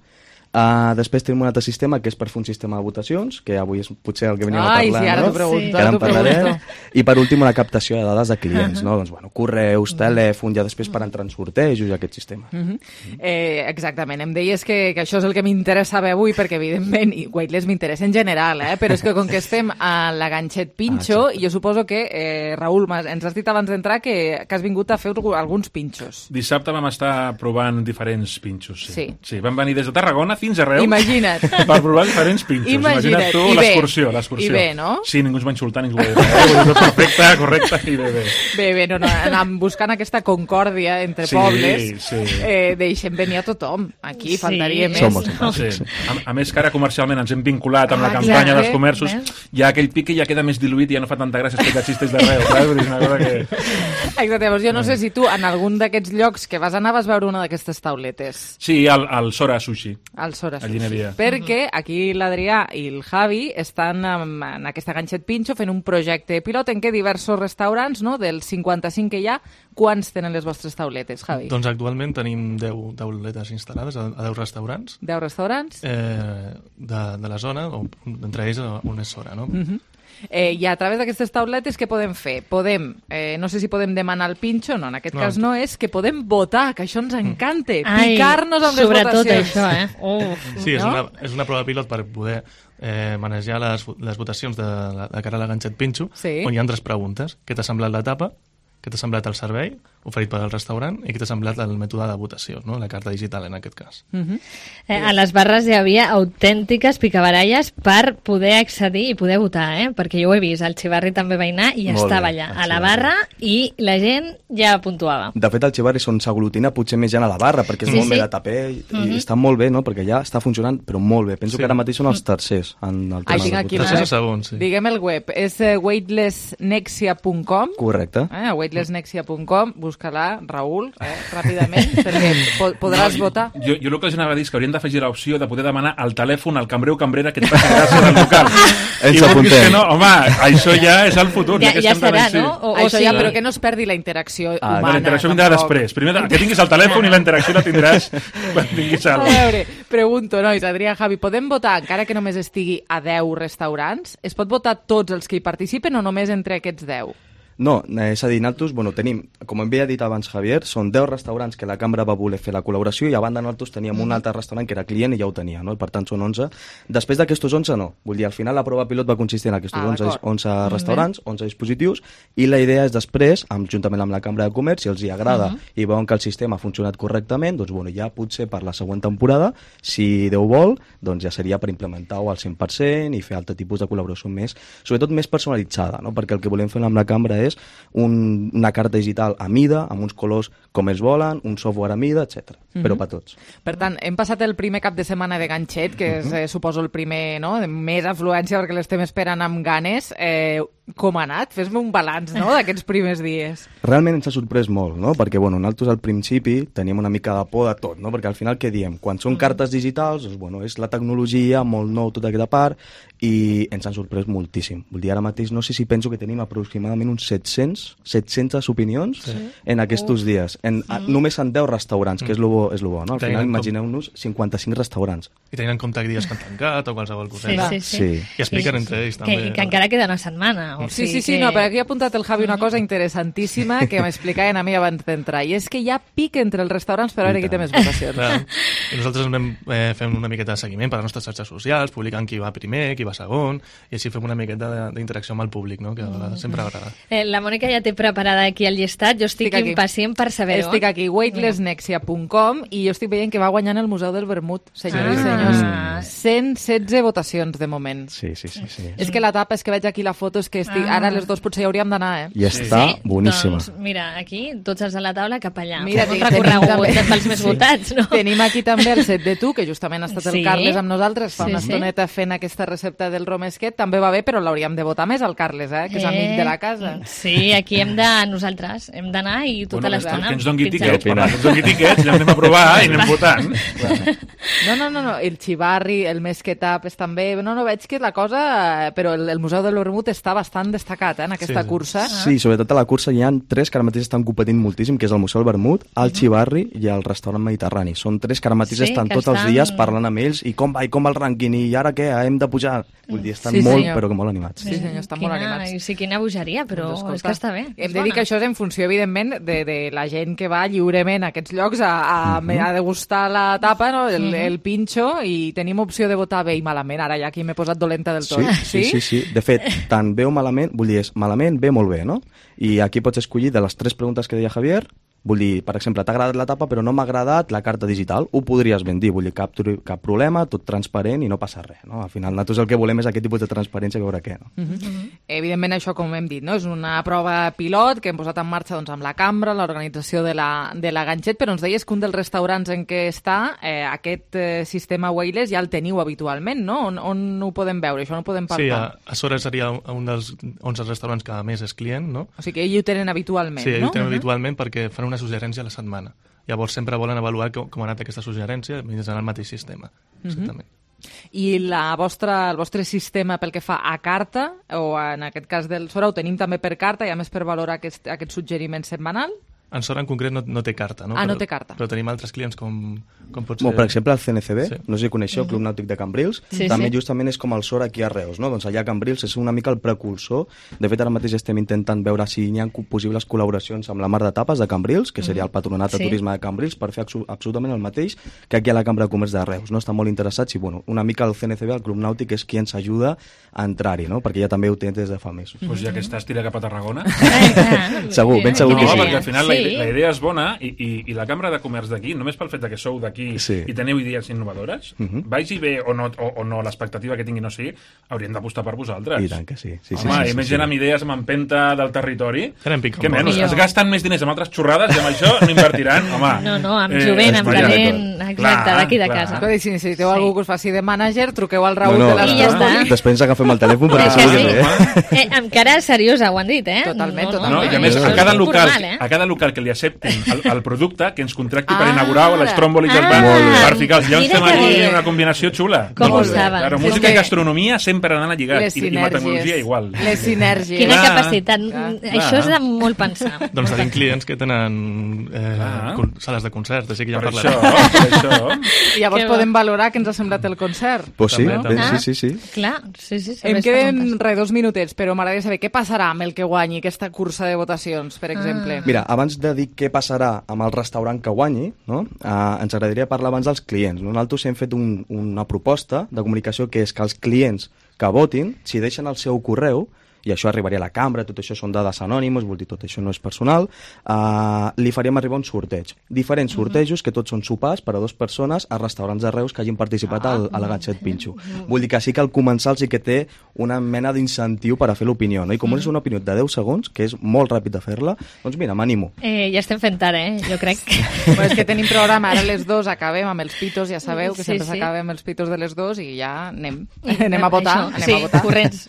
Uh, després tenim un altre sistema que és per fer un sistema de votacions, que avui és potser el que veníem Ai, a parlar, sí, ara no? t'ho pregunto, Que ara ara en t'ho pregunto. parlarem. I per últim la captació de dades de clients, no? Doncs, bueno, correus, telèfon, ja després per entrar en sortejos i aquest sistema. Mhm. eh, exactament, em deies que, que això és el que m'interessa saber avui, perquè evidentment, i Weightless m'interessa en general, eh? Però és que com que estem a la Ganxet Pinxo, ah, jo suposo que, eh, Raül, m'has- ens has dit abans d'entrar que, que has vingut a fer alguns pinxos. Dissabte vam estar provant diferents pinxos. Sí. Sí. sí vam venir des de Tarragona fins a Reus. Imagina't. Per provar diferents pinxos. Imagina't. Imagina't tu I bé. l'excursió, l'excursió. I bé, no? Sí, ningú ens va insultar, ningú va dir res. Eh? Tot perfecte, correcte i bé, bé. Bé, bé, no, no, anàvem buscant aquesta concòrdia entre Sí, pobles. sí. Eh, deixem venir a tothom. Aquí faltaria més. Som molt Sí. A, a més que ara comercialment ens hem vinculat amb Ah, la campanya exacte. dels comerços, Ves? ja aquell pic que ja queda més diluït i ja no fa tanta gràcia explicar xistes d'arreu, saps? Vull dir, és una cosa que... Exacte, llavors jo no sé si tu en algun d'aquests llocs que vas anar vas veure una d'aquestes tauletes. Sí, al, al Sora Sushi. Al Sora A Llineria. Perquè aquí l'Adrià i el Javi estan en, en aquesta Ganxet Pinxo fent un projecte pilot en què diversos restaurants, no?, dels cinquanta-cinc que hi ha, quants tenen les vostres tauletes, Javi? Doncs actualment tenim deu tauletes instal·lades a, a deu restaurants deu restaurants? eh, de, de la zona, o, entre ells un és Sora, no? Mhm. Eh, I a través d'aquestes tauletes què podem fer? Podem, eh, no sé si podem demanar el pinxo, no, en aquest No. cas no, és que podem votar, que això ens encanta, Ai, picar-nos amb les sobretot votacions. això, eh? Uf, Sí, és, no? una, és una prova pilot per poder eh, manejar les, les votacions de, de cara a la Ganxet Pinxo, Sí. on hi ha tres preguntes. Què t'ha semblat l'etapa? Què t'ha semblat el servei oferit pel restaurant? I què t'ha semblat el mètode de votació, no? La carta digital, en aquest cas. Mhm. Eh, a les barres hi havia autèntiques picabaralles per poder accedir i poder votar, eh? Perquè jo ho he vist, el Xivarri també va anar i Molt estava bé, allà, el a la Xivarri. barra, i la gent ja puntuava. De fet, el Xivarri és on s'aglutina potser més gent a la barra, perquè és Sí, molt sí. bé de taper i, Mhm. i està molt bé, no? Perquè ja està funcionant, però molt bé. Penso Sí. que ara mateix són els tercers en el tema Ai, tinc de aquí votació. la- Tercers o segons, sí. Diguem el web, és eh, weightless nexia punt com. Correcte. Eh, weightless nexia punt com, busca-la, Raül, eh, ràpidament, perquè po podràs No, votar. Jo, jo el que els anava a dir és que haurien d'afegir l'opció de poder demanar al telèfon al cambrer o cambrera que et faci gràcia del local. Ens I vulguis apuntem. que no, home, això ja és el futur. Ja- que ja estem tan serà, així. no? O- o Això sí. ja, però que no es perdi la interacció Ah, humana. La interacció vindrà tampoc. després. Primer de- que tinguis el telèfon i la interacció la tindràs quan tinguis A el... veure, pregunto, nois, Adrià, Javi, podem votar, encara que només estigui a deu restaurants? Es pot votar tots els que hi participen o només entre aquests deu? No, eh, és a dir, nosaltres, bueno, tenim, com havia dit abans Javier, són deu restaurants que la cambra va voler fer la col·laboració i a banda nosaltres teníem un altre restaurant que era client i ja ho tenia, no? I per tant són onze. Després d'aquestos onze no, vull dir, al final la prova pilot va consistir en aquests Ah, onze, d'acord. onze restaurants, onze dispositius, i la idea és després, amb, juntament amb la Cambra de Comerç, si els hi agrada Mhm. i veuen que el sistema ha funcionat correctament, doncs bueno, ja potser per la següent temporada, si Déu vol, doncs ja seria per implementar-ho al cent per cent i fer altre tipus de col·laboració més, sobretot més personalitzada, no? Perquè el que volem fer amb la Cambra és és un, una carta digital a mida, amb uns colors com ells volen, un software a mida, etcètera. Mm-hmm. Però per tots. Per tant, hem passat el primer cap de setmana de ganxet, que és, eh, suposo, el primer, no?, de més afluència, perquè l'estem esperant amb ganes. Eh, com ha anat? Fes-me un balanç, no?, d'aquests primers dies. Realment ens ha sorprès molt, no?, perquè, bueno, nosaltres al principi teníem una mica de por de tot, no?, perquè al final què diem? Quan són cartes digitals, doncs, bueno, és la tecnologia, molt nou, tota aquesta part, i ens han sorprès moltíssim. Vull dir, ara mateix no sé si penso que tenim aproximadament uns set-cents, set-centes opinions sí. en aquests uh. dies. En, a, només en deu restaurants, que és lo bo, és lo bo, no? Al final, imagineu-nos cinquanta-cinc restaurants. I tenint en compte dies que han tancat o qualsevol coseta. Sí, sí, sí. I expliquen sí, sí. entre ells, també. Que, que encara queda una setmana. O sí, sigui sí, sí, que... no, però aquí ha apuntat el Javi una cosa interessantíssima que m'explicaven a mi abans d'entrar, i és que hi ha pic entre els restaurants per veure qui té més votacions. Clar. I nosaltres anem eh, fem una miqueta de seguiment per les nostres xarxes socials, publicant qui va primer, qui va segon, i així fem una miqueta d'interacció amb el públic, no?, que mm. sempre agrada. Eh, la Mònica ja té preparada aquí el llistat, jo estic, estic impacient per saber-ho. Estic aquí, weightlessnexia punt com, i jo estic veient que va guanyant el Museu del Vermut, senyors ah. i senyors. cent setze votacions de moment. Sí, sí, sí, sí. És que la tapa, és que veig aquí la foto, és que estic... Ah. Ara les dos potser hi hauríem d'anar, eh? I està sí? boníssima. Doncs mira, aquí, tots els de la taula cap allà. Mira, un recorregut pels més sí. votats, no? Tenim aquí també el set de tu, que justament ha estat sí. el Carles amb nosaltres fa sí, una estoneta sí. fent aquesta recepta del romesquet. També va bé, però l'hauríem de votar més al Carles, eh? Que és eh. amic de la casa. Sí, aquí hem de... Nosaltres hem d'anar i tota bueno, l'estona... Que ens doni tiquets, que ens doni tiquets, ja anem a provar i anem votant. No, no, no, no, el xivarri, el mesquetap és també... No, no, veig que la cosa... Però el, el Museu del Vermut està bastant destacat, eh, en aquesta sí. cursa. Sí, sobretot a la cursa hi ha tres que ara mateix estan competint moltíssim, que és el Museu del Vermut, el xivarri i el restaurant mediterrani. Són tres que ara mateix sí, estan tots estan... els dies parlant amb ells i com va, i com va el rànquing, i ara què, hem de pujar. Vull dir, estan sí, molt, senyor. però que molt animats. Sí, senyor, estan quina, molt animats. Sí, quina bogeria, però doncs, és que està bé. Hem de dir que això és en funció, evidentment, de, de la gent que va lliurement a aquests llocs a, a, uh -huh. a degustar la tapa, no? el, uh -huh. el pinxo, i tenim opció de votar bé i malament. Ara ja aquí m'he posat dolenta del tot. Sí, sí, sí, sí, sí. De fet, tant bé o malament, vull dir, és malament, bé, molt bé, no? I aquí pots escollir de les tres preguntes que deia Javier. Vull dir, per exemple, t'ha agradat la tapa però no m'ha agradat la carta digital, ho podries ben dir, vull dir, cap, cap problema, tot transparent i no passa res, no? Al final nosaltres el que volem és aquest tipus de transparència, veure què, no? Uh -huh. Uh -huh. Evidentment això, com hem dit, no? És una prova pilot que hem posat en marxa doncs, amb la cambra, l'organització de la, de la ganxet, però ens deies que un dels restaurants en què està eh, aquest eh, sistema Weightless ja el teniu habitualment, no? On, on ho podem veure? Això no ho podem parlar? Sí, a, a Sora seria un dels onze restaurants que més és client, no? O sigui que ells ho tenen habitualment, sí, no? Sí, ho tenen uh -huh. habitualment perquè fan una suggerència a la setmana. Llavors sempre volen avaluar com, com ha anat aquesta suggerència mitjançant el mateix sistema. Exactament. Uh -huh. I la vostra, el vostre sistema pel que fa a carta, o en aquest cas del Sora, ho tenim també per carta, i a més per valorar aquest, aquest suggeriment setmanal? En Sora en concret no, no té carta, no? Ah, però, no té carta. Però tenim altres clients com, com pot ser... Bueno, per exemple, el C N C B, sí. no sé si coneixeu, el Club Nàutic de Cambrils, sí, també sí. justament és com el Sora aquí a Reus, no? Doncs allà a Cambrils és una mica el precursor. De fet, ara mateix estem intentant veure si hi ha possibles col·laboracions amb la Mar de Tapes de Cambrils, que seria el Patronat de sí. Turisme de Cambrils, per fer absolutament el mateix que aquí a la Cambra de Comerç de Reus, no? Estan molt interessats i, bueno, una mica el C N C B, el Club Nàutic, és qui ens ajuda a entrar-hi, no? Perquè ja també ho té des de fa mesos. Doncs ja que estàs, tira cap a Tarragona. Segur, ben segur no, que sí. No, perquè al final sí. la, la idea és bona i, i, i la Cambra de Comerç d'aquí, només pel fet que sou d'aquí sí. i teniu idees innovadores, uh -huh. vagi bé o no, o, o no l'expectativa que tingui no sigui, haurien d'apostar per vosaltres. I tant que sí. sí, Home, sí, sí, sí i més sí, gent sí. amb idees, amb empenta del territori, que menys, es gasten més diners amb altres xorrades i amb això no invertiran, home. No, no, amb jovent, eh, amb talent, exacte, d'aquí de casa. Però si necessiteu sí. algú que us faci de mànager, truqueu al Raül no, no, de les I ja està. Després ens agafem el telèfon perquè sí. segur que bé. Eh, amb cara seriosa ho han dit, eh? Totalment, no, totalment. No, I a més, a cada, local, a cada local que li acceptin el, el producte, que ens contracti per inaugurar les tròmbolis del bar, per ficar els llocs, fem aquí una combinació xula. Com ho saben? Claro, música i gastronomia sempre han anat lligats, i, i la tecnologia igual. Les sinergies. Quina clar, capacitat. Clar. Això és de molt pensar. Doncs tenim clients que tenen eh, sales de concerts, així que ja per parlarem. Això, per això. I llavors podem valorar què ens ha semblat el concert. Pues sí, també, també. Ah, sí, sí, sí. Clar, sí, sí. Em queden re, dos minutets, però m'agradaria saber què passarà amb el que guanyi aquesta cursa de votacions, per exemple. Ah. Mira, abans de dir què passarà amb el restaurant que guanyi, no? eh, ens agradaria parlar abans dels clients. Nosaltres hem fet un, una proposta de comunicació que és que els clients que votin, si deixen el seu correu, i això arribaria a la cambra, tot això són dades anònimes, vol dir, tot això no és personal, uh, li faríem arribar un sorteig. Diferents sortejos, que tots són sopars per a dues persones a restaurants de Reus que hagin participat al, a la Gatxet Pinxo. Vull dir que sí que al començar sí que té una mena d'incentiu per a fer l'opinió, no? I com és una opinió de deu segons, que és molt ràpid de fer-la, doncs mira, m'animo. Eh, ja estem fent ara, eh? Jo crec. Bueno, és que tenim programa, ara les dos acabem amb els pitos, ja sabeu que Sí, sempre sí. s'acaba amb els pitos de les dos i ja anem, anem a votar. Això, anem sí, a votar. corrents.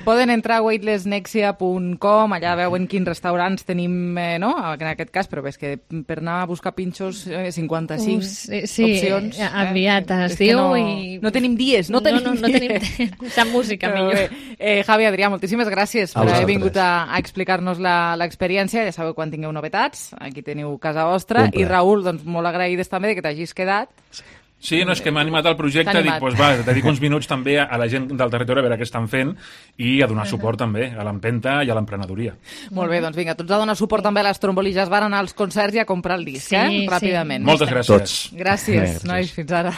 Poden entrar a weightless nexia punt com, allà veuen quins restaurants tenim, eh, no? En aquest cas, però és que per anar a buscar pinxos, eh, cinquanta-cinc Uh, sí, sí, opcions. eh, aviat es És que diu no, i- no tenim dies, no tenim no, no, no tenim sap música Però millor. bé, eh, Javi, Adrià, moltíssimes gràcies A per haver vosaltres. vingut a, a explicar-nos la- l'experiència. Ja sabeu, quan tingueu novetats, aquí teniu casa vostra. Un I plaer. Raül, doncs molt agraïdes també de que t'hagis quedat. Sí, no, és que m'ha animat al projecte, T'ha dic, animat. doncs va, dedico uns minuts també a la gent del territori a veure què estan fent i a donar suport també a l'empenta i a l'emprenedoria. Molt bé, doncs vinga, tots a donar suport també a les trombolilles. Van anar als concerts i a comprar el disc, Sí, eh? sí. Ràpidament. Moltes gràcies. Tots. Gràcies, Gràcies. nois, fins ara.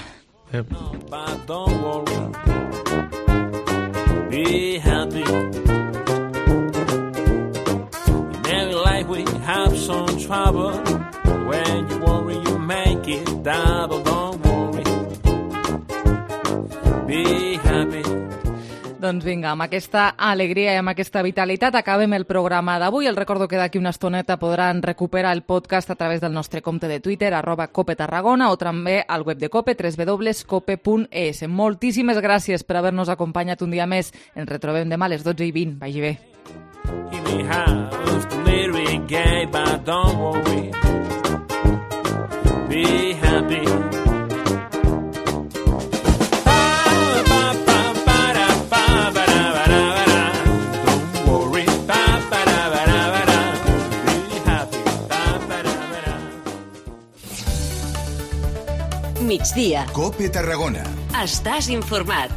Don't worry, be happy. In every life we have some trouble. When you worry, you make it double. Don't worry, be happy. Doncs vinga, amb aquesta alegria i amb aquesta vitalitat acabem el programa d'avui. El recordo que d'aquí una estoneta podran recuperar el podcast a través del nostre compte de Twitter, arroba Cope Tarragona, o també al web de Cope, w w w punt cope punt e s. Moltíssimes gràcies per haver-nos acompanyat un dia més. Ens retrobem demà a les dotze i vint. Vagi bé. Give me half the lyric gay, but don't worry, be happy. Migdia. Cope Tarragona. Estàs informat.